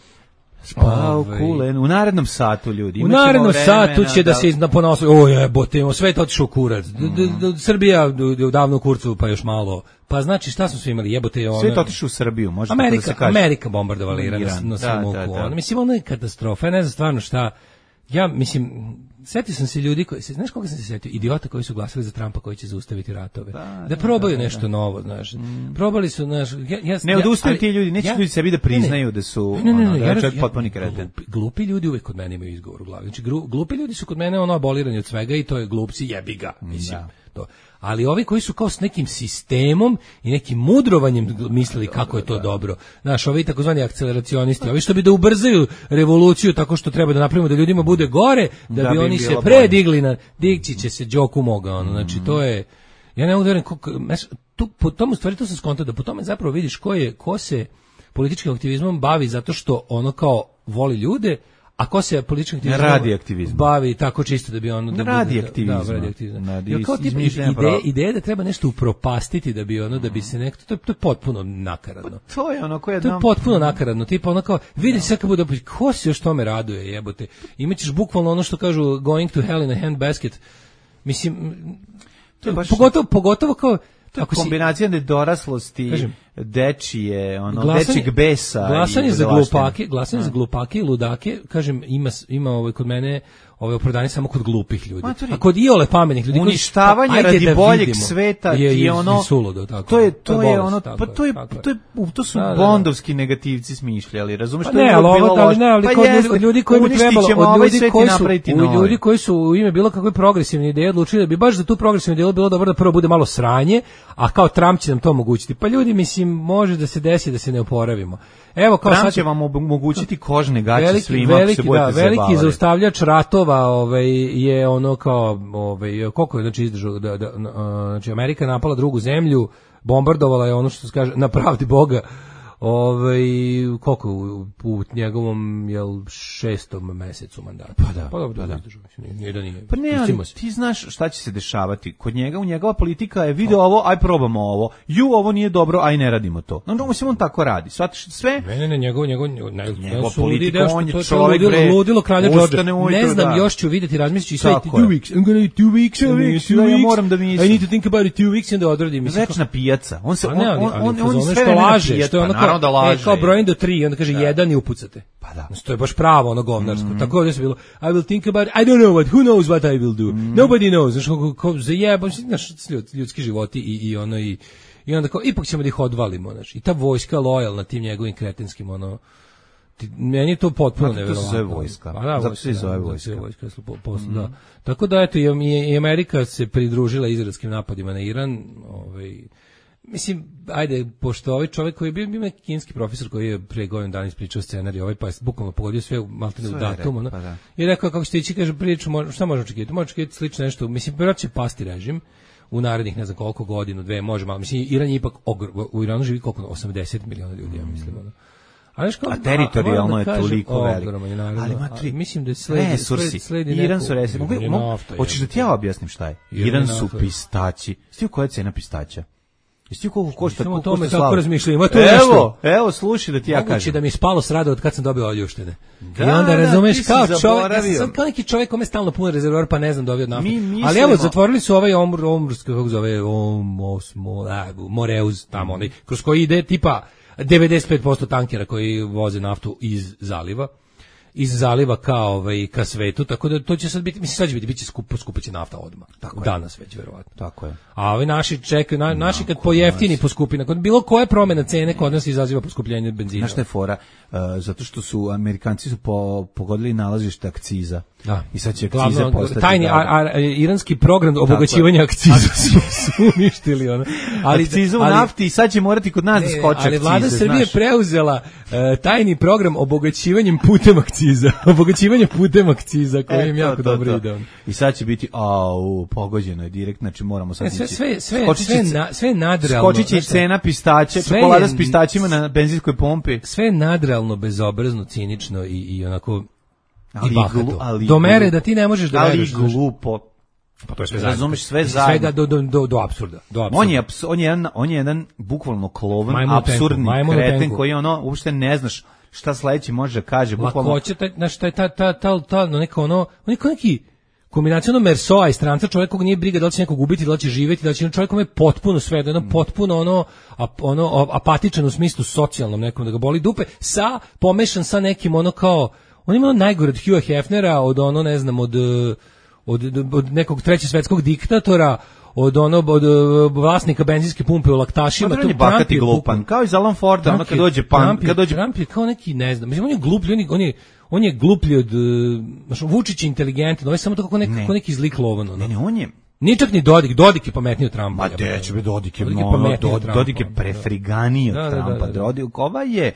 Speaker 6: Spao
Speaker 5: Ovaj,
Speaker 6: kulen. U narednom satu, ljudi.
Speaker 5: U
Speaker 6: imat ćemo
Speaker 5: narednom
Speaker 6: vremena
Speaker 5: satu će da, se na ponosu, o jebote, imamo sve to otišao u kurac. D- d- d- Srbija d- d- davno u kurcu, pa još malo. Pa znači šta smo sve imali, jebote, ono.
Speaker 6: Sve to otišao u Srbiju, može tako da
Speaker 5: Amerika,
Speaker 6: se kaže.
Speaker 5: Amerika bombardovala Iran na,
Speaker 6: Iran,
Speaker 5: na
Speaker 6: da,
Speaker 5: svom
Speaker 6: da,
Speaker 5: oku.
Speaker 6: da.
Speaker 5: Ono, mislim, ono je katastrofa. Ja ne znam stvarno šta. Ja, mislim, setio sam se ljudi koji, se, znaš koga sam se setio? Idiota koji su glasali za Trumpa koji će zaustaviti ratove. Da,
Speaker 6: da,
Speaker 5: probaju
Speaker 6: da,
Speaker 5: nešto
Speaker 6: da.
Speaker 5: novo, znaš. Probali su, znaš, ja, ja,
Speaker 6: Ne
Speaker 5: ja-
Speaker 6: odustaju
Speaker 5: ali-
Speaker 6: ti ljudi, neće
Speaker 5: ja-
Speaker 6: ljudi sebi da
Speaker 5: ne, ne.
Speaker 6: priznaju da su,
Speaker 5: Ne, ne, ne,
Speaker 6: ono, da
Speaker 5: ja
Speaker 6: je
Speaker 5: raz-
Speaker 6: čovjek
Speaker 5: ja-
Speaker 6: potpuni kreten.
Speaker 5: Glupi, glupi ljudi uvek kod mene imaju izgovor u glavi. Znači, gru- glupi ljudi su kod mene ono abolirani od svega i to je glupci, jebi ga. Mislim, to. Ali ovi koji su kao s nekim sistemom i nekim mudrovanjem gl- mislili kako je to dobro. Znaš, ovi takozvani akceleracionisti, ovi što bi da ubrzaju revoluciju tako što treba da napravimo da ljudima bude gore, da,
Speaker 6: Da
Speaker 5: bi
Speaker 6: bi im
Speaker 5: oni se
Speaker 6: bilo
Speaker 5: predigli na, digći će se Đoku moga, ono, znači to je, ja ne mogu da verujem, koliko- znaš, tu, po tomu stvari to sam skontao, da po tome zapravo vidiš ko je, ko se političkim aktivizmom bavi zato što ono kao voli ljude, a ko se političkim aktivizmom
Speaker 6: radi aktivizmom.
Speaker 5: bavi tako čisto da bi ono da
Speaker 6: Radi
Speaker 5: bude- da-
Speaker 6: aktivizma.
Speaker 5: Da, radi aktivizma.
Speaker 6: Radi
Speaker 5: Jer kao tip
Speaker 6: izmišljanja
Speaker 5: ideje,
Speaker 6: pro-
Speaker 5: ideje da treba nešto upropastiti da bi ono da bi se nekto to je, to je potpuno nakaradno.
Speaker 6: To je ono koje
Speaker 5: To je
Speaker 6: nam...
Speaker 5: potpuno nakaradno, tipa ono kao, vidi sve kad bude, ko se još tome raduje, jebote. Imaćeš bukvalno ono što kažu going to hell in a handbasket. Mislim,
Speaker 6: To je baš-
Speaker 5: pogotovo, pogotovo kao,
Speaker 6: To je
Speaker 5: ako si,
Speaker 6: kombinacija nedoraslosti,
Speaker 5: Kažem,
Speaker 6: dečije, ono,
Speaker 5: glasanje-
Speaker 6: dečijeg besa.
Speaker 5: glasanje
Speaker 6: i
Speaker 5: za
Speaker 6: budalaštine.
Speaker 5: glupake, glasanje za glupake i ludake, kažem, ima ima ovaj kod mene ovaj opravdanje samo kod glupih ljudi.
Speaker 6: Matori,
Speaker 5: A kod iole pametnih ljudi koji-
Speaker 6: uništavanje
Speaker 5: pa, ajde
Speaker 6: radi
Speaker 5: da
Speaker 6: boljeg
Speaker 5: vidimo.
Speaker 6: sveta
Speaker 5: je,
Speaker 6: ti je ono
Speaker 5: suludo, tako.
Speaker 6: to je to je
Speaker 5: bolest,
Speaker 6: ono
Speaker 5: tako
Speaker 6: pa to je
Speaker 5: tako
Speaker 6: to je u- to su
Speaker 5: Da, da, da.
Speaker 6: bondovski negativci smišljali, razumeš?
Speaker 5: Pa
Speaker 6: To je
Speaker 5: ne,
Speaker 6: uvek
Speaker 5: ali
Speaker 6: bilo
Speaker 5: ovo, ali
Speaker 6: loše.
Speaker 5: ne, ali
Speaker 6: Pa
Speaker 5: kod ljudi,
Speaker 6: jeste,
Speaker 5: od ljudi koji bi
Speaker 6: uništit
Speaker 5: trebalo,
Speaker 6: ćemo
Speaker 5: od
Speaker 6: ovaj
Speaker 5: ljudi
Speaker 6: svet i
Speaker 5: koji su,
Speaker 6: napraviti
Speaker 5: od
Speaker 6: novi.
Speaker 5: ljudi koji su u ime bilo kakve progresivne ideje odlučili da bi baš za tu progresivnu ideju bilo dobro da prvo bude malo sranje, a kao Trump će nam to omogućiti. Pa ljudi, mislim, može da se desi da se ne oporavimo. Evo kao
Speaker 6: Trump
Speaker 5: sad
Speaker 6: će vam omogućiti kožne gaće
Speaker 5: veliki,
Speaker 6: svima ako se
Speaker 5: veliki, da,
Speaker 6: budete
Speaker 5: veliki
Speaker 6: zabavali.
Speaker 5: zaustavljač ratova ovaj, je ono kao, ovaj, koliko je znači izdržao, da, da, na- znači Amerika napala drugu zemlju, bombardovala je ono što se kaže, na pravdi Boga, Ovaj koliko u, u njegovom jel šestom mesecu mandata.
Speaker 6: Pa da,
Speaker 5: pa dobro,
Speaker 6: pa da.
Speaker 5: Nije, nije da nije.
Speaker 6: Pa ne, ali ti znaš šta će se dešavati. Kod njega, u njegova politika je video ovo, aj probamo ovo. Ju, ovo nije dobro, aj ne radimo to. No, no, on tako radi. Svatiš sve?
Speaker 5: Ne, ne, ne, njegov, njegov, ne,
Speaker 6: njegov politika, on je čovjek,
Speaker 5: ludilo,
Speaker 6: bre.
Speaker 5: Ludilo kralja Đorđa. Ne znam,
Speaker 6: da.
Speaker 5: još ću vidjeti, razmislit ću i sve two weeks. I'm gonna two weeks, two weeks, two weeks.
Speaker 6: Ja moram da mislim.
Speaker 5: I need to think about it two weeks and da odradim.
Speaker 6: Večna pijaca. On se, on,
Speaker 5: ne,
Speaker 6: on, on, on, on
Speaker 5: sve što laže, što je ono
Speaker 6: kao, da laže.
Speaker 5: E, kao brojim do tri, onda kaže da. jedan i upucate.
Speaker 6: Pa da.
Speaker 5: To je baš pravo, ono govnarsko. Mm-hmm. Tako ovdje se bilo, I will think about it, I don't know what, who knows what I will do. Mm-hmm. Nobody knows. Znaš, kako, kako zajebam, znaš, ljudski životi i, i ono i, i onda kao, ipak ćemo da ih odvalimo, znaš. I ta vojska lojalna tim njegovim kretinskim, ono, ti, meni je to potpuno nevjerovatno.
Speaker 6: To se zove vojska.
Speaker 5: Pa da,
Speaker 6: zato se zove vojska.
Speaker 5: Da, vojska posle, mm-hmm. da. Tako da, eto, i, i Amerika se pridružila izraelskim napadima na Iran, ovaj, mislim, ajde, pošto ovaj čovjek koji je bio, bio neki kinski profesor koji je pre godinu dana ispričao scenarij, ovaj pa je bukvalno pogodio sve maltene u datum, ono, pa da. I rekao kako ćete ići, kaže, priču, šta možemo očekivati? Možemo očekivati slično nešto, mislim, prvo će pasti režim u narednih ne znam koliko godinu, dve, može malo, mislim, Iran je ipak, ogr, u Iranu živi koliko, osamdeset miliona ljudi, ja mislim, ono. A, kao,
Speaker 6: a teritorijalno a, je kažem, toliko veliko.
Speaker 5: Ali ima tri, mislim da je sledi,
Speaker 6: resursi.
Speaker 5: sledi
Speaker 6: Iran su resursi. Hoćeš da ti ja objasnim šta je? Iran, Iran su pistaći. Sti koja je cena pistaća? Jesi koliko košta?
Speaker 5: Samo to me tako razmišljam. Evo,
Speaker 6: nešto. evo, slušaj da ti ja kažem.
Speaker 5: Moguće da mi spalo s rada od kad sam dobio oljuštene. Da, I onda razumeš da, kao čovjek, ja sam kao neki čovjek kome stalno pun rezervoar, pa ne znam dobio naftu. Ali evo, zatvorili su ovaj omr, omrski, kako zove, omosmo, Moreuz, tamo onaj, kroz koji ide tipa devedeset pet posto tankera koji voze naftu iz zaliva. iz zaliva kao ovaj ka svetu, tako da to će sad biti, mislim sad će biti biće skupo, skupo će nafta odmah. Tako danas je. Već verovatno.
Speaker 6: Tako je.
Speaker 5: A ovi naši čekaju, na, naši kad pojeftini poskupi, nakon bilo koje promjena cene kod nas izaziva poskupljenje benzina.
Speaker 6: Znaš šta je fora? Uh, zato što su Amerikanci su po, pogodili nalazište akciza. Da. I sad će akcize Glavno, postati.
Speaker 5: Tajni a, a, iranski program obogaćivanja akciza su, su uništili ono.
Speaker 6: Ali akciza u nafti i sad će morati kod nas da skoče akcize.
Speaker 5: Ali vlada Srbije preuzela uh, tajni program obogaćivanjem putem akciza. Obogaćivanje putem akciza koji e, im jako to, dobro to. ide.
Speaker 6: I sad će biti au pogođeno je direkt, znači moramo sad
Speaker 5: e, sve sve sve sve, na, sve nadrealno.
Speaker 6: Skočiće i cena pistaća, čokolada s pistaćima na benzinskoj pompi.
Speaker 5: Sve nadrealno, bezobrazno, cinično i i onako
Speaker 6: ali
Speaker 5: i bahato.
Speaker 6: Glu, ali
Speaker 5: do mere da ti ne možeš da
Speaker 6: veruješ. Ali glupo.
Speaker 5: Pa to je sve
Speaker 6: razumeš sve zajedno.
Speaker 5: Svega do do do do apsurda, do apsurda.
Speaker 6: On je on je jedan on je jedan bukvalno klovan, apsurdni kreten koji ono uopšte ne znaš šta sledeći može da kaže, bukvalno.
Speaker 5: Lakoće, znaš, ta ta ta ta ta neka ono, neko neki kombinacijno Mersoa i stranca, čovjek kog nije briga da li će nekog ubiti, da li će živjeti, da li će čovjek kome je potpuno sve, da je mm. potpuno ono, ap, ono apatičan u smislu socijalnom nekom, da ga boli dupe, sa pomešan sa nekim ono kao, on ima ono najgore od Hugha Hefnera, od ono ne znam, od, od, od, od nekog trećeg svetskog diktatora, od onog od vlasnika benzinske pumpe u laktašima,
Speaker 6: tu Trump je glupan, kao i Alan Forda, ono kad dođe pan, kad dođe
Speaker 5: Trump je kao neki, ne znam, mislim on je gluplji, on je, on je on je gluplji od, znači Vučić je inteligentan, on je samo tako kako neki, ne. neki zlik lovan, ono.
Speaker 6: Ne, ne, on je
Speaker 5: nije čak ni Dodik, Dodik je pametniji od Trumpa.
Speaker 6: Ma deće be Dodik je, Dodik je, no, Dodik, Dodik je prefriganiji od da, Trumpa. Da, da, da. Dodik, ova je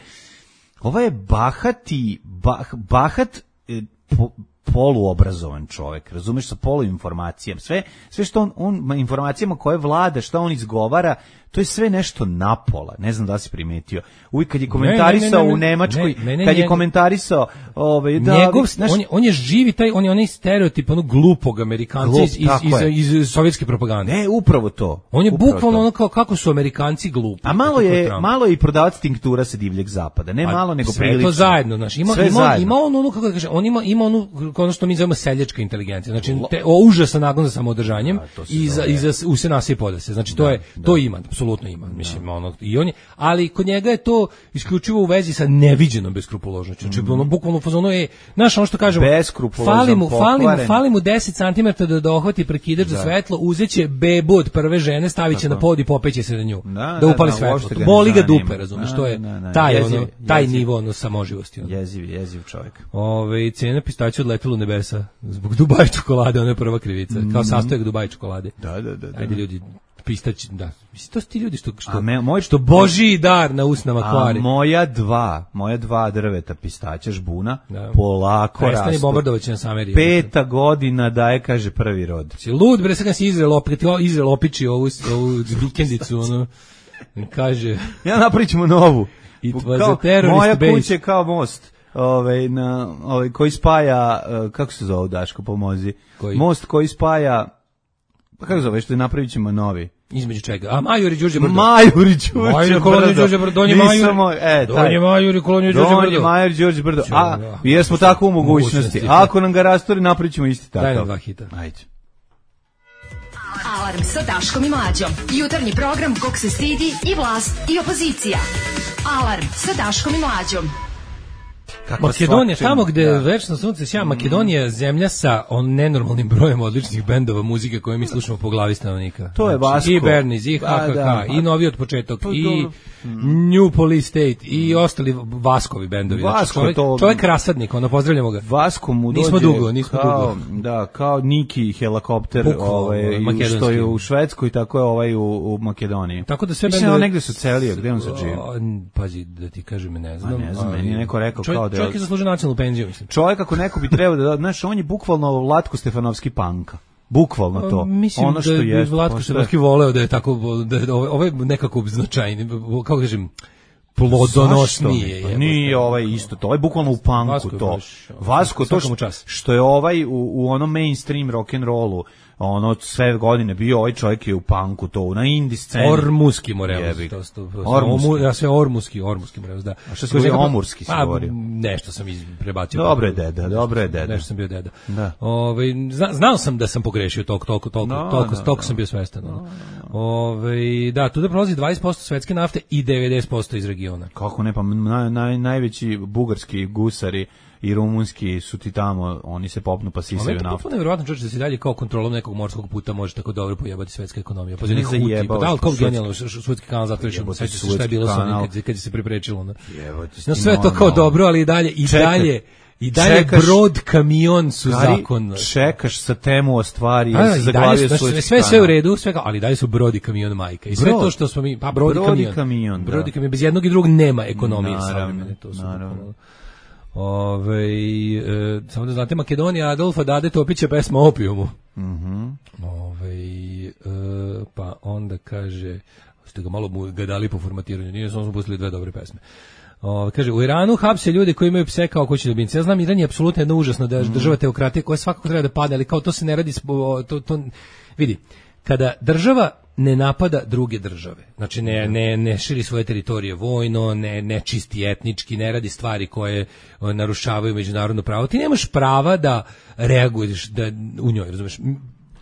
Speaker 6: ova je bahati, bah, bahat eh, po, poluobrazovan čovjek, razumeš, sa poluinformacijama. Sve, sve što on, on, informacijama koje vlada, što on izgovara, to je sve nešto napola. Ne znam da si primetio. Uvijek kad je komentarisao ne, ne, ne, ne, u Nemačkoj, ne, ne, ne, kad je komentarisao ovaj da
Speaker 5: njegov, znaš, on, je, on je živi taj, on je onaj stereotip onog glupog Amerikanca glup, iz, iz, iz, iz sovjetske propagande.
Speaker 6: Ne, upravo to.
Speaker 5: On je
Speaker 6: upravo
Speaker 5: bukvalno ono kao kako su Amerikanci glupi.
Speaker 6: A malo je malo je i prodavac tinktura sa divljeg zapada. Ne a, malo nego prilično.
Speaker 5: Sve to zajedno, znaš. Ima sve ima zajedno. Ima on ono kako da kaže, on ima ima onu ono što mi zovemo seljačka inteligencija. Znači te, o, užasan nagon za samoodržanjem i za i za u se nasi podase. Znači to da, je da. to ima, apsolutno ima. Mislim da. ono i on je, ali kod njega je to isključivo u vezi sa neviđenom beskrupuloznošću. Znači mm. ono bukvalno fazonu je, znaš ono što kažemo, fali mu, fali mu, fali mu deset centimetara da dohvati prekidač za svetlo, uzeće bebu od prve žene, staviće na pod i popeće se na nju. Da, da upali da, svetlo. To boli ga dupe, razumeš, to je taj jeziv, ono, taj jeziv. Nivo ono samoživosti. Ono.
Speaker 6: Jeziv, jeziv čovjek.
Speaker 5: Ove cena pistaća odletela u nebesa zbog Dubai čokolade, ona je prva krivica. Mm. Kao sastojak Dubai čokolade.
Speaker 6: Da, da, da. da.
Speaker 5: Ajde ljudi, pistać, da. Mislim, to su ti ljudi što, što, me, moj, što božji dar na usnama kvari.
Speaker 6: A moja dva, moja dva drveta pistaća žbuna, da. Polako rastu.
Speaker 5: Prestani bombardovaći nas Ameriju.
Speaker 6: Peta godina daje, kaže, prvi rod.
Speaker 5: Si lud, bre, sad kad si Izrael, opet, Izrael opiči ovu, ovu vikendicu, ono. Kaže...
Speaker 6: Ja napravit ćemo novu.
Speaker 5: It was
Speaker 6: kao,
Speaker 5: a terrorist
Speaker 6: moja
Speaker 5: base.
Speaker 6: kuća je kao most. Ovaj na ovaj koji spaja uh, kako se zove Daško pomozi.
Speaker 5: Koji?
Speaker 6: Most koji spaja pa kako zove što napravićemo novi.
Speaker 5: Između čega? A Majuri Đurđe Brdo.
Speaker 6: Majuri Đurđe.
Speaker 5: Majuri kolonije Đurđe Brdo. Donji Majuri.
Speaker 6: E,
Speaker 5: Donji Majuri kolonije Đurđe Brdo.
Speaker 6: Donji Majuri Đurđe Brdo. A jesmo tako u mogućnosti. Ako nam ga rasturi napravićemo isti takav.
Speaker 5: Daj nam dva hita.
Speaker 6: Ajde.
Speaker 4: Alarm sa Daškom i Mlađom. Jutarnji program kog se stidi i vlast i opozicija. Alarm sa Daškom i Mlađom.
Speaker 5: Kako Makedonija, tamo gde da. večno sunce sja, Makedonija je zemlja sa on nenormalnim brojem odličnih bendova muzike koje mi slušamo po glavi stanovnika.
Speaker 6: To je Vasko.
Speaker 5: I Berniz, i H K K, da, i Novi od početak, to, i New Police State, i ostali Vaskovi bendovi.
Speaker 6: Vasko,
Speaker 5: čovjek,
Speaker 6: to...
Speaker 5: čovjek rasadnik, ono, pozdravljamo ga.
Speaker 6: Vasko mu dođe
Speaker 5: nismo dugo, nismo
Speaker 6: kao,
Speaker 5: dugo.
Speaker 6: Da, kao Niki helikopter ovaj, što je u Švedskoj, tako je ovaj u, u Makedoniji.
Speaker 5: Tako da sve
Speaker 6: bendovi... Mislim, negde su celije, gde on sad živi?
Speaker 5: Pazi, da ti kažem, ne znam.
Speaker 6: A ne znam, meni je neko rekao
Speaker 5: čovjek,
Speaker 6: kao da...
Speaker 5: Čovjek je zaslužio nacionalnu penziju, mislim.
Speaker 6: Čovjek ako neko bi trebao da, znaš, on je bukvalno Vlatko Stefanovski panka. Bukvalno to.
Speaker 5: Mislim
Speaker 6: ono što
Speaker 5: da
Speaker 6: je
Speaker 5: Vlatko Stefanovski voleo da je tako, da ovo je nekako značajni, kako kažem, plodonosnije.
Speaker 6: Pa nije ovaj isto to, ovaj bukvalno u panku Vasko to. Baš, Vasko to što, što je ovaj u, u onom mainstream rock and rollu, ono sve godine bio, ovaj čovjek je u panku to, na indie sceni.
Speaker 5: Ormuski Morelos. Ormuski. Ja sve Ormuski, Ormuski Morelos, da.
Speaker 6: A što se govori Omurski se govori?
Speaker 5: Nešto sam iz prebacio.
Speaker 6: Dobro je deda, dobro je deda.
Speaker 5: Nešto sam bio deda.
Speaker 6: Da.
Speaker 5: Ove, zna, znao sam da sam pogrešio toliko, toliko, toliko,
Speaker 6: no,
Speaker 5: toliko,
Speaker 6: no,
Speaker 5: toliko
Speaker 6: no.
Speaker 5: sam bio svestan. No, no. Ove, da, tu da prolazi dvadeset posto svetske nafte i devedeset posto iz regiona.
Speaker 6: Kako ne, pa naj, naj, najveći bugarski gusari i rumunski su ti tamo, oni se popnu pa sisaju naftu.
Speaker 5: Ovo je nevjerovatno čoč da se dalje kao kontrolom nekog morskog puta može tako dobro pojebati svetska ekonomija. Pa za njih huti, pa da li kao genijalno švedski kanal zatvorišeno, sve se šta je bilo sa onim kad, kad se priprečilo. No, no sve to kao dobro, ali i dalje, i Čekaj. dalje, i dalje čekaš, brod, kamion su kari, zakon.
Speaker 6: Čekaš sa temu o stvari,
Speaker 5: a, i dalje su, sve, sve, sve u redu, sve kao, ali dalje su brod i kamion majka. I sve brod. To što smo mi, pa brod, brod i kamion. kamion brod i kamion, bez jednog i drugog nema ekonomije.
Speaker 6: Naravno,
Speaker 5: to su
Speaker 6: naravno.
Speaker 5: Ove, e, samo da znate, Makedonija Adolfa Dade Topića pesma o opijumu.
Speaker 6: Mm-hmm.
Speaker 5: Ove, e, pa onda kaže, ste ga malo ga dali po formatiranju, nije samo smo pustili dve dobre pesme. Ove, kaže, u Iranu hapse ljudi koji imaju pse kao kućni ljubimci. Ja znam, Iran je apsolutno jedna užasna država teokratije koja svakako treba da padne, ali kao to se ne radi, to, to, vidi, kada država ne napada druge države, znači ne, ne, ne širi svoje teritorije vojno, ne, ne čisti etnički, ne radi stvari koje narušavaju međunarodno pravo, ti nemaš prava da reaguješ da, u njoj, razumeš?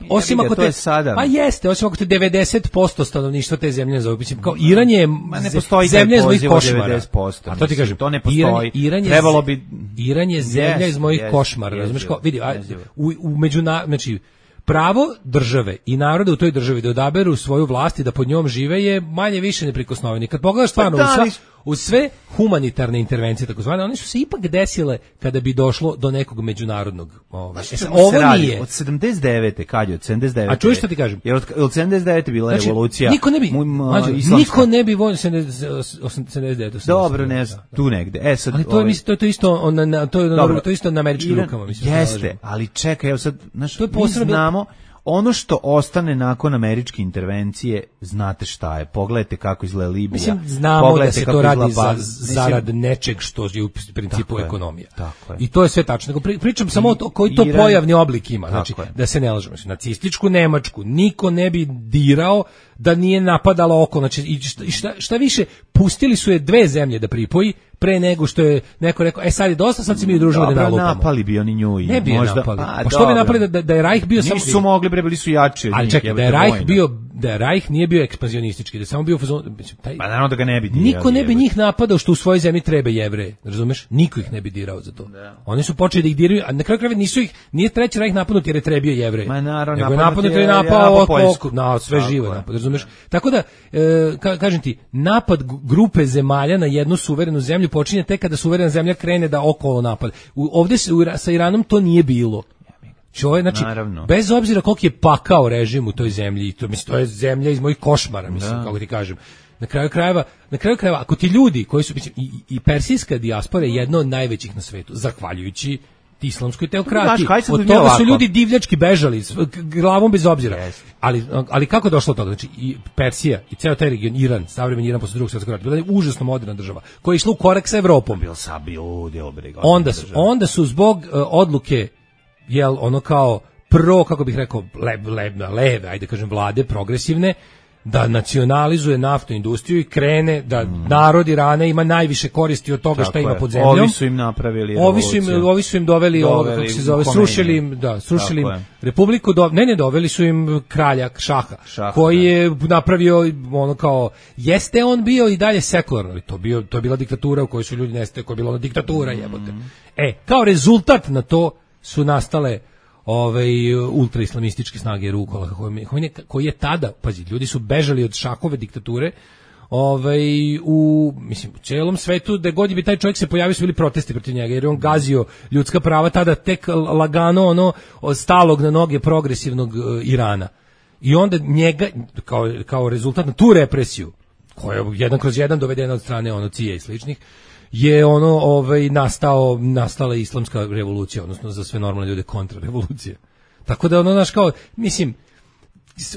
Speaker 5: Osim ako te,
Speaker 6: sada.
Speaker 5: Pa jeste, osim ako te devedeset posto stanovništva te zemlje ne zove, mislim, kao Iran je
Speaker 6: Ma ne postoji
Speaker 5: zemlja iz mojih košmara.
Speaker 6: devedeset posto,
Speaker 5: a to ti kažem,
Speaker 6: to ne postoji.
Speaker 5: Iran, Iran je,
Speaker 6: trebalo bi
Speaker 5: Iran je zemlja
Speaker 6: yes,
Speaker 5: iz mojih
Speaker 6: yes,
Speaker 5: košmara,
Speaker 6: yes,
Speaker 5: razumeš,
Speaker 6: yes,
Speaker 5: kao vidi, a,
Speaker 6: yes,
Speaker 5: u, u međuna, znači pravo države i naroda u toj državi da odaberu svoju vlast i da pod njom žive je manje više neprikosnoveni. Kad pogledaš stvarno pa da, u, sva, u sve humanitarne intervencije takozvane, one su se ipak desile kada bi došlo do nekog međunarodnog. Ovaj. E, ovo radi, nije.
Speaker 6: Od sedamdeset devete kad je od sedamdeset devete.
Speaker 5: A čuješ što ti kažem?
Speaker 6: Jer od, od sedamdeset devete bila znači, revolucija.
Speaker 5: Niko ne bi, mađu, niko ne bi vojno sedamdeset devete.
Speaker 6: Dobro, ne, da, da. Tu negde. E sad,
Speaker 5: ali to je ovaj, to je to isto on na to je dobro, to je isto na američkim Iran, rukama, mislim.
Speaker 6: Jeste, ali čekaj, evo sad, znaš, to je posebno znamo ono što ostane nakon američke intervencije, znate šta je. Pogledajte kako izgleda Libija.
Speaker 5: Mislim, znamo da se to radi za, zarad nečeg što je u principu tako ekonomija.
Speaker 6: Je, tako je.
Speaker 5: I to je sve tačno. Pričam samo o to koji to Iran, pojavni oblik ima. Znači, je. Da se ne lažemo. Nacističku Nemačku niko ne bi dirao da nije napadalo oko. Znači, i šta, šta više, pustili su je dve zemlje da pripoji, pre nego što je neko rekao, e sad je dosta, sad se mi udružimo da nalupamo.
Speaker 6: Dobro, napali bi oni nju i
Speaker 5: ne bi
Speaker 6: možda,
Speaker 5: napali.
Speaker 6: Pa,
Speaker 5: pa što bi napali da, da je Reich bio
Speaker 6: samo... Nisu mogli, bre, bili su jači od
Speaker 5: ali
Speaker 6: njih.
Speaker 5: čekaj, da je Reich bio, da je Reich nije bio ekspanzionistički, da je samo bio fazon... Taj,
Speaker 6: pa naravno da ga ne bi dirao.
Speaker 5: Niko ne bi njih napadao što u svojoj zemlji treba Jevreje, razumeš? Niko ih ne bi dirao za to.
Speaker 6: Da.
Speaker 5: Oni su počeli da ih diraju, a na kraju krajeva nisu ih, nije treći Reich napadnut jer je trebio Jevreje.
Speaker 6: Ma naravno,
Speaker 5: nego je napadnut jer je napao oko, na sve živo napad, razumeš? Tako da, e, ka, kažem ti, napad grupe zemalja na jednu suverenu zemlju počinje tek kada suverena zemlja krene da okolo napad. U, ovdje se, u, sa Iranom to nije bilo. Čovjek, znači,
Speaker 6: naravno.
Speaker 5: Bez obzira koliko je pakao režim u toj zemlji, to, mislim, to je zemlja iz mojih košmara, mislim, da. Kako ti kažem. Na kraju krajeva, na kraju krajeva, ako ti ljudi koji su, mislim, i, i persijska dijaspora je jedna od najvećih na svetu, zahvaljujući islamskoj teokratiji.
Speaker 6: Znaš,
Speaker 5: od toga su ljudi divljački bežali, s- k- glavom bez obzira.
Speaker 6: Yes.
Speaker 5: Ali, ali kako je došlo do toga? Znači, i Persija i ceo taj region, Iran, savremeni Iran posle drugog svjetskog rata, bila je užasno moderna država, koja je išla u korak sa Evropom.
Speaker 6: Bil sa bio deo brega.
Speaker 5: Onda su, onda su zbog uh, odluke, jel, ono kao pro, kako bih rekao, le, le, leve, ajde kažem, vlade, progresivne, da nacionalizuje naftnu industriju i krene da mm. narod Irana ima najviše koristi od toga
Speaker 6: Tako
Speaker 5: šta ima
Speaker 6: je.
Speaker 5: pod zemljom.
Speaker 6: Ovi su im napravili
Speaker 5: Ovi su im,
Speaker 6: revoluciju.
Speaker 5: ovi su im doveli,
Speaker 6: Doveli
Speaker 5: ovoga, kako se zove,
Speaker 6: Khomeini.
Speaker 5: srušili im, da, srušili im
Speaker 6: Tako je.
Speaker 5: republiku, do, ne, ne, doveli su im kralja Šaha,
Speaker 6: Šaha,
Speaker 5: koji
Speaker 6: da.
Speaker 5: je napravio ono kao, jeste on bio i dalje sekularno, ali to, bio, to je bila diktatura u kojoj su ljudi nestaje, koja je bila ona diktatura, jebote. E, kao rezultat na to su nastale ovaj ultraislamističke snage Rukola koji, koji je tada, pazi, ljudi su bežali od Šahove diktature, ovaj u mislim u celom svetu, da god bi taj čovjek se pojavio su bili protesti protiv njega jer je on gazio ljudska prava, tada tek lagano ono od stalog na noge progresivnog uh, Irana. I onda njega kao kao rezultat na tu represiju koja je jedan kroz jedan dovedena od strane ono C I A i sličnih, je ono ovaj nastao nastala islamska revolucija, odnosno za sve normalne ljude kontrarevolucija. Tako da ono naš kao mislim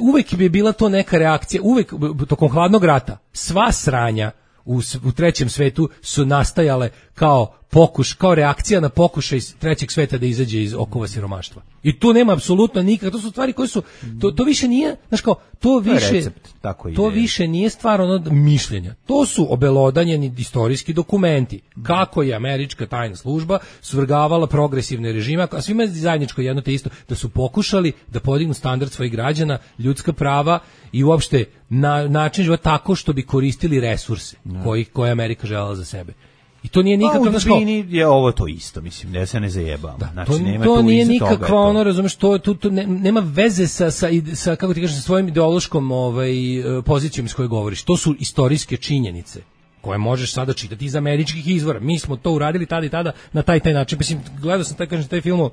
Speaker 5: uvek bi bila to neka reakcija, uvek tokom hladnog rata sva sranja u, u trećem svetu su nastajale kao pokuš, kao reakcija na pokušaj trećeg sveta da izađe iz okova siromaštva. I tu nema apsolutno nikakve, to su stvari koje su, to, to više nije, znaš kao, to više,
Speaker 6: to, recept, tako
Speaker 5: to
Speaker 6: ide.
Speaker 5: više nije stvar ono mišljenja. To su obelodanjeni istorijski dokumenti. Kako je američka tajna služba svrgavala progresivne režime, a svima je zajedničko jedno te isto, da su pokušali da podignu standard svojih građana, ljudska prava i uopšte na, način života tako što bi koristili resurse koji, koje je Amerika želela za sebe. I to nije nikakav,
Speaker 6: znači kao je ovo to isto, mislim, da se ne zajebamo.
Speaker 5: Da,
Speaker 6: znači
Speaker 5: to,
Speaker 6: nema
Speaker 5: to
Speaker 6: tu
Speaker 5: nije
Speaker 6: iza toga,
Speaker 5: nikakva ono, razumeš, to tu to ne, nema veze sa sa sa kako ti kažeš sa svojim ideološkom ovaj pozicijom iz koje govoriš. To su istorijske činjenice koje možeš sada čitati iz američkih izvora. Mi smo to uradili tada i tada na taj taj način. Mislim, gledao sam taj kažem taj film o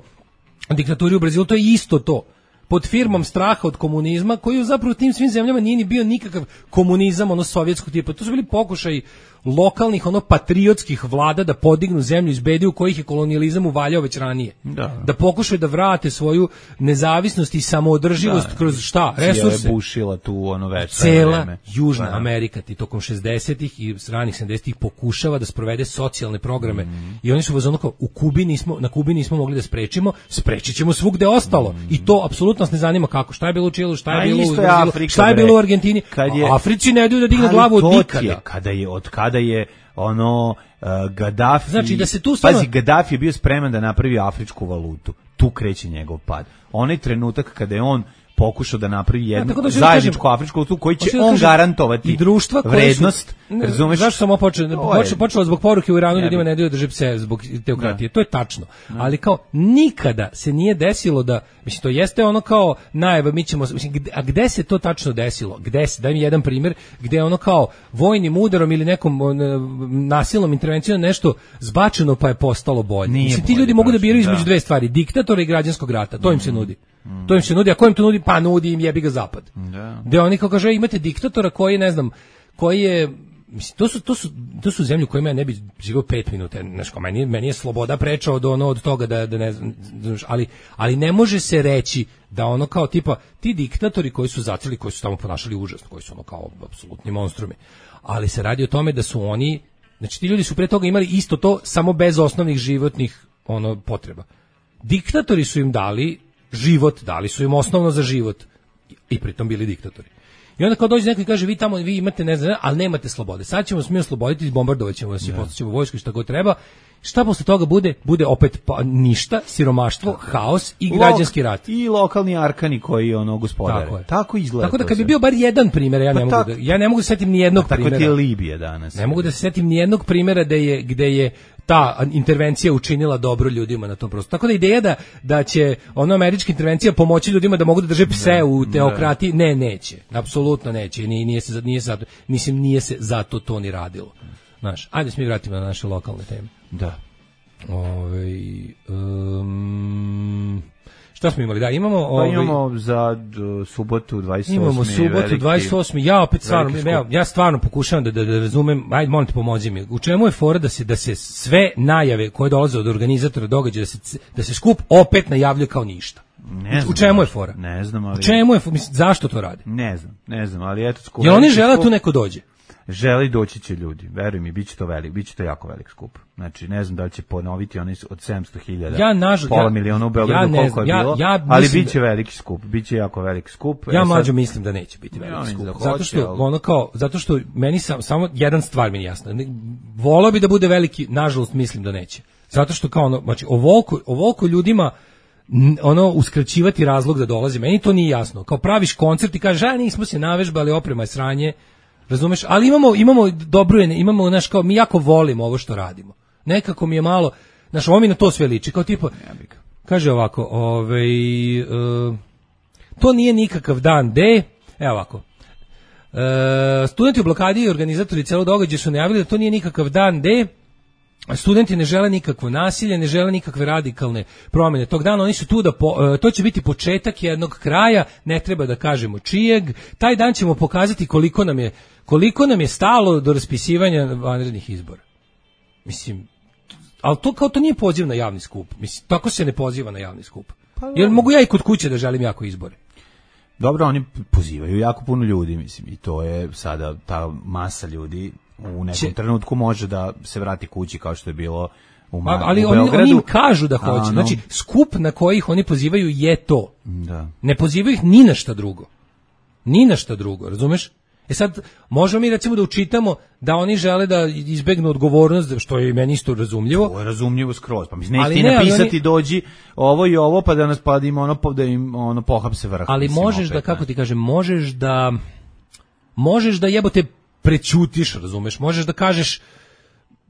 Speaker 5: diktaturi u Brazilu, to je isto to. Pod firmom straha od komunizma, koji zapravo u tim svim zemljama nije ni bio nikakav komunizam ono sovjetskog tipa. To su bili pokušaji lokalnih ono patriotskih vlada da podignu zemlju iz bede u kojih je kolonijalizam uvaljao već ranije.
Speaker 6: Da,
Speaker 5: da pokušaju da vrate svoju nezavisnost i samoodrživost da, kroz šta? Resurse.
Speaker 6: Je bušila tu ono već
Speaker 5: cela
Speaker 6: vreme.
Speaker 5: Južna
Speaker 6: da.
Speaker 5: Amerika ti tokom šezdesetih i ranih sedamdesetih pokušava da sprovede socijalne programe mm. i oni su vas ono kao u Kubi nismo, na Kubi nismo mogli da sprečimo, sprečićemo svugde ostalo mm. i to apsolutno nas ne zanima kako, šta je bilo u Čilu, šta je
Speaker 6: A
Speaker 5: bilo u
Speaker 6: Brazilu,
Speaker 5: Afrika, šta je bilo u Argentini, kad je, Africi ne daju da digne glavu od nikada.
Speaker 6: Je, kada je od kada je ono uh, Gaddafi,
Speaker 5: znači da se tu stvarno...
Speaker 6: pazi, Gaddafi je bio spreman da napravi afričku valutu, tu kreće njegov pad. Onaj trenutak kada je on pokušao da napravi jednu ja, da zajedničku kažem, afričku valutu koji će on kažem, garantovati
Speaker 5: i društva
Speaker 6: vrednost,
Speaker 5: su, ne,
Speaker 6: razumeš?
Speaker 5: Zašto sam počeo? Počelo, počelo zbog poruke u Iranu ne ljudima ne daju da drže pse zbog teokratije.
Speaker 6: Ne.
Speaker 5: To je tačno. Ne. Ali kao nikada se nije desilo da, mislim, to jeste ono kao najava, mi ćemo, mislim, a gde se to tačno desilo? Gde se, daj mi jedan primjer, gde ono kao vojnim udarom ili nekom nasilnom intervencijom nešto zbačeno pa je postalo bolje.
Speaker 6: Nije
Speaker 5: mislim,
Speaker 6: bolje,
Speaker 5: ti ljudi mogu da biraju između
Speaker 6: da.
Speaker 5: dve stvari, diktatora i građanskog rata. To im
Speaker 6: mm.
Speaker 5: se nudi. Mm. To im se nudi, a ko im to nudi? Pa nudi im jebi ga zapad.
Speaker 6: Da.
Speaker 5: Gde oni kao kaže imate diktatora koji ne znam, koji je mislim to su to su to su zemlje u kojima ja ne bi živio pet minuta, znači meni meni je sloboda preča od ono od toga da da ne znam, ali ali ne može se reći da ono kao tipa ti diktatori koji su zaceli, koji su tamo ponašali užasno, koji su ono kao apsolutni monstrumi. Ali se radi o tome da su oni, znači ti ljudi su pre toga imali isto to samo bez osnovnih životnih ono potreba. Diktatori su im dali život, dali su im osnovno za život i pritom bili diktatori. I onda kao dođe neko i kaže vi tamo vi imate ne znam, ali nemate slobode. Sad ćemo se mi osloboditi, bombardovaćemo vas i postaćemo vojsku i šta god treba. Šta posle toga bude? Bude opet pa, ništa, siromaštvo, haos i građanski rat.
Speaker 6: I lokalni arkani koji ono gospodare. Tako, tako izgleda.
Speaker 5: Tako da kad bi bio bar jedan primjer, ja ne pa mogu da ja ne mogu da setim ni jednog
Speaker 6: pa
Speaker 5: primjera.
Speaker 6: Tako ti je Libija danas.
Speaker 5: Ne mogu da se setim ni jednog primjera da je gde je ta intervencija učinila dobro ljudima na tom prostoru. Tako da ideja da da će ona američka intervencija pomoći ljudima da mogu da drže pse ne, u teokratiji, ne, neće. Apsolutno neće. Nije, nije se nije zato, mislim nije se zato to ni radilo. Znaš, ajde se mi vratimo na naše lokalne teme.
Speaker 6: Da.
Speaker 5: Ovaj um, Šta smo imali? Da, imamo...
Speaker 6: Pa
Speaker 5: ovaj,
Speaker 6: imamo za d, subotu dvadeset osme
Speaker 5: Imamo subotu
Speaker 6: veliki,
Speaker 5: dvadeset osme Ja opet stvarno,
Speaker 6: veliki
Speaker 5: ja,
Speaker 6: skup.
Speaker 5: ja stvarno pokušavam da, da, da razumem, ajde molim te pomozi mi. U čemu je fora da se da se sve najave koje dolaze od organizatora događaja da se da se skup opet najavljuje kao ništa?
Speaker 6: Ne znam,
Speaker 5: u čemu je fora?
Speaker 6: Ne znam, ali...
Speaker 5: U čemu je, mislim, zašto to rade?
Speaker 6: Ne znam, ne znam, ali eto skup.
Speaker 5: Jel oni žele da tu neko dođe?
Speaker 6: Želi doći će ljudi, veruj mi, biće to velik, biće to jako velik skup. Znači, ne znam da li će ponoviti oni od sedamsto hiljada,
Speaker 5: ja, nažal,
Speaker 6: pola
Speaker 5: ja,
Speaker 6: miliona u Beogradu,
Speaker 5: ja ne
Speaker 6: koliko
Speaker 5: znam,
Speaker 6: je
Speaker 5: ja,
Speaker 6: bilo,
Speaker 5: ja
Speaker 6: ali
Speaker 5: mislim
Speaker 6: biće
Speaker 5: da,
Speaker 6: veliki skup, biće jako veliki skup.
Speaker 5: Ja
Speaker 6: e,
Speaker 5: mlađo
Speaker 6: sad,
Speaker 5: mislim da neće biti veliki
Speaker 6: ja
Speaker 5: skup,
Speaker 6: da
Speaker 5: zato
Speaker 6: hoće,
Speaker 5: što
Speaker 6: ali...
Speaker 5: ono kao, zato što meni sam, samo jedan stvar mi je jasna. Volao bi da bude veliki, nažalost mislim da neće. Zato što kao ono, znači ovoliko, ovoliko ljudima ono uskraćivati razlog da dolazi, meni to nije jasno. Kao praviš koncert i kažeš, a nismo se navežbali, oprema je sranje, razumeš? Ali imamo imamo dobru, imamo znaš kao mi jako volimo ovo što radimo. Nekako mi je malo, znaš, ovo mi na to sve liči, kao tipa, kaže ovako, ovaj, uh, to nije nikakav dan D, evo ovako, uh, studenti u blokadi i organizatori celog događaja su najavili da to nije nikakav dan D, studenti ne žele nikakvo nasilje, ne žele nikakve radikalne promjene tog dana, oni su tu da, po, to će biti početak jednog kraja, ne treba da kažemo čijeg, taj dan ćemo pokazati koliko nam je, koliko nam je stalo do raspisivanja vanrednih izbora. Mislim, ali to kao to nije poziv na javni skup, mislim, tako se ne poziva na javni skup. Jer mogu ja i kod kuće da želim jako izbore.
Speaker 6: Dobro, oni pozivaju jako puno ljudi, mislim, i to je sada ta masa ljudi u nekom Če... trenutku može da se vrati kući kao što je bilo u, Ma,
Speaker 5: ali
Speaker 6: u
Speaker 5: oni,
Speaker 6: Beogradu.
Speaker 5: oni im kažu da hoće.
Speaker 6: Ano.
Speaker 5: Znači, skup na koji ih oni pozivaju je to.
Speaker 6: Da.
Speaker 5: Ne pozivaju ih ni na šta drugo. Ni na šta drugo, razumeš? E sad, možemo mi recimo da učitamo da oni žele da izbegnu odgovornost, što je meni isto razumljivo.
Speaker 6: To je razumljivo skroz. Pa mislim, neće ti
Speaker 5: ne,
Speaker 6: napisati
Speaker 5: oni...
Speaker 6: dođi ovo i ovo, pa da nas pa da im ono, da im ono pohapse vrh.
Speaker 5: Ali
Speaker 6: mislim,
Speaker 5: možeš
Speaker 6: opet,
Speaker 5: da, kako ti kažem, možeš da, možeš da jebote prećutiš, razumeš? Možeš da kažeš,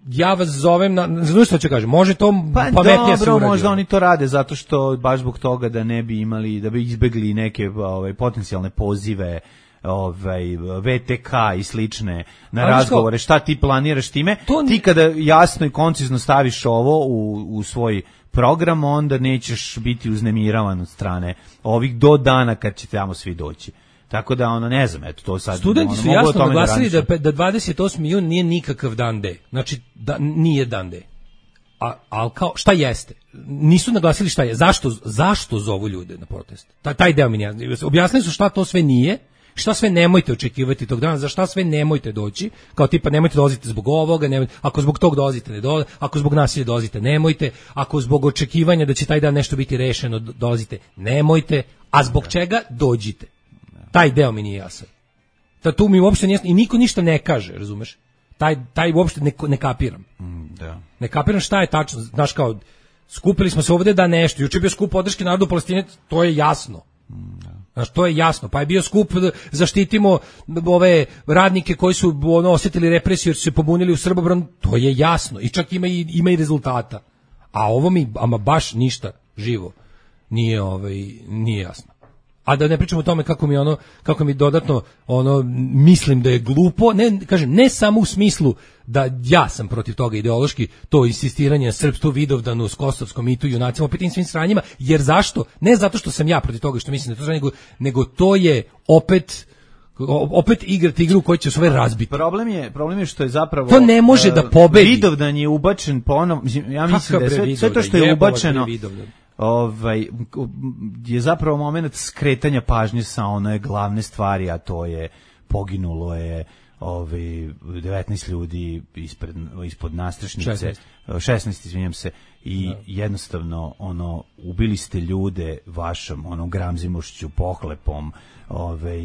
Speaker 5: ja vas zovem na, znaš što ću kažem, može to
Speaker 6: pa
Speaker 5: pametnije se
Speaker 6: dobro,
Speaker 5: uradi.
Speaker 6: možda oni to rade zato što baš zbog toga da ne bi imali, da bi izbegli neke ovaj, potencijalne pozive, ovaj V T K i slične na ali razgovore, šta ti planiraš time, to... ti kada jasno i koncizno staviš ovo u, u svoj program, onda nećeš biti uznemiravan od strane ovih do dana kad će tamo svi doći. Tako da ono ne znam, eto to sad
Speaker 5: studenti
Speaker 6: ono,
Speaker 5: su jasno naglasili
Speaker 6: da,
Speaker 5: da, da dvadeset osmi jun nije nikakav dan D. Znači da nije dan D. A al kao šta jeste? Nisu naglasili šta je. Zašto zašto zovu ljude na protest? Taj taj deo mi ne jasno. Objasnili su šta to sve nije. Šta sve nemojte očekivati tog dana, za šta sve nemojte doći, kao tipa nemojte dolaziti zbog ovoga, nemojte, ako zbog tog dolazite ne dolazite, ako zbog nasilja dolazite nemojte, ako zbog očekivanja da će taj dan nešto biti rešeno dolazite nemojte, a zbog čega dođite. Taj deo mi nije jasan. Da tu mi uopšte nije jasno i niko ništa ne kaže, razumeš? Taj, taj uopšte ne, ne kapiram.
Speaker 6: Mm, da.
Speaker 5: Ne kapiram šta je tačno, znaš kao, skupili smo se ovde da nešto, juče je bio skup podrške narodu Palestine, to je jasno. Mm, da. Znaš, to je jasno, pa je bio skup da zaštitimo ove radnike koji su ono, osjetili represiju jer su se pobunili u Srbobran, to je jasno i čak ima i, ima i rezultata. A ovo mi, ama baš ništa živo nije, ovaj, nije jasno. A da ne pričamo o tome kako mi ono, kako mi dodatno ono mislim da je glupo, ne kažem ne samo u smislu da ja sam protiv toga ideološki, to insistiranje na srpstvu, Vidovdanu, kosovskom mitu, junacima, opet tim svim sranjima, jer zašto? Ne zato što sam ja protiv toga što mislim da to nego, nego to je opet opet igrati igru koja će sve razbiti.
Speaker 6: Problem je, problem je što je zapravo
Speaker 5: to ne može uh, da pobedi.
Speaker 6: Vidovdan je ubačen ponovno, ja mislim da je sve, sve to što je ubačeno ovaj je zapravo momenat skretanja pažnje sa one glavne stvari, a to je poginulo je ovaj devetnaest ljudi ispred ispod nastrešnice, šesnaest, šesnaest izvinjam se, i da. Jednostavno ono ubili ste ljude vašom onom gramzimošću, pohlepom, ovaj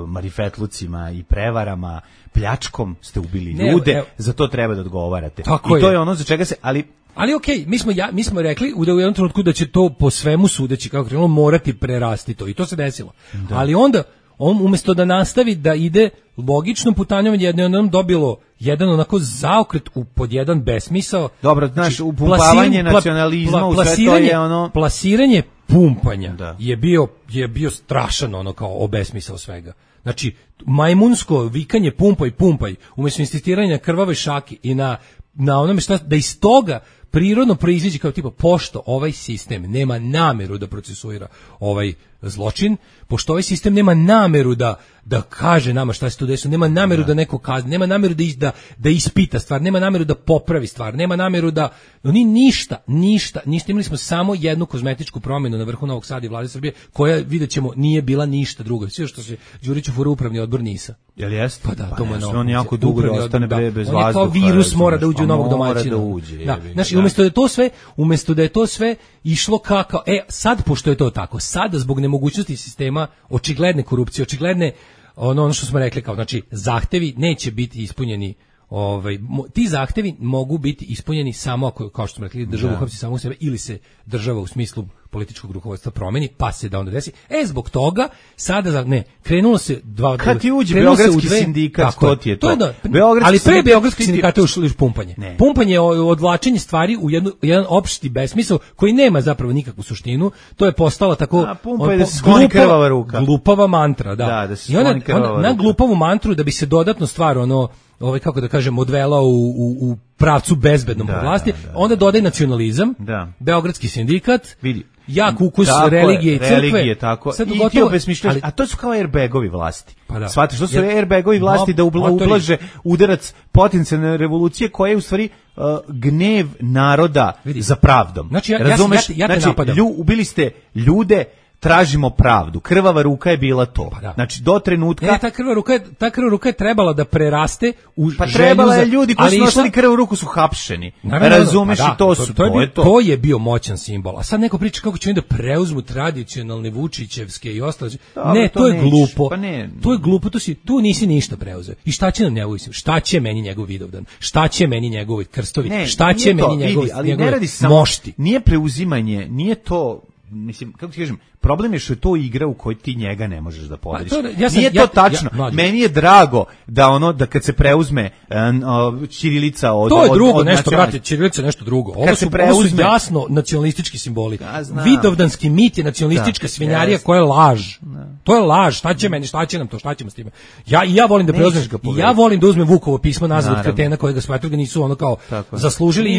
Speaker 6: marifetlucima i prevarama, pljačkom ste ubili ne, ljude, evo, za to treba da odgovarate. I to je. je ono za čega se, ali
Speaker 5: Ali okej, okay, mi smo ja mi smo rekli u jednom trenutku da će to po svemu sudeći kako krenulo morati prerasti to i to se desilo. Da. Ali onda on umjesto da nastavi da ide logičnom putanjom, jednom dobilo jedan onako zaokret u pod jedan besmisao.
Speaker 6: Dobro, znaš, upumpavanje nacionalizma pla, pla, u sve to je ono
Speaker 5: plasiranje pumpanja
Speaker 6: da.
Speaker 5: je bio je bio strašan ono kao obesmisao svega. Znači majmunsko vikanje pumpaj pumpaj umjesto insistiranja na krvavoj šaki i na na onome šta da iz toga prirodno proiziđe kao tipa, pošto ovaj sistem nema nameru da procesuira ovaj zločin, pošto ovaj sistem nema nameru da da kaže nama šta se tu desilo, nema nameru da, da neko kazni, nema nameru da, da da ispita stvar, nema nameru da popravi stvar, nema nameru da oni ništa, ništa, ništa, imali smo samo jednu kozmetičku promjenu na vrhu Novog Sada i Vlade Srbije, koja videćemo nije bila ništa drugo. Sve što se Đuriću fura upravni odbor NIS-a.
Speaker 6: Jel jeste?
Speaker 5: Pa da,
Speaker 6: pa
Speaker 5: to mu je
Speaker 6: on jako dugo da ostane da. bez vazduha.
Speaker 5: On je kao virus, mora da uđe u novog domaćina.
Speaker 6: Da uđe.
Speaker 5: Da. Znači, umjesto da je to sve, umjesto da je to sve išlo kako, e, sad pošto je to tako, sada zbog nemogućnosti sistema, očigledne korupcije, očigledne ono, ono što smo rekli kao, znači, zahtevi neće biti ispunjeni. Ovaj, ti zahtevi mogu biti ispunjeni samo ako, kao što smo rekli, država uhapsi samo u sebe ili se država u smislu političkog rukovodstva promeni, pa se da onda desi. E, zbog toga, sada, ne, krenulo se dva...
Speaker 6: Kad ti uđe Beogradski dve, sindikat, tako, to ti je to. to da,
Speaker 5: ali pre Beogradski sindikata je ušlo pumpanje. Ne. Pumpanje je odvlačenje stvari u jednu, jedan opšti besmisao koji nema zapravo nikakvu suštinu. To je postala tako...
Speaker 6: A, pumpa je da se skloni krvava ruka.
Speaker 5: Glupava mantra, da.
Speaker 6: da, da se
Speaker 5: I onda, onda na glupavu mantru da bi se dodatno stvar, ono, ovaj kako da kažem, odvela u, u, u pravcu bezbednom da, vlasti, da, da, onda dodaj nacionalizam, da. Beogradski sindikat,
Speaker 6: vidi,
Speaker 5: jak ukus religije i crkve,
Speaker 6: religije, tako. Sad i ti obesmišljaš, a to su kao airbagovi vlasti.
Speaker 5: Pa da.
Speaker 6: Shvatiš, to su airbagovi vlasti no, da ubla, ublaže udarac potencijalne revolucije koja je u stvari uh, gnev naroda vidi. Za pravdom.
Speaker 5: Znači, ja,
Speaker 6: razumeš?
Speaker 5: Ja, ja, ja te
Speaker 6: znači,
Speaker 5: napadam.
Speaker 6: Lju, ubili ste ljude, tražimo pravdu. Krvava ruka je bila to. Pa da. Znači do trenutka
Speaker 5: ne, ta krvava ruka je, ta krvava ruka je trebala da preraste u
Speaker 6: pa trebala je ljudi koji su nosili krvavu ruku su hapšeni. Naravno, razumeš, pa da, to su
Speaker 5: to, to, je
Speaker 6: to,
Speaker 5: bio,
Speaker 6: to.
Speaker 5: to je bio moćan simbol. A sad neko priča kako će oni da preuzmu tradicionalne Vučićevske i ostale. Ne, to, to je neć, glupo.
Speaker 6: Pa ne.
Speaker 5: To je glupo, to si tu nisi ništa preuzeo. I šta će nam njegov, šta će meni njegov Vidovdan? Šta će meni njegovi krstovi?
Speaker 6: Ne,
Speaker 5: šta će meni njegovi,
Speaker 6: ali
Speaker 5: njegove
Speaker 6: ne radi samo,
Speaker 5: mošti?
Speaker 6: Nije preuzimanje, nije to, mislim, kako ti kažem, problem je što je to igra u kojoj ti njega ne možeš da podeliš. Pa ja sam, Nije to ja, tačno. Ja, Meni je drago da ono da kad se preuzme uh, ćirilica od
Speaker 5: to je drugo
Speaker 6: od, od
Speaker 5: nešto, brate, ćirilica je nešto drugo. Ovo su, preuzme, ovo su jasno nacionalistički simboli. Ja, Vidovdanski mit je nacionalistička da, svinjarija yes. koja je laž. Da. To je laž. Šta će meni, šta će nam to, šta ćemo s time? Ja i ja volim da preuzmem, ja volim da uzmem Vukovo pismo nazad od kretena kojega smatraju ga nisu ono kao tako. Zaslužili i,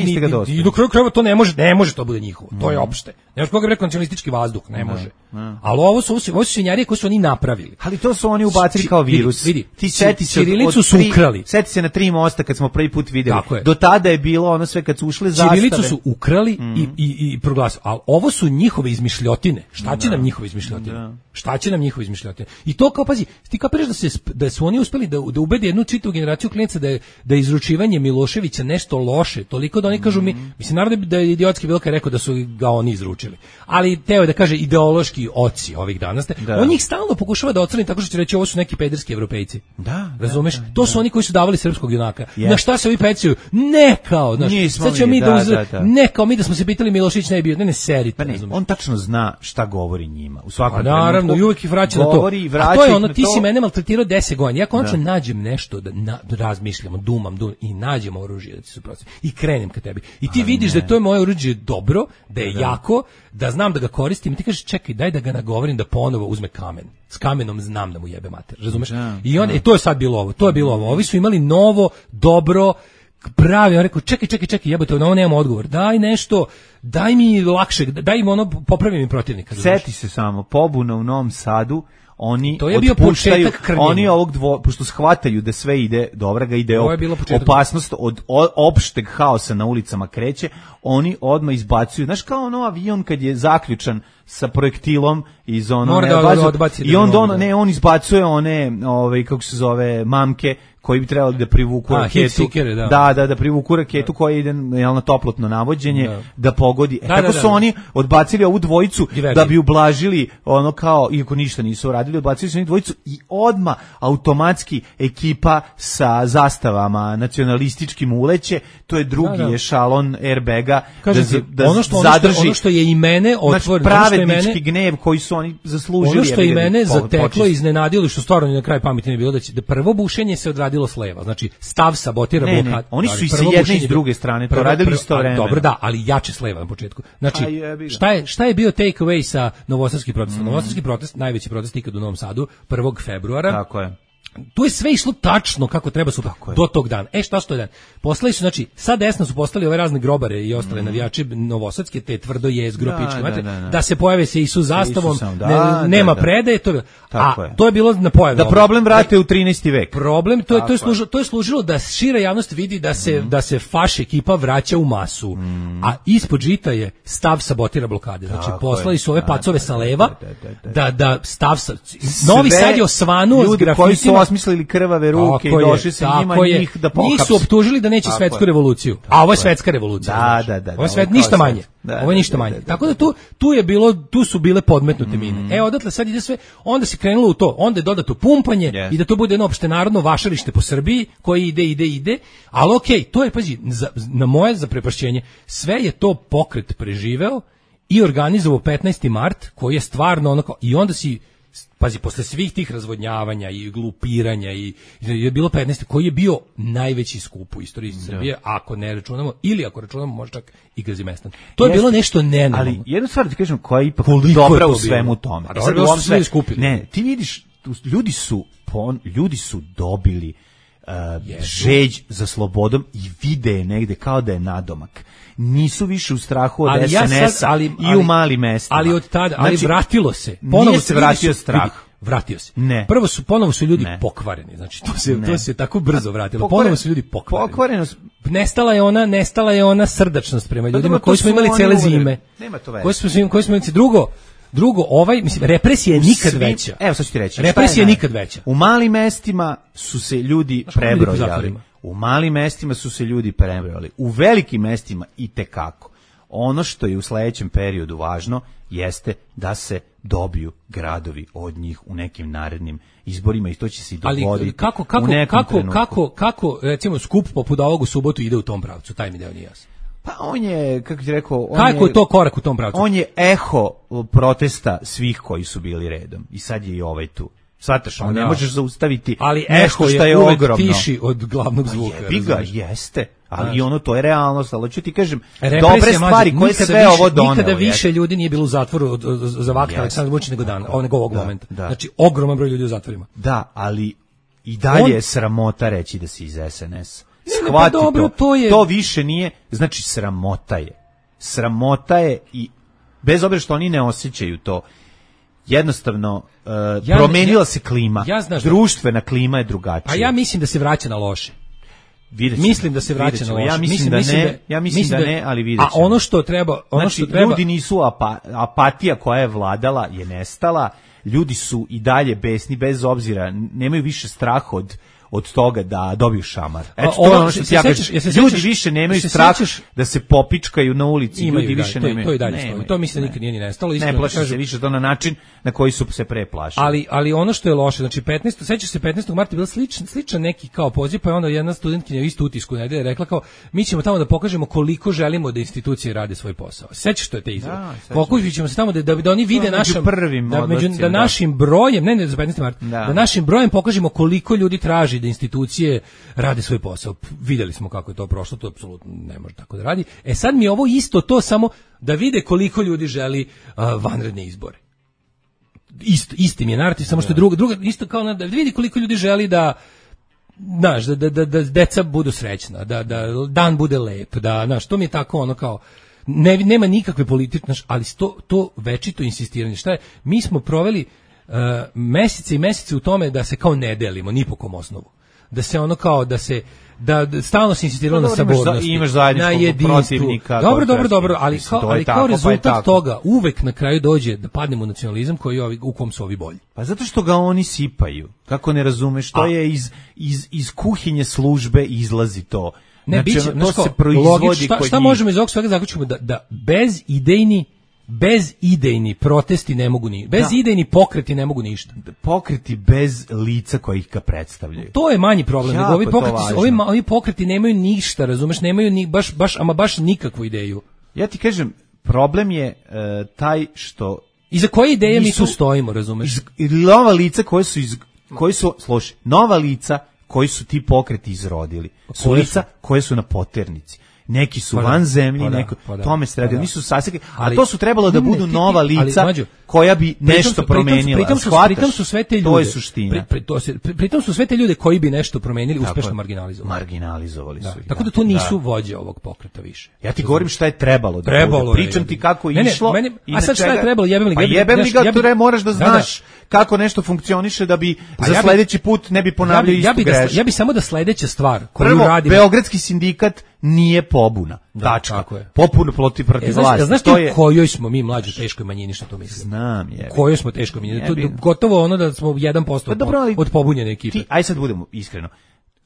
Speaker 5: i, i do kraja krajeva to ne može, ne može to bude njihovo. To je opšte. Ne može koga bi rekao nacionalistički vazduh, ne može. Ali ovo su, ovo su svinjarije koje su oni napravili.
Speaker 6: Ali to su oni ubacili kao virus.
Speaker 5: Vidi, vidi.
Speaker 6: Ti seti se
Speaker 5: Ćirilicu su ukrali.
Speaker 6: Seti se na tri mosta kad smo prvi put videli. Do tada je bilo ono sve kad su ušle zastave.
Speaker 5: Ćirilicu su ukrali mm. i, i, i proglasili. Ali ovo su njihove izmišljotine. Šta će da. nam njihove izmišljotine? Da. Šta će nam njihove izmišljotine? I to kao, pazi, ti kapiraš da, se, da su oni uspeli da, da ubede jednu čitavu generaciju klijenca da je, da je izručivanje Miloševića nešto loše. Toliko da oni kažu, mi, mislim, naravno da je idiotski bilo kad rekao da su ga oni izručili. Ali teo je da kaže ideološki oci ovih danas. Da. On njih stalno pokušava da ocrni tako što će reći ovo su neki pederski evropejci.
Speaker 6: Da,
Speaker 5: razumeš?
Speaker 6: Da, da,
Speaker 5: to su
Speaker 6: da.
Speaker 5: oni koji su davali srpskog junaka.
Speaker 6: Yes.
Speaker 5: Na šta se ovi pecaju? Ne kao, znaš, sad ćemo mi da, da, uzre, da, da. ne kao mi da smo se pitali Milošić ne bio, ne ne serite,
Speaker 6: pa ne, on tačno zna šta govori njima. U svakom
Speaker 5: trenutku. Naravno, i uvijek ih vraća na to. A to je ono, ti si mene maltretirao deset godina. Ja konačno da. nađem nešto da na, razmišljam, dumam, dumam i nađem oružje da ti suprotstavim i krenem ka tebi. I ti a vidiš ne. da to je moje oružje dobro, da je da. jako, da znam da ga koristim i ti kažeš čekaj, daj da ga nagovorim da ponovo uzme kamen. S kamenom znam da mu jebe mater, razumeš? Da, I on, da. e, to je sad bilo ovo, to je bilo ovo. Ovi su imali novo, dobro, pravi, on rekao, čekaj, čekaj, čekaj, jebote, na ovo nemamo odgovor, daj nešto, daj mi lakše, daj mi ono, popravi mi protivnika.
Speaker 6: Seti se samo, pobuna u Novom Sadu, oni
Speaker 5: to je bio početak krnjenja.
Speaker 6: Oni ovog dvo, pošto shvataju da sve ide, dobra ga ide, op, opasnost od o, opšteg haosa na ulicama kreće, oni odmah izbacuju, znaš kao ono avion kad je zaključan sa projektilom iz ono ne,
Speaker 5: da,
Speaker 6: bazu,
Speaker 5: da, odbaci
Speaker 6: i onda on, ne, on izbacuje one, ovaj, kako se zove, mamke, koji bi trebali da privuku
Speaker 5: A,
Speaker 6: raketu.
Speaker 5: Sikere, da.
Speaker 6: da, da, da privuku raketu da. koja ide jel, na toplotno navođenje, da, da pogodi. E,
Speaker 5: da,
Speaker 6: tako
Speaker 5: da,
Speaker 6: su
Speaker 5: da, da.
Speaker 6: oni odbacili ovu dvojicu
Speaker 5: Diverzi.
Speaker 6: da bi ublažili ono kao, iako ništa nisu radili, odbacili su oni dvojicu i odma automatski ekipa sa zastavama nacionalističkim uleće, to je drugi da, da. ešalon airbaga da,
Speaker 5: ti,
Speaker 6: da
Speaker 5: ono što,
Speaker 6: zadrži.
Speaker 5: Ono što, ono što je i mene otvoreno,
Speaker 6: znači, pravednički gnjev koji su oni zaslužili.
Speaker 5: Ono što je i mene zateklo i iznenadilo, što stvarno na kraj pameti ne bilo, da će da prvo bušenje se odradilo s leva, znači stav sabotira
Speaker 6: ne,
Speaker 5: blokad.
Speaker 6: Ne, oni su i sa jedne i s druge strane to radili istovremeno.
Speaker 5: Dobro, da, ali jače s leva na početku. Znači, šta je, šta je bio take away sa novosadskih protesta? Mm. Novosadski protest, najveći protest ikad u Novom Sadu, prvog februara.
Speaker 6: Tako je.
Speaker 5: tu je sve išlo tačno kako treba su do tog dana. E šta su to dan? Poslali su, znači, sa desna su poslali ove razne grobare i ostale mm. navijači novosadske, te tvrdo jezgro, da, pičke, da, da, da. da se pojave se Isus zastavom, Isusom, da, ne, nema da, da. predaje, to, a je. to je bilo na pojavu.
Speaker 6: Da problem vrate u trinaesti vek.
Speaker 5: Problem, to je, to je, služilo, to je služilo da šira javnost vidi da se, mm. da se faš ekipa vraća u masu, mm. a ispod žita je stav sabotira blokade. Znači, tako poslali su ove pacove sa leva, da, da stav sa... Novi Sad je osvanuo s grafitima.
Speaker 6: Koji su osmislili krvave ruke i došli se njima njih da pohapse.
Speaker 5: Njih su optužili da neće svetsku revoluciju. A ovo je svetska revolucija.
Speaker 6: Da, da, da.
Speaker 5: Ovo je svet, ništa manje. Ovo je ništa manje. Tako da tu, tu je bilo, tu su bile podmetnute mine. E, odatle sad ide sve, onda se krenulo u to, onda je dodato pumpanje yes. i da to bude jedno opštenarodno vašarište po Srbiji, koje ide, ide, ide, ali okej, okay, to je, pazi, za, na moje zaprepašćenje, sve je to pokret preživeo i organizovao petnaesti mart, koji je stvarno onako, i onda si, pazi, posle svih tih razvodnjavanja i glupiranja i, i je bilo petnaesti koji je bio najveći skup u istoriji Srbije, da. ako ne računamo, ili ako računamo možda čak i Gazimestan. To je Jeste, bilo nešto nenormalno.
Speaker 6: Ali jednu stvar ti kažem koja je ipak Koliko dobra je u svemu tome.
Speaker 5: A sad u sve skupili.
Speaker 6: Ne, ti vidiš, ljudi su, ljudi su dobili uh, žeđ za slobodom i vide je negde kao da je nadomak. Nisu više u strahu od ali S N S-a ja sad, ali, i ali, u malim mestima.
Speaker 5: Ali od tada, ali znači, vratilo se. Ponovo
Speaker 6: se vratio su, strah.
Speaker 5: Vidi, vratio se.
Speaker 6: Ne.
Speaker 5: Prvo su, ponovo su ljudi ne. pokvareni. Znači, to se, to se tako brzo vratilo. Pokvaren, ponovo su ljudi pokvareni. Pokvarenost. Nestala je ona, nestala je ona srdačnost prema ljudima koji smo imali cele zime.
Speaker 6: Nema to veze.
Speaker 5: Koji smo, koji smo imali drugo. Drugo, ovaj, mislim, represija je nikad svim, veća.
Speaker 6: Evo, sad ću ti reći.
Speaker 5: Represija je nikad veća.
Speaker 6: U malim mestima su se ljudi prebrojali. U malim mestima su se ljudi prebrojali. U velikim mestima i tekako. Ono što je u sledećem periodu važno jeste da se dobiju gradovi od njih u nekim narednim izborima i to će se i dogoditi.
Speaker 5: Ali kako, kako,
Speaker 6: u nekom
Speaker 5: kako,
Speaker 6: trenutku.
Speaker 5: kako, kako, recimo, skup poput ovog u subotu ide u tom pravcu, taj mi deo nije jasan.
Speaker 6: Pa on je, kako ti rekao, on
Speaker 5: kako
Speaker 6: je,
Speaker 5: je to korak u tom pravcu?
Speaker 6: On je eho protesta svih koji su bili redom i sad je i ovaj tu. Svataš, on ne možeš zaustaviti
Speaker 5: ali
Speaker 6: nešto što je,
Speaker 5: je
Speaker 6: ogromno.
Speaker 5: Ali tiši od glavnog zvuka.
Speaker 6: Jebi ga, jeste. Ali i ono, to je realnost, ali ću ti kažem, dobre stvari koje sve više, ovo donelo.
Speaker 5: Nikada više ljudi nije bilo u zatvoru od, od, za vakna Aleksandra Vučića nego dan, nego ovog da, momenta. Da. Znači, ogroman broj ljudi u zatvorima.
Speaker 6: Da, ali i dalje On... je sramota reći da si iz S N S.
Speaker 5: Shvati pa dobro,
Speaker 6: to.
Speaker 5: To, je...
Speaker 6: to više nije, znači sramota je. Sramota je i bez obzira što oni ne osjećaju to, jednostavno uh, ja, promenila
Speaker 5: ja,
Speaker 6: se klima.
Speaker 5: Ja znaš,
Speaker 6: društvena klima je drugačija.
Speaker 5: A ja mislim da se vraća na loše. Mislim da se vraća na loše.
Speaker 6: Ja mislim, mislim da ne, mislim da, ja mislim, mislim da, da ne, ali vidjet ćemo.
Speaker 5: A ono što treba, ono
Speaker 6: znači,
Speaker 5: što treba,
Speaker 6: ljudi nisu apa, apatija koja je vladala je nestala. Ljudi su i dalje besni bez obzira, nemaju više strah od od toga da dobiju šamar. Eto, to je ono što ti ja kažem. Ljudi više nemaju strah da se popičkaju na ulici. Ljudi više nemaju.
Speaker 5: To i dalje stoji. To mislim da nikad nije ni nestalo.
Speaker 6: Ne plaše se više to na način na koji su se pre plašili.
Speaker 5: Ali, ali ono što je loše, znači petnaestog sećaš se petnaestog marta je bio sličan, sličan neki kao poziv, pa je onda jedna studentkinja isto utisku nedelje rekla kao mi ćemo tamo da pokažemo koliko želimo da institucije rade svoj posao. Sećaš što je te izjave? Pokušat ćemo se tamo da, da, da oni vide našim da, među, da našim brojem, ne ne za petnaesti mart, da našim brojem pokažemo koliko ljudi traži da institucije rade svoj posao. Videli smo kako je to prošlo, to apsolutno ne može tako da radi. E sad mi je ovo isto to samo da vide koliko ljudi želi uh, vanredne izbore. Isto, isti mi je narativ, samo što je druga, druga isto kao da vidi koliko ljudi želi da znaš, da, da, da, da deca budu srećna, da, da dan bude lep, da, znaš, to mi je tako ono kao ne, nema nikakve politične, ali to, to večito insistiranje. Šta je? Mi smo proveli uh, mesece i mesece u tome da se kao ne delimo, ni po kom osnovu. Da se ono kao, da se, da, da stalno se insistiralo na sabornosti,
Speaker 6: imaš na jedinstvu.
Speaker 5: Dobro, dobro, dobro, ali kao, ali kao tako, rezultat pa toga uvek na kraju dođe da padnemo u nacionalizam koji ovi, u kom su ovi bolji.
Speaker 6: Pa zato što ga oni sipaju. Kako ne razumeš, to A. je iz, iz, iz kuhinje službe izlazi to.
Speaker 5: Ne, znači, biće, to se proizvodi logič, šta, šta možemo iz ovog svega zaključiti da, da bez idejni bez idejni protesti ne mogu ni bez da. idejni pokreti ne mogu ništa.
Speaker 6: Pokreti bez lica koji ih ga predstavljaju.
Speaker 5: To je manji problem. Jako ovi pokreti, ovi, ovi pokreti nemaju ništa, razumeš, nemaju ni baš baš ama baš nikakvu ideju.
Speaker 6: Ja ti kažem, problem je uh, taj što
Speaker 5: iza koje ideje mi tu stojimo, razumeš?
Speaker 6: Iz, nova lica koje su iz, koji su slušaj, nova lica koji su ti pokreti izrodili. Su lica koje su na poternici. Neki su pa van zemlji, pa neko, pa da, tome se radi, pa nisu saseke, a to su trebalo da budu ne, nova lica koja bi nešto promenila.
Speaker 5: Pritom su, pritom su sve te ljude.
Speaker 6: To je suština.
Speaker 5: Pri, pri, to se, pri, pritom su sve te ljude koji bi nešto promenili
Speaker 6: Tako
Speaker 5: uspešno
Speaker 6: je.
Speaker 5: marginalizovali.
Speaker 6: Marginalizovali
Speaker 5: Da.
Speaker 6: su ih.
Speaker 5: Tako da to nisu vođe ovog pokreta više.
Speaker 6: Ja ti govorim šta je trebalo da
Speaker 5: Trebalo
Speaker 6: bude.
Speaker 5: je,
Speaker 6: Pričam
Speaker 5: jebi.
Speaker 6: ti kako je
Speaker 5: Ne, ne,
Speaker 6: išlo.
Speaker 5: meni-
Speaker 6: i
Speaker 5: a sad
Speaker 6: na
Speaker 5: šta je
Speaker 6: čega-
Speaker 5: trebalo? Jebem li ga?
Speaker 6: Pa
Speaker 5: Jebem-
Speaker 6: jebem li
Speaker 5: znaš,
Speaker 6: ga,
Speaker 5: ja bi-
Speaker 6: to moraš da
Speaker 5: Da, da.
Speaker 6: znaš kako nešto funkcioniše da bi
Speaker 5: Pa
Speaker 6: za
Speaker 5: ja bi-
Speaker 6: sledeći put ne bi
Speaker 5: Ja
Speaker 6: ponavljali
Speaker 5: bi, ja,
Speaker 6: istu
Speaker 5: bi da,
Speaker 6: grešku.
Speaker 5: ja bi samo da sledeća stvar koju
Speaker 6: Prvo,
Speaker 5: radim...
Speaker 6: Beogradski sindikat nije pobuna.
Speaker 5: Da,
Speaker 6: Tačka.
Speaker 5: tako je.
Speaker 6: Popuno protiv protiv
Speaker 5: E, znaš,
Speaker 6: vlasti.
Speaker 5: znaš ti
Speaker 6: to
Speaker 5: u
Speaker 6: je
Speaker 5: kojoj smo mi mlađi teškoj manjini, što to mislim?
Speaker 6: Znam je.
Speaker 5: Kojoj smo teškoj manjini? To,
Speaker 6: Jebi.
Speaker 5: gotovo ono da smo jedan posto
Speaker 6: Pa dobro, ali
Speaker 5: od pobunjene ekipe.
Speaker 6: Ti, aj sad budemo iskreno.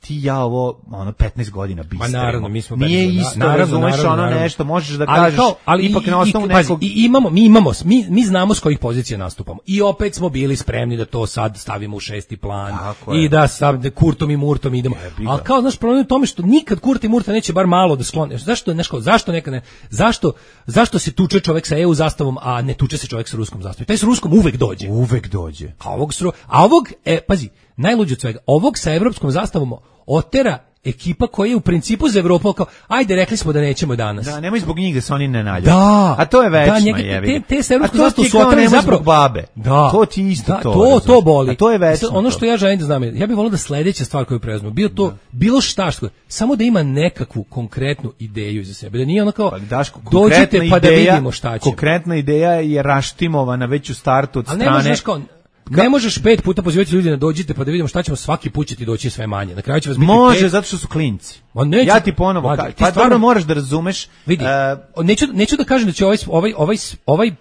Speaker 6: Ti i ja ovo ono petnaest godina bistremo.
Speaker 5: Pa naravno, mi smo
Speaker 6: Nije
Speaker 5: petnaest
Speaker 6: isto,
Speaker 5: naravno,
Speaker 6: razumeš
Speaker 5: naravno,
Speaker 6: ono
Speaker 5: naravno.
Speaker 6: nešto, možeš da
Speaker 5: Ali
Speaker 6: kažeš,
Speaker 5: kao- ali
Speaker 6: ipak
Speaker 5: i-
Speaker 6: na
Speaker 5: i-
Speaker 6: osnovu
Speaker 5: pazi,
Speaker 6: nekog...
Speaker 5: i imamo, mi imamo, mi, mi znamo s kojih pozicija nastupamo. I opet smo bili spremni da to sad stavimo u šesti plan.
Speaker 6: Tako je.
Speaker 5: I da sad Kurtom i Murtom idemo.
Speaker 6: Jebi ga.
Speaker 5: Ali kao, znaš, problem je u tome što nikad Kurt i Murta neće bar malo da sklone. Zašto, znaš, kao, zašto neka ne, zašto, zašto se tuče čovek sa E U zastavom, a ne tuče se čovek sa ruskom zastavom? Taj sa ruskom uvek dođe.
Speaker 6: Uvek dođe.
Speaker 5: A ovog, s ru- a ovog, e, pazi, najluđe od svega, ovog sa evropskom zastavom otera ekipa koja je u principu za Evropu kao, ajde, rekli smo da nećemo danas.
Speaker 6: Da, nemoj zbog njih da se oni ne nađu.
Speaker 5: Da.
Speaker 6: A to je večno,
Speaker 5: Da, njega-
Speaker 6: jebi
Speaker 5: te-
Speaker 6: ga.
Speaker 5: te sa evropskom
Speaker 6: A to
Speaker 5: zastavom
Speaker 6: ti
Speaker 5: su
Speaker 6: kao
Speaker 5: oterali
Speaker 6: nemoj
Speaker 5: zapravo-
Speaker 6: zbog babe.
Speaker 5: Da.
Speaker 6: To ti isto
Speaker 5: Da,
Speaker 6: to.
Speaker 5: to,
Speaker 6: razumeš.
Speaker 5: to boli.
Speaker 6: A to je večno.
Speaker 5: Sad, ono
Speaker 6: to.
Speaker 5: što ja želim da znam, je, ja bih volio da sledeća stvar koju preuzmemo, bio to, bilo šta što, samo da ima nekakvu konkretnu ideju iza sebe, da nije ono kao,
Speaker 6: Pa, Daško,
Speaker 5: dođite
Speaker 6: konkretna
Speaker 5: pa da
Speaker 6: ideja-
Speaker 5: vidimo šta ćemo.
Speaker 6: Konkretna ideja je raštimovana već u startu od
Speaker 5: Ali ne
Speaker 6: strane...
Speaker 5: možeš, znaš, kao, ne možeš pet puta pozivati ljudi na dođite pa da vidimo šta ćemo, svaki put će ti doći sve manje. Na kraju će vas biti
Speaker 6: Može,
Speaker 5: pet.
Speaker 6: zato što su klinci.
Speaker 5: Ma neće-
Speaker 6: Ja ti ponovo
Speaker 5: Mlađe,
Speaker 6: kažem.
Speaker 5: ti
Speaker 6: Pa
Speaker 5: stvarno-
Speaker 6: dobro moraš da razumeš.
Speaker 5: Vidi,
Speaker 6: e,
Speaker 5: neću, neću da kažem da će ovaj, ovaj, ovaj, ovaj,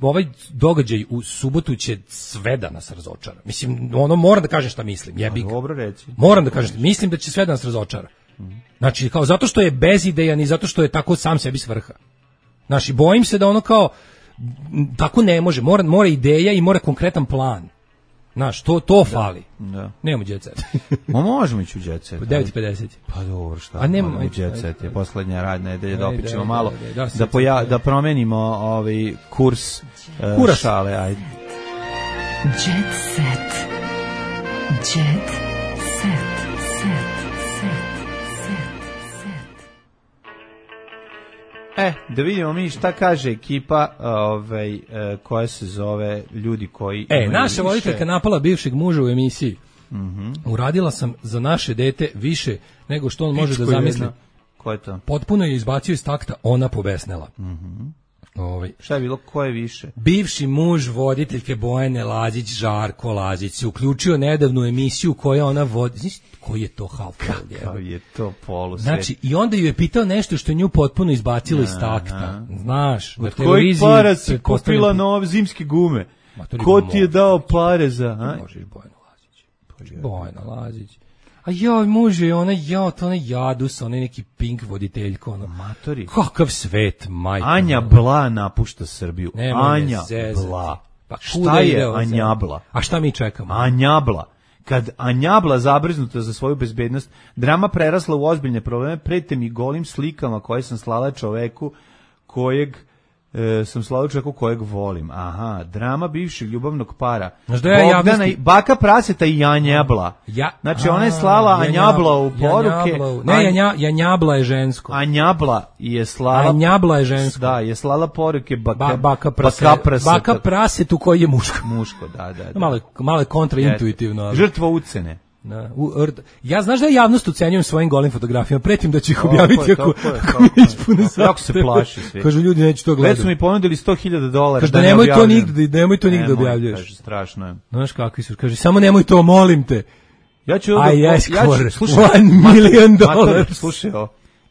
Speaker 5: ovaj događaj u subotu će sve da nas razočara. Mislim, ono moram da kažem šta mislim, jebi ga.
Speaker 6: dobro reći.
Speaker 5: Moram da kažem, mislim da će sve da nas razočara. Znači, kao zato što je bezidejan i zato što je tako sam sebi svrha. Znači, bojim se da ono kao, m, tako ne može, mora, mora ideja i mora konkretan plan. Znaš, to, to fali.
Speaker 6: Da.
Speaker 5: Nemamo jet set.
Speaker 6: Ma možemo ići u jet set.
Speaker 5: devet i pedeset.
Speaker 6: Pa dobro, šta?
Speaker 5: A nema-
Speaker 6: Odemo u jet set je posljednja radna nedelja da
Speaker 5: Ajde,
Speaker 6: opičemo
Speaker 5: ajde,
Speaker 6: malo,
Speaker 5: ajde, da,
Speaker 6: da,
Speaker 5: sad
Speaker 6: poja,
Speaker 5: sad,
Speaker 6: da promenimo ovaj kurs e,
Speaker 5: Kuras.
Speaker 6: šale, ajde.
Speaker 4: Jet set. Jet set. Set. Set. Set.
Speaker 6: E, da vidimo mi šta kaže ekipa ovaj, e, koja se zove ljudi koji...
Speaker 5: E,
Speaker 6: imaju
Speaker 5: naša
Speaker 6: više-
Speaker 5: voditeljka napala bivšeg muža u emisiji.
Speaker 6: Mhm.
Speaker 5: Uradila sam za naše dete više nego što on može da
Speaker 6: Pičko
Speaker 5: zamisli.
Speaker 6: jedna. Ko je to?
Speaker 5: Potpuno je izbacio iz takta, ona pobesnela.
Speaker 6: Mhm.
Speaker 5: Ovaj.
Speaker 6: Šta je bilo, ko je više?
Speaker 5: Bivši muž voditeljke Bojane Lazić, Žarko Lazić, se uključio nedavnu emisiju koja ona vodi. Znaš koji je to half
Speaker 6: Kao je to polu
Speaker 5: Znači, i onda ju je pitao nešto što je nju potpuno izbacilo iz takta. Znaš, na
Speaker 6: Od kojih
Speaker 5: televiziji...
Speaker 6: para si
Speaker 5: pretpostavljam-
Speaker 6: kupila nove zimske gume?
Speaker 5: Ma, to ni
Speaker 6: Ko ti je
Speaker 5: može.
Speaker 6: dao pare za... A?
Speaker 5: Možeš Bojana Lazić. Bojana Lazić. A joj, muže, ona, joj, to ona jadus, ona je neki pink voditeljko, ono.
Speaker 6: Matori.
Speaker 5: Kakav svet, majko.
Speaker 6: Anja Bla napušta Srbiju.
Speaker 5: Nemoj me
Speaker 6: Anja
Speaker 5: zezati.
Speaker 6: Bla.
Speaker 5: Pa kuda
Speaker 6: Šta
Speaker 5: ide
Speaker 6: je
Speaker 5: ova
Speaker 6: Anja
Speaker 5: zemlja?
Speaker 6: Bla?
Speaker 5: A šta mi čekamo?
Speaker 6: Anja Bla. Kad Anja Bla zabrznuta za svoju bezbednost, drama prerasla u ozbiljne probleme, prete mi golim slikama koje sam slala čoveku kojeg e, sam slao čovjeku kojeg volim. Aha, drama bivšeg ljubavnog para.
Speaker 5: Znaš da ja
Speaker 6: Bogdana
Speaker 5: javnosti-
Speaker 6: i Baka Praseta i Janjabla.
Speaker 5: Ja,
Speaker 6: Znači ona je slala
Speaker 5: A,
Speaker 6: Anjabla u
Speaker 5: Janjabla,
Speaker 6: poruke.
Speaker 5: Janjabla u- Ne, Janja, Janjabla je žensko.
Speaker 6: Anjabla je slala...
Speaker 5: Anjabla je žensko.
Speaker 6: Da, je slala poruke Baka,
Speaker 5: Ba, baka, prase,
Speaker 6: baka Praseta.
Speaker 5: baka prasetu koji je muško.
Speaker 6: Muško, da, da, da.
Speaker 5: Malo, je- malo je kontraintuitivno. ali-
Speaker 6: Žrtva ucene.
Speaker 5: Da, u, rt- ja znaš da ja javnost ucenjujem svojim golim fotografijama, pretim da ću ih
Speaker 6: Tako
Speaker 5: objaviti
Speaker 6: je,
Speaker 5: ako,
Speaker 6: tako je,
Speaker 5: ako
Speaker 6: tako
Speaker 5: mi
Speaker 6: je.
Speaker 5: ispune
Speaker 6: Tako, jako se
Speaker 5: zahteve.
Speaker 6: plaši svi.
Speaker 5: Kažu ljudi neću to
Speaker 6: Već
Speaker 5: gledati.
Speaker 6: su mi ponudili sto hiljada dolara.
Speaker 5: Kaže da
Speaker 6: ne
Speaker 5: nemoj to
Speaker 6: objavljujem.
Speaker 5: nigde, nemoj to nigde
Speaker 6: Nemoj,
Speaker 5: objavljuješ.
Speaker 6: Kaže, strašno je.
Speaker 5: Znaš kakvi su, kaže samo nemoj to, molim te.
Speaker 6: Ja ću
Speaker 5: I
Speaker 6: ovo...
Speaker 5: ask
Speaker 6: ja ću-
Speaker 5: for
Speaker 6: slušaj,
Speaker 5: one million
Speaker 6: mater,
Speaker 5: dollars.
Speaker 6: Slušaj ovo.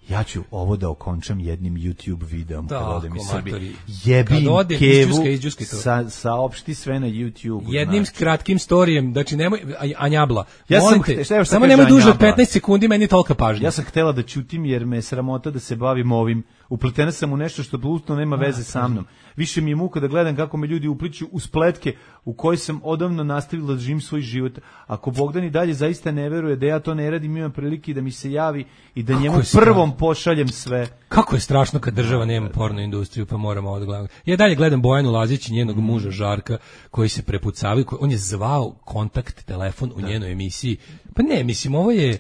Speaker 6: Ja ću ovo da okončam jednim YouTube videom kad
Speaker 5: Tako,
Speaker 6: odem iz Srbije.
Speaker 5: matori.
Speaker 6: Jebim
Speaker 5: Kad odem,
Speaker 6: kevu,
Speaker 5: izđuskaj, izđuskaj to.
Speaker 6: sa, saopšti sve na YouTube.
Speaker 5: Jednim
Speaker 6: znači.
Speaker 5: kratkim storijem, znači nemoj, a- Anjabla,
Speaker 6: Ja sam
Speaker 5: molim
Speaker 6: ht-
Speaker 5: te,
Speaker 6: šta je još
Speaker 5: samo
Speaker 6: sad
Speaker 5: nemoj
Speaker 6: kaže
Speaker 5: duže od
Speaker 6: Anjabla?
Speaker 5: petnaest sekundi, meni je tolika pažnja.
Speaker 6: Ja sam htela da ćutim jer me je sramota da se bavim ovim. Upletena sam u nešto što apsolutno nema veze sa mnom. Više mi je muka da gledam kako me ljudi upliću u spletke u kojoj sam odavno nastavila da živim svoj život. Ako Bogdan i dalje zaista ne veruje da ja to ne radim, imam prilike da mi se javi i da
Speaker 5: Kako
Speaker 6: njemu
Speaker 5: je strašno.
Speaker 6: prvom pošaljem sve.
Speaker 5: Kako je strašno kad država nema porno industriju, pa moramo ovo da gledamo. Ja dalje gledam Bojanu Lazić i njenog muža Žarka, koji se prepucavaju, koji- on je zvao kontakt telefon u njenoj emisiji. Pa ne, mislim, ovo je...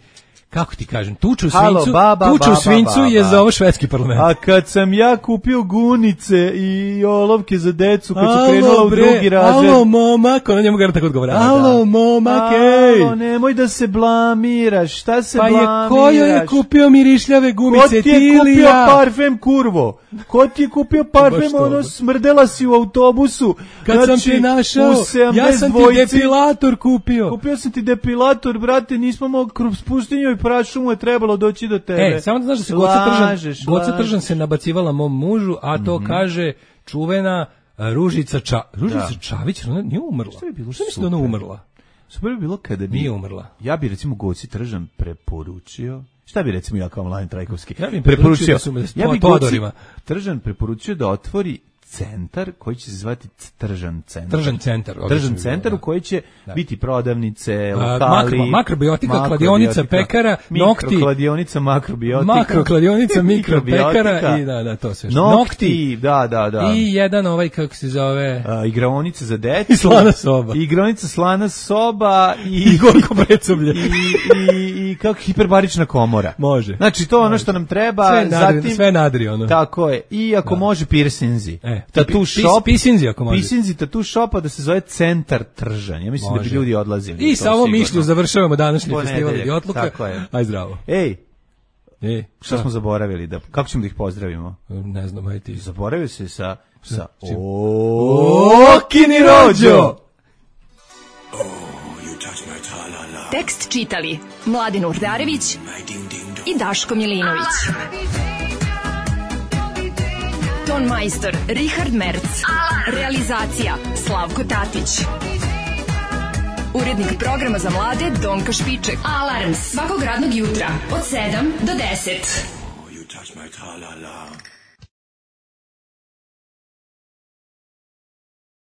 Speaker 5: kako ti kažem, tuču u
Speaker 6: Halo,
Speaker 5: svincu,
Speaker 6: baba,
Speaker 5: tuču u
Speaker 6: baba,
Speaker 5: svincu
Speaker 6: baba.
Speaker 5: je za ovo švedski parlament.
Speaker 6: A kad sam ja kupio gunice i olovke za decu, kad su
Speaker 5: Alo,
Speaker 6: krenula u
Speaker 5: bre,
Speaker 6: drugi razred.
Speaker 5: Alo, momak, ona njemu gara tako odgovara.
Speaker 6: Da,
Speaker 5: Alo,
Speaker 6: da.
Speaker 5: momak, ej.
Speaker 6: Alo, nemoj da se blamiraš, šta se
Speaker 5: Pa je,
Speaker 6: blamiraš?
Speaker 5: ko joj je kupio mirišljave
Speaker 6: Ko
Speaker 5: gumice,
Speaker 6: ti je
Speaker 5: ti ili
Speaker 6: kupio
Speaker 5: ja?
Speaker 6: parfem, kurvo? Ko ti je kupio parfem,
Speaker 5: Baš to,
Speaker 6: ono
Speaker 5: baš.
Speaker 6: smrdela si u autobusu?
Speaker 5: Kad sam
Speaker 6: Znači,
Speaker 5: te našao,
Speaker 6: u sedamdeset
Speaker 5: ja sam ti
Speaker 6: dvojici
Speaker 5: depilator kupio.
Speaker 6: Kupio sam ti depilator, brate, nismo mogli kroz pustinju i prašumu je trebalo doći do tebe.
Speaker 5: E, samo da znaš da se Goca
Speaker 6: Lažeš,
Speaker 5: Tržan, Goca
Speaker 6: lažeš.
Speaker 5: Tržan se nabacivala mom mužu, a to
Speaker 6: Mhm.
Speaker 5: kaže čuvena a, Ružica Ča, Ružica
Speaker 6: Da.
Speaker 5: Čavić, ona nije umrla.
Speaker 6: Što bi bilo
Speaker 5: Šta misliš da ona
Speaker 6: super?
Speaker 5: umrla?
Speaker 6: Super bi bilo kada bi...
Speaker 5: Nije umrla.
Speaker 6: Ja bi recimo Goci Tržan preporučio... Šta bi recimo ja kao Mladen Trajkovski
Speaker 5: Ja bi im preporučio da su me
Speaker 6: ja bi
Speaker 5: to
Speaker 6: Goci
Speaker 5: odorima.
Speaker 6: Tržan preporučio da otvori centar koji će se zvati Tržan centar.
Speaker 5: Tržan centar, odlično
Speaker 6: Tržan
Speaker 5: bi
Speaker 6: centar
Speaker 5: bilo,
Speaker 6: u koji će
Speaker 5: da.
Speaker 6: biti prodavnice,
Speaker 5: A,
Speaker 6: lokali,
Speaker 5: makro- makrobiotika,
Speaker 6: makrobiotika,
Speaker 5: kladionica, pekara, nokti.
Speaker 6: Mikrokladionica, makrobiotika.
Speaker 5: Makrokladionica, mikropekara
Speaker 6: mikrobiotika,
Speaker 5: i da, da, to sve. što-
Speaker 6: Nokti, da, da, da.
Speaker 5: I jedan ovaj, kako se zove...
Speaker 6: A, igraonice za decu.
Speaker 5: I slana soba.
Speaker 6: Igraonica slana soba i...
Speaker 5: I gorko precoblje.
Speaker 6: I, i, i kako hiperbarična komora.
Speaker 5: Može.
Speaker 6: Znači to je ono što nam treba.
Speaker 5: Sve nadri,
Speaker 6: zatim,
Speaker 5: sve nadri, ono.
Speaker 6: Tako je. I ako
Speaker 5: Da.
Speaker 6: može piercinzi.
Speaker 5: E,
Speaker 6: Tattoo
Speaker 5: pi-
Speaker 6: shop.
Speaker 5: pisinzi ako može.
Speaker 6: Pisinzi, tattoo shopa da se zove Centar Tržan. Ja mislim da
Speaker 5: Može.
Speaker 6: bi ljudi odlazili.
Speaker 5: I
Speaker 6: na to
Speaker 5: sa ovom
Speaker 6: sigurno.
Speaker 5: mišlju završavamo današnji
Speaker 6: Ponedeljak,
Speaker 5: festival Idiotluka.
Speaker 6: tako je.
Speaker 5: Aj zdravo.
Speaker 6: Ej,
Speaker 5: E,
Speaker 6: šta smo zaboravili? Da, kako ćemo da ih pozdravimo?
Speaker 5: Ne znam, aj ti.
Speaker 6: Zaboravio se sa... sa
Speaker 5: Čim?
Speaker 6: Okini rođo!
Speaker 4: Tekst čitali Mladin Urdarević i Daško Milinović. Ton majstor Richard Merc. Realizacija Slavko Tatić. Urednik programa za mlade Donka Špiček. Alarms svakog radnog jutra od sedam do deset.
Speaker 1: You touch my tra-la-la.